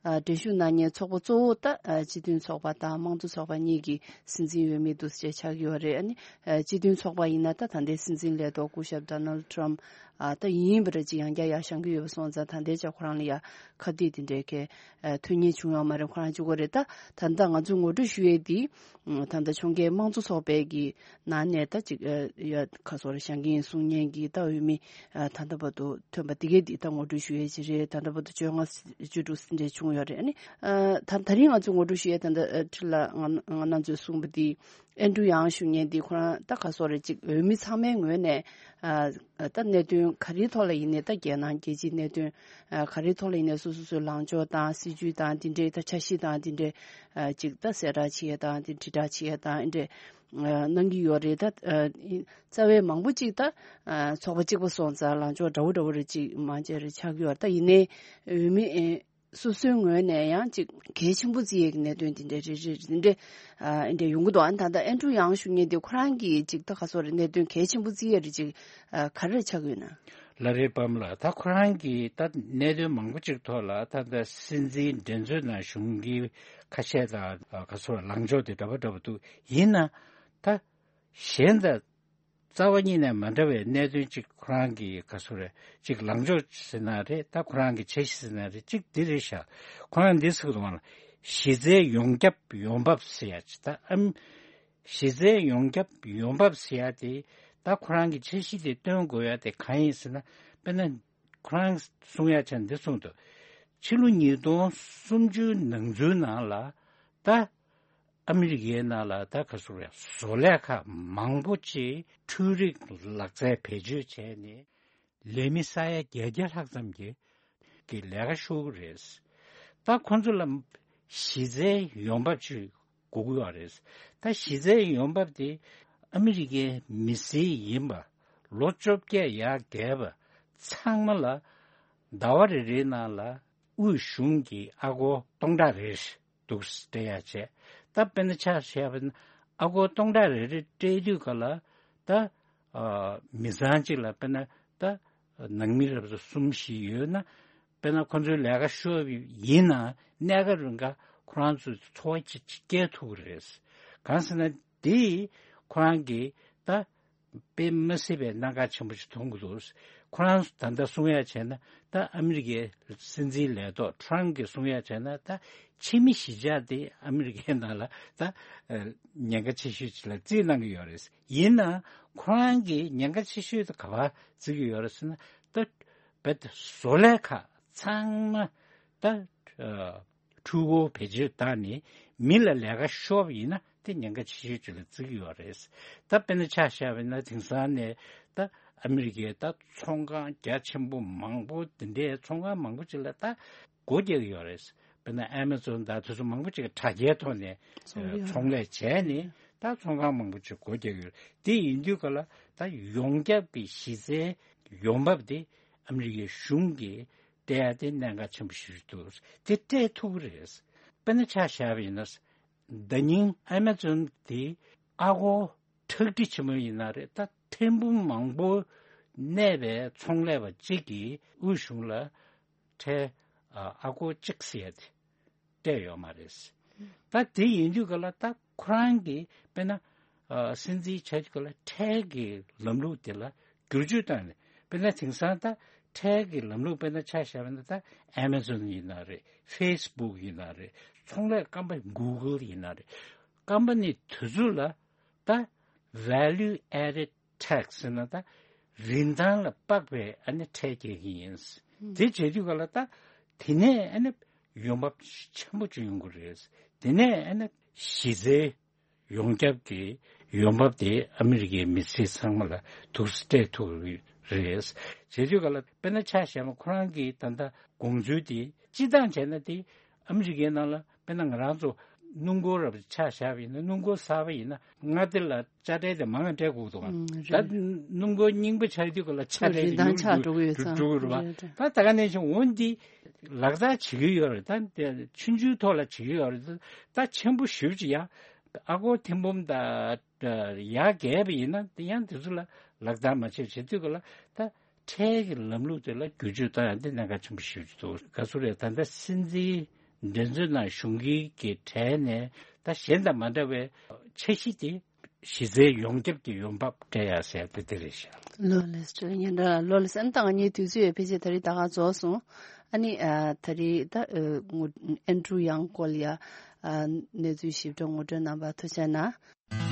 ཨ་འགྲན་ཞུགས་གནང་མཁན་ཚོགས་པ་གཙོ་བོ་ད་ཨ་སྤྱི་མཐུན་ཚོགས་པ་དང་དམངས་གཙོ་ཚོགས་པ་གཉིས་ཀྱི་སྲིད་འཛིན་འོས་མི་འདུག་སེ་ཆགས་ཀྱི་ཡོད་རེད། ཨ་ནི་ཨ་སྤྱི་མཐུན་ཚོགས་པ་ཡིན་ན་ད་ད་ལྟའི་སྲིད་འཛིན་ལས་ཐོག་སྐུ་ཞབས་ཌོ་ནལ་ཊམ་ཨ་ད་ཡིན་པ་རེད། ཅིག་ཡང་བསྐྱར་ཡར་བཞེངས་ཀྱི་ཡོད་པ་སོང་ཙང་ད་ལྟའི་ཆ་ཁོ་རང་ལ་ཡ་ཁ་གཏད་དེ་འདྲའི་གལ་ཨ་ཐོན་མཁན་བྱུང་ཡོད་མ་རེད། ཁོ་རང་གཅིག་པོ་རེད། ད་ད་ལྟ་ང་ཚོས་ངོ་སྤྲོད་ཞུ་ཡས་འདི་ད་ལྟ་ཕྱོགས་འགལ་དམངས་གཙོ་ཚོགས་པའི་གི་ནང་ནས་ད་ཅིག་ཨ་ཡ་ཁ་སོ་རེ་བཞེངས་ཀྱི་ཡིན་གསུང་མཁན་གྱི་ད་འོས་མི་ཨ་ད་ལྟ་བར་དུ་ཐོན་པ་དེ་གས་འདི་ད་ངོ་སྤྲོད་ཞུ་ཡས་ཅིག་རེད། ད་ལྟ་བར་དུ་བཅོ་ལྔ་བཅུ་དྲུག་འདྲ་བྱུང་ཡོད་རེད། ཨ་ནི་ཨ་ད་ད་རིང་ང་ཚོས་ངོ་སྤྲོད་ཞུ་ཡས་ད་ལྟ་ཨ་ཁྲི་ལ་ང་ང་རང་ཚོས་གསུངས་པ་འདི་ཨན་ཌྲུ་ཡང་ཞུ་མཁན་འདི་ཁོ་རང་ད་ག་སོ་རེ་ཅིག་འོས་མི་ཚང་མའི་ངོས་ནས་ཨ་ད་གནད་དོན་ག་རེའི་ཐོག་ལ་ཡིན་ནའི་ད་རྒྱལ་ནང་རྒྱལ་སྤྱིའི་གནད་དོན་ཨ་ག་རེའི་ཐོག་ལ་ཡིན་ནའི་སོ་སོ་སོའི་ལངས་ཕྱོགས་དང་སྲིད་ཇུས་དང་འདི་འདྲའི་ད་འཆར་གཞི་དང་འདི་འདྲའི་ཨ་ཅིག་ད་གསལ་བསྒྲགས་བྱེད་ཡས་དང་འདི་དྲིལ་བསྒྲགས་བྱེད་ཡས་དང་འདི་འདྲའི་ཨ་གནང་གི་ཡོད་རེད། ད་ཨ་རྩ་བའི་མང་པོ་ཅིག་ད་ཨ་ཚོགས་པ་གཅིག་པ་སོང་ཙང་ལངས་ཕྱོགས་འདྲ་བོ་འདྲ་བོ་རེ་ཅིག་མང་ཆེ་རེ་ཆགས་ཀྱི་ཡོད་རེད། ད་ཡིན་ནའི་འོས་མི་ཨེ་སོ་སོའི་ངོས་ནས་ཡང་ཅིག་གལ་ཆེན་པོ་བརྩི་ཡས་ཀྱི་གནད་དོན་དེ་འདྲ་རེ་རེ་རེ་འདྲ་ཨ་འདྲ་ཡོང་གི་འདུག་ཨ་ད་ལྟ་ཨན་ཌྲུ་ཡང་ཞུ་མཁན་དེ་ཁོ་རང་གིས་ཅིག་ད་ག་སོ་རེ་གནད་དོན་གལ་ཆེན་པོ་བརྩི་ཡས་རེ་ཅིག་ཨ་ག་རེ་ཆགས་ཀྱི་ཡོད་ན། ལ་རེ་པམ་ལ་ད་ཁོ་རང་གིས་ད་གནད་དོན་མང་པོ་ཅིག་ཐོག་ལ་ད་ལྟ་སྲིད་འཛིན་འགྲན་རྩོད་ནང་ཞུགས་མཁན་ཁ་ཤས་དང་ག་སོ་ལངས་ཕྱོགས་དེ་འདྲ་པོ་འདྲ་པོ་འདུག་ཡིན་ན་ད་གཞན་དང་རྩ་བ་ཉིད་ནས་མ་འདྲ་བའི་གནད་དོན་གཅིག་ཁོ་རང་གི་ག་སོ་རེད། གཅིག་ལངས་ཕྱོགས་ཟེར་ན་རེད། ད་ཁོ་རང་གི་འཆར་གཞི་ཟེར་ན་རེད། གཅིག་འདི་རེད་ཤག་ཁོ་རང་འདི་ཟེར་གི་འདུག་ག་གཞི་རྩའི་ཡོངས་ཁྱབ་ཡོང་འབབ་ཟེར་ཡ་ཅིག་ད་ཨམ་གཞི་རྩའི་ཡོངས་ཁྱབ་ཡོང་འབབ་ཟེར་ཡ་དེ་ད་ཁོ་རང་གི་འཆར་གཞི་དེ་སྟོན་དགོས་ཡ་དེ་གང་ཡིན་ཟེར་ན། དཔེར་ན་ཁོ་རང་གསུང་ཡ་ཆ་འདི་གསུངས་འདུག་ཕྱི་ལོ་ཉིས་སྟོང་སུམ་ཅུ་ནང་ཚུན་ནང་ལ་ད་ཨ་མི་རི་ཀའི་ནང་ལ་ད་ག་ཟེར་རེད། བཟོ་ལས་ཁག་མང་པོ་ཅིག་འཕྲུལ་རིག་ལག་རྩལ་བེད་སྤྱོད་བྱས་ནས་ལས་མི་ས་ཡ་བརྒྱད་བརྒྱ་ལྷག་ཙམ་གྱི་གི་ལས་ཀ་ཤོར་གི་རེད། ད་ཁོང་ཚོ་ལ་གཞི་རྩའི་ཡོང་འབབ་ཅིག་དགོས་ཀྱི་ཡོད་རེད། ད་གཞི་རྩའི་ཡོང་འབབ་དེ་ཨ་མི་རི་ཀའི་མི་སེར་ཡིན་པ་ལོ་བཅོ་བརྒྱད་ཡར་རྒས་པ་ཚང་མ་ལ་ཟླ་བ་རེ་རེའི་ནང་ལ་དབུས་གཞུང་གི་ཨ་སྒོར་སྟོང་ཕྲག་རེ་འདུག་སྤྲད་ཡ་བྱས། ད་དཔེར་ན་ཆ་བཞག་པ་ན་ཨ་སྒོར་སྟོང་ཕྲག་རེ་རེ་སྤྲད་དུས་ག་ལ་ད་ཨ་མི་ཚང་གཅིག་ལ་དཔེར་ན་ད་ནང་མི་རབས་གསུམ་བཞི་ཡོད་ན། དཔེར་ན་ཁོ་ཚོའི་ལས་ཀ་ཤོར་བ་ཡིན་ན་གནད་འགག་རུ་འགའ་ཁོ་རང་ཚོའི་འཚོ་བ་ཅིག་སྐྱེལ་ཐུབ་ཀྱི་རེད། གང་ཟེར་ན་དེ་ཁོ་རང་གིས་ད་དཔེ་མ་སྲིད་པའི་གནད་འགག་ཆེན་པོ་ཞིག་མཐོང་གི་འདུག་ཁོ་རང་ཚོ་ད་ལྟ་གསུང་ཡ་བྱས་ན་ད་ཨ་མི་རི་ཀའི་སྲིད་འཛིན་ལས་ཐོག་ཊརམ་གྱིས་གསུང་ཡ་བྱས་ན་ད་ཕྱི་མི་གཞིས་ཆགས་དེ་ཨ་མི་རི་ཀའི་ནང་ལ་ད་ཉེན་ཁ་ཆེ་ཤོས་ཅིག་ལ་བརྩིས་གནང་གི་ཡོད་རེད། ཡིན་ནའང་ཁོ་རང་གིས་ཉེན་ཁ་ཆེ་ཤོས་དེ་ག་པར་བརྩི་གི་ཡོད་རེད་ཟེར་ན། ད་རྦད་དེ་བཟོ་ལས་ཁག་ཚང་མ་ད་འཕྲུལ་འཁོར་བེད་སྤྱོད་བཏང་ནས་མི་ལ་ལས་ཀ་ཤོར་བ་ཡིན་ན་དེ་ཉེན་ཁ་ཆེ་ཤོས་ཅིག་ལ་བརྩི་གི་ཡོད་རེད། ད་དཔེར་ན་ཆ་བཞག་པ་ཡིན་ན་དེང་སང་ནས་ད་ཨ་མི་རི་ཀའི་ད་ཚོང་ཁང་རྒྱ་ཆེན་པོ་མང་པོ་དེ་འདྲའི་ཚོང་ཁང་མང་པོ་ཅིག་ལ་ད་སྒོ་རྒྱག་གི་ཡོད་རེད། དཔེར་ན་ཨེ་མ་ཛོན་དང་དེ་ཚོ་མང་པོ་ཅིག་གིས་དྲ་རྒྱའི་ཐོག་ནས་ཚོང་ལས་ཚོང་ལས་བྱས་ནས་ད་ཚོང་ཁང་མང་པོ་ཅིག་སྒོ་རྒྱག་གི་ཡོད་རེད། དེ་ཡིན་དུས་ག་ལ་ད་ཡོངས་ཁྱབ་ཀྱི་གཞི་རྩའི་ཡོང་འབབ་དེ་ཨ་མི་རི་ཀའི་གཞུང་གིས་སྤྲད་ཡ་དེ་གནད་འགག་ཆེན་པོ་ཞིག་འདུག་དེ་སྤྲད་ཐུབ་ཀྱི་རེད། དཔེར་ན་ཆ་བཞག་པ་ཡིན་ན་ཟླ་ཉིན་ཨེ་མ་ཛོན་དེ་ཨ་སྒོར་ཁྲག་ཁྲིག་ཆེན་མོ་ཡིན་ན་རེད། ད་ཐེར་འབུམ་མང་པོ་གནས་པའི་ཚོང་ལས་པ་གཅིག་གིས་དབུས་གཞུང་ལ་ཁྲལ་ཨ་སྒོར་གཅིག་ཟེར་ཡ་དེ་སྤྲད་ཡོད་མ་རེད། ད་དེ་ཡིན་དུས་ག་ལ་ད་ཁོ་རང་གིས་དཔེར་ན་ཨ་སྲིད་འཛིན་ཆགས་དུས་ག་ལ་ཁྲལ་གྱི་ལམ་ལུགས་དེ་ལ་བསྒྱུར་བཅོས་བཏང་ནས། དཔེར་ན་དེང་སང་ད་ཁྲལ་གྱི་ལམ་ལུགས་དཔེར་ན་ཆ་བཞག་པ་ན་ད་ཨེ་མ་ཛོན་ཡིན་ན་རེད། ཧྥེ་སི་བུག་ཡིན་ན་རེད། ཚོང་ལས་ཀམ་པ་ནི་གུ་གལ་ཡིན་ན་རེད། ཀམ་པ་ནི་དེ་ཚོ་ལ་ད་value added tax ཟེར་ན་ད་རིན་ཐང་ལ་དཔག་པའི་ཨ་ནི་ཁྲལ་འཁྱེར་གྱི་ཡིན། དེ་བྱེད་དུས་ག་ལ་ད་དེ་ནས་ཨ་ནི་ཡོང་འབབ་ཆེན་པོ་ཅིག་ཡོང་གི་རེད། དེ་ནས་ཨ་ནི་གཞི་རྩའི་ཡོངས་ཁྱབ་ཀྱི་ཡོང་འབབ་དེ་ཨ་མི་རི་ཀའི་མི་སེར་ཚང་མ་ལ་ཐུགས་སྤྲད་ཐུབ་ཀྱི་རེད། བྱེད་དུས་ག་ལ་དཔེར་ན་ཆ་བཞག་ན་ཁོ་རང་གི་ད་ལྟ་དགོངས་ཚུལ་དེ་སྤྱིར་བཏང་བྱས་ན་དེ་ཨ་མི་རི་ཀའི་ནང་ལ་དཔེར་ན་ང་རང་ཚོ་ སྣུམ་འཁོར་རབ་ཆ་བཞག་པ་ཡིན་ན། སྣུམ་འཁོར་གསར་པ་ཡིན་ན་མངའ་སྡེ་ལ་ཆ་སྤྲད་དེ་མང་བ་སྤྲད་དགོས་འདུག་ག་ཨང་། རེད། ད་སྣུམ་འཁོར་རྙིང་པ་ཆགས་དུས་སྐབས་ལ་ཆ་སྤྲད་རིན་དེ་ཐང་ཉུང་ཆག་རུ་འགྲོ་གི་ཡོད་འགྲོ་ཙང་། འགྲོ་གི་རེད་པ། རེད་རེད། ད་ད་ག་ནང་བཞིན་འོ་འདི་ལག་བསྟར་བྱེད་ཀྱི་ཡོད་རེད། ད་དེ་ཆུང་ཆུང་ཐོག་ལ་བྱེད་ཀྱི་ཡོད་རེད། ད་ཆེན་པོ་ཞེ་པོ་ཅིག་ཡ་ཨ་སྒོར་ཐེར་འབུམ་དང་ཡར་བརྒལ་བ་ཡིན་ན་དེ་ཡང་དེ་ཚོ་ལ་ལག་བསྟར་མ་བྱས་བྱེད་དུས་སྐབས་ལ་ད། ཁྲལ་གྱི་ལམ་ལུགས་དེ་ལ་བསྒྱུར་བཅོས་གཏོང་ཡ་འདི་གནད་འགག་ཆེན་པོ་ཞིག་འདུག་ག་ཚོད་རེད། ད་ལྟ་སྲིད་འཛིན་འགྲན་རྩོད་ནང་ཞུགས་མཁན་གྱི་གྲས་ནས་ད་གཞན་དང་མ་འདྲ་བའི་འཆར་གཞི་དེ་གཞི་རྩའི་ཡོངས་ཁྱབ་ཀྱི་ཡོང་འབབ་སྤྲད་ཡ་ཟེར་ཡ་དེ་དེ་རེད་ཤག་ལོ་ལེགས་སོ། ཉིན་རེ་ལོ་ལེགས་སོ། ཨ་ནི་ད་ང་གཉིས་དུས་ཚོད་ཡོད་ཕལ་ཆེར་ད་རེས་ད་ག་རྫོགས་སོང་། ཨ་ནི་ཨ་ད་རེས་ད་ཨ་ངོ་ཨན་ཌྲུ་ཡང་ཀོལ་ཡ་ཨ་གནས་ཚུལ་ཞིབ་ཕྲ་ངོ་སྤྲོད་གནང་བར་ཐུགས་རྗེ་གནང་།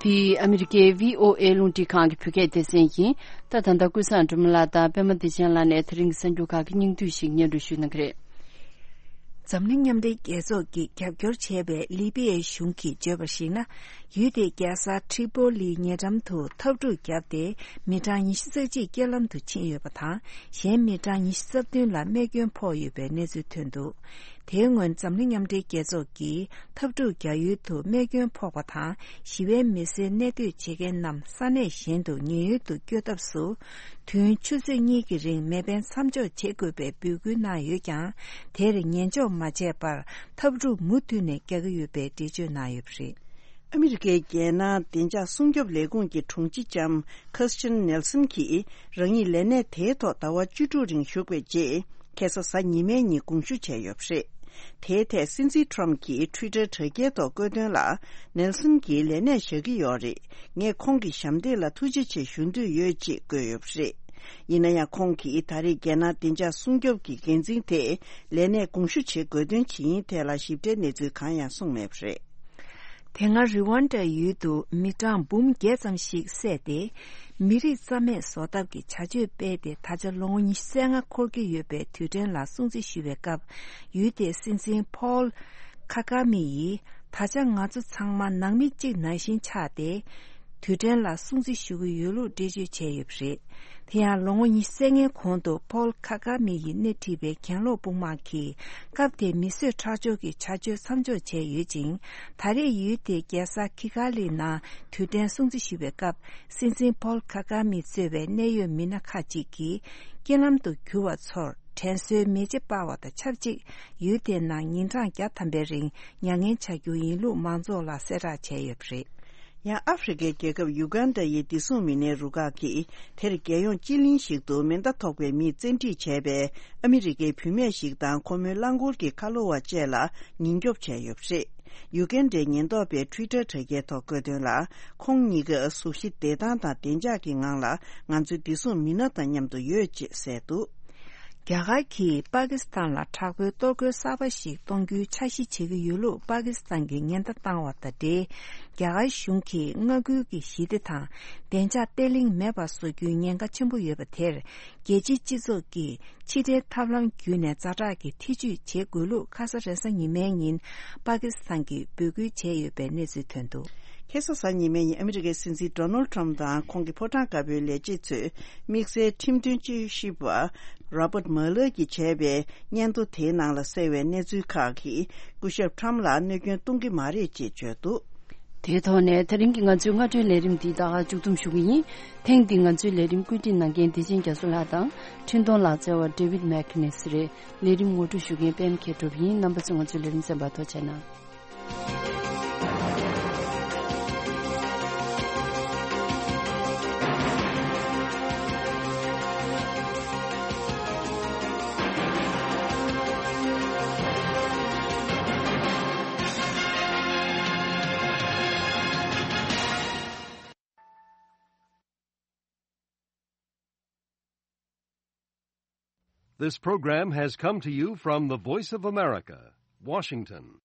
འདི་ཨ་མི་རི་ཀའི་བྷི་ཨོ་ཨེ་རླུང་འཕྲིན་ཁང་གི་བོད་སྐད་སྡེ་ཚན་ཡིན། ད་ད་ལྟ་ཀུན་བཟང་སྒྲོལ་མ་ལགས་དང་པད་མ་བདེ་ཆེན་ལགས་ནས་དེ་རིང་གི་གསར་འགྱུར་ཁག་གི་སྙིང་བསྡུས་ཤིག་སྙན་སྒྲོན་ཞུ་གནང་གི་རེད། འཛམ་གླིང་མཉམ་འབྲེལ་རྒྱལ་ཚོགས་ཀྱིས་རྒྱབ་སྐྱོར་བྱས་པའི་ལི་པི་ཡའི་གཞུང་གིས་བརྗོད་པར་གཞིགས་ན། ཡུལ་དེའི་རྒྱལ་ས་ཁྲི་པོ་ལིའི་ཉེ་འགྲམ་དུ་འཐབ་འཁྲུག་བརྒྱབ་སྟེ། མི་གྲངས་ཉི་ཤུ་རྩ་གཅིག་རྐྱེན་ལམ་དུ་ཕྱིན་ཡོད་པ་དང་། གཞན་མི་གྲངས་ཉི་ཤུ་རྩ་བདུན་ལ་རྨས་སྐྱོན་ཕོག་ཡོད་པའི་གནས་ཚུལ་ཐོན་འདུག་དེའི་སྔོན་འཛམ་གླིང་མཉམ་འབྲེལ་རྒྱལ་ཚོགས་ཀྱིས་འཐབ་འཁྲུག་རྒྱག་ཡུལ་དུ་རྨས་སྐྱོན་ཕོག་པ་དང་ཞི་བའི་མི་སེར་གནས་སྡོད་བྱེད་མཁན་རྣམས་ས་གནས་གཞན་དུ་ཉེན་གཡོལ་དུ་བསྐྱོད་ཐབས་སུ། དུས་ཡུན་ཆུ་ཚོད་གཉིས་ཀྱི་རིང་མེ་འཕེན་མཚམས་འཇོག་བྱེད་དགོས་པའི་འབོད་སྐུལ་གནང་ཡོད་ཀྱང་། དེར་ཉན་འཇོག་མ་བྱས་པར་འཐབ་འཁྲུག་མུ་མཐུད་ནས་རྒྱག་གི་ཡོད་པའི་འགྲེལ་བརྗོད་གནང་ཡོད་པ་རེད། ཨ་མི་རི་ཀའི་རྒྱལ་ནང་བདེ་འཇགས་སྲུང་སྐྱོབ་ལས་ཁུངས་ཀྱི་དྲུང་ཆེ་ལྕམ་ཁེར་སི་ཊན་ནེལ་སན་གྱིས་རང་ཉིད་ལས་གནས་དེའི་ཐོག་ཟླ་བ་བཅུ་དྲུག་རིང་བཞུགས་པའི་རྗེས། ཁ་སང་གཟའ་ཉི་མའི་ཉིན་དགོངས་ཞུ་བྱས་ཡོད་པ་རེད། དེའི་ཐད་སྲིད་འཛིན་ཊམ་གྱིས་ཊུའི་ཊར་དྲ་རྒྱའི་ཐོག་བཀོད་དོན་ལ། ནེལ་སན་གྱིས་ལས་གནས་བཞག་གི་ཡོད་རེད། ངས་ཁོང་གི་ཞབས་འདེགས་ལ་ཐུགས་རྗེ་ཆེ་ཞུ་འདོད་ཡོད་ཅེས་བཀོད་ཡོད་པ་རེད། ཡིན་ན་ཡང་ཁོང་གིས་ད་རེས་རྒྱལ་ནང་བདེ་འཇགས་སྲུང་སྐྱོབ་ཀྱི་འགན་འཛིན་དེ་ལས་གནས་དགོངས་ཞུ་བྱེད་དགོས་དོན་ཇི་ཡིན་ཐད་ལ་ཞིབ་ཕྲའི་གནས་ཚུལ་གང་ཡང་གསུངས་མེད་པ་རེད། དེ་སྔ་རི་ཝན་ཌ་ཡུལ་དུ་མི་གྲངས་འབུམ་བརྒྱད་ཙམ་ཞིག་བསད་དེ། མི་རིགས་རྩ་མེད་བཟོ་ཐབས་ཀྱི་བྱ་སྤྱོད་སྤེལ་ཏེ། ད་ཆ་ལོ་ངོ་ཉི་ཤུ་རྩ་ལྔ་འཁོར་གྱི་ཡོད་པའི་དུས་དྲན་ལ་སྲུང་བརྩི་ཞུ་བའི་སྐབས། ཡུལ་དེའི་སྲིད་འཛིན་ཕོལ་ཁ་ཀ་མི་ཡིས། ད་ཆ་ང་ཚོ་ཚང་མ་ནང་མི་གཅིག་ནང་བཞིན་ཆགས་ཏེ། དུས་དྲན་ལ་སྲུང་བརྩི་ཞུ་གི་ཡོད་ལུགས་འགྲེལ་བརྗོད་བྱས་ཡོད་པ་རེད། དེ་ཡང་ལོ་ངོ་ཉི་ཤུ་རྩ་ལྔའི་གོང་དུ་ཕོལ་ཁ་ཀ་མི་ཡིས་སྣེ་ཁྲིད་པའི་གྱེན་ལོག་དཔུང་དམག་གིས་སྐབས་དེའི་མི་གསོད་ཁྲག་སྦྱོར་གྱི་བྱ་སྤྱོད་མཚམས་འཇོག་བྱས་ཡོད་ཅིང་། ད་རེས་ཡུལ་དེའི་རྒྱལ་ས་ཁི་གྷ་ལི་ནང་དུས་དྲན་སྲུང་བརྩི་ཞུ་བའི་སྐབས། སྲིད་འཛིན་ཕོལ་ཁ་ཀ་མི་གཙོས་པའི་གནད་ཡོད་མི་སྣ་ཁག་ཅིག་གིས་རྐྱེན་ལམ་དུ་གྱུར་བ་ཚོར་དྲན་གསོའི་མེ་ལྕེ་སྤར་བ་དང་ཆབས་ཅིག་ཡུལ་དེའི་ནང་ཉིན་གྲངས་བརྒྱ་ཐམ་པའི་རིང་མྱ་ངན་བྱ་རྒྱུ་ཡིན་ལུགས་མང་ཚོགས་ལ་གསལ་བསྒྲགས་བྱས་ཡོད་པ་རེད། ཡང་ཨ་ཧྥེ་རི་ཁའི་རྒྱལ་ཁབ་ཡུ་གན་ཌ་ཡི་བདེ་སྲུང་མི་སྣའི་རུ་ཁག་གིས་དེར་རྒྱལ་ཡོངས་སྤྱི་གླིང་ཞིག་ཏུ་མེ་མདའ་ཐོགས་པའི་མིས་བཙན་ཁྲིད་བྱས་པའི་ཨ་མི་རི་ཀའི་བུད་མེད་ཞིག་དང་ཁོ་མོའི་རླངས་འཁོར་གྱི་ཁ་ལོ་བ་བཅས་ལ་ཉེན་སྐྱོབ་བྱས་ཡོད་པ་རེད། ཡུ་གན་ཌའི་ཉེན་རྟོག་པས་ཊུའི་ཊར་དྲ་རྒྱའི་ཐོག་བཀོད་དོན་ལ། ཁོང་གཉིས་ཀ་གཟུགས་གཞི་བདེ་ཐང་དང་བདེ་འཇགས་ཀྱི་ངང་ལ་ང་ཚོའི་བདེ་སྲུང་མི་སྣ་དང་མཉམ་དུ་ཡོད་ཅེས་གསལ་འདུག་རྒྱ་གར་གྱིས་པ་ཀི་སི་ཐན་ལ་དྲག་པོའི་གཏོར་རྒོལ་གསར་པ་ཞིག་གཏོང་རྒྱུའི་འཆར་གཞི་བྱེད་ཀྱི་ཡོད་ལུགས་པ་ཀི་སི་ཐན་གྱིས་ཉེན་བརྡ་བཏང་བ་དང་འབྲེལ། རྒྱ་གར་གཞུང་གིས་མངའ་ཁུལ་གྱི་ཞི་བདེ་དང་བདེ་འཇགས་བརྟན་ལྷིང་མེད་པ་བཟོ་རྒྱུའི་ཉེན་ཁ་ཆེན་པོ་ཡོད་པ་དེར། རྒྱལ་སྤྱིའི་སྤྱི་ཚོགས་ཀྱིས་ཕྱི་འབྲེལ་ཐབས་ལམ་བརྒྱུད་ནས་ཛ་དྲག་གི་ཐེ་ཇུས་བྱེད་དགོས་ལུགས་ཁ་ས་རེས་གཟའ་ཉི་མའི་ཉིན་པ་ཀི་སི་ཐན་གྱིས་འབོད་སྐུལ་བྱས་ཡོད་པའི་གནས་ཚུལ་ཐོན་འདུག་ཁ་ས་གཟའ་ཉི་མའི་ཉིན་ཨ་མི་རི་ཀའི་སྲིད་འཛིན་ཌོ་ནལ་ཌི་ཊརམ་དང་ཁོང་གི་ཕོ་བྲང་དཀར་པོའི་ལས་བྱེད་ཚོས་དམིགས་བསལ་ཁྲིམས་དོན་དཔྱད་ཞིབ་པ་རོ་བརྟ་མ་ལར་གྱིས་བྱས་པའི་སྙན་ཐོ་དེའི་ནང་ལ་གསལ་བའི་གནས་ཚུལ་ཁག་གིས་སྐུ་ཞབས་ཊརམ་ལ་གནོད་སྐྱོན་གཏོང་གི་མ་རེད་ཅེས་བརྗོད་འདུག་དེའི་ཐོག་ནས་དེ་རིང་གི་ང་ཚོའི་སྔ་དྲོའི་ལས་རིམ་འདི་ད་ག་མཇུག་བསྡོམས་ཞུ་གི་ཡིན། ཐེངས་འདིའི་ང་ཚོའི་ལས་རིམ་བཀོད་སྒྲིག་གནང་མཁན་བདེ་ཆེན་རྒྱ་མཚོ་ལགས་དང་འཕྲིན་གཏོང་ལག་རྩལ་བ་ཌེ་ཝིད་མེག་ནེ་སི་རེད། ལས་རིམ་ངོ་སྤྲོད་ཞུ་མཁན་པད་མ་མཁས་གྲུབ་ཡིན། རྣམ་པ་ཚོས་ང་ཚོའི་ལས་རིམ་གསན་པར་ཐུགས་རྗེ་གནང་། This program has come to you from the Voice of America, Washington.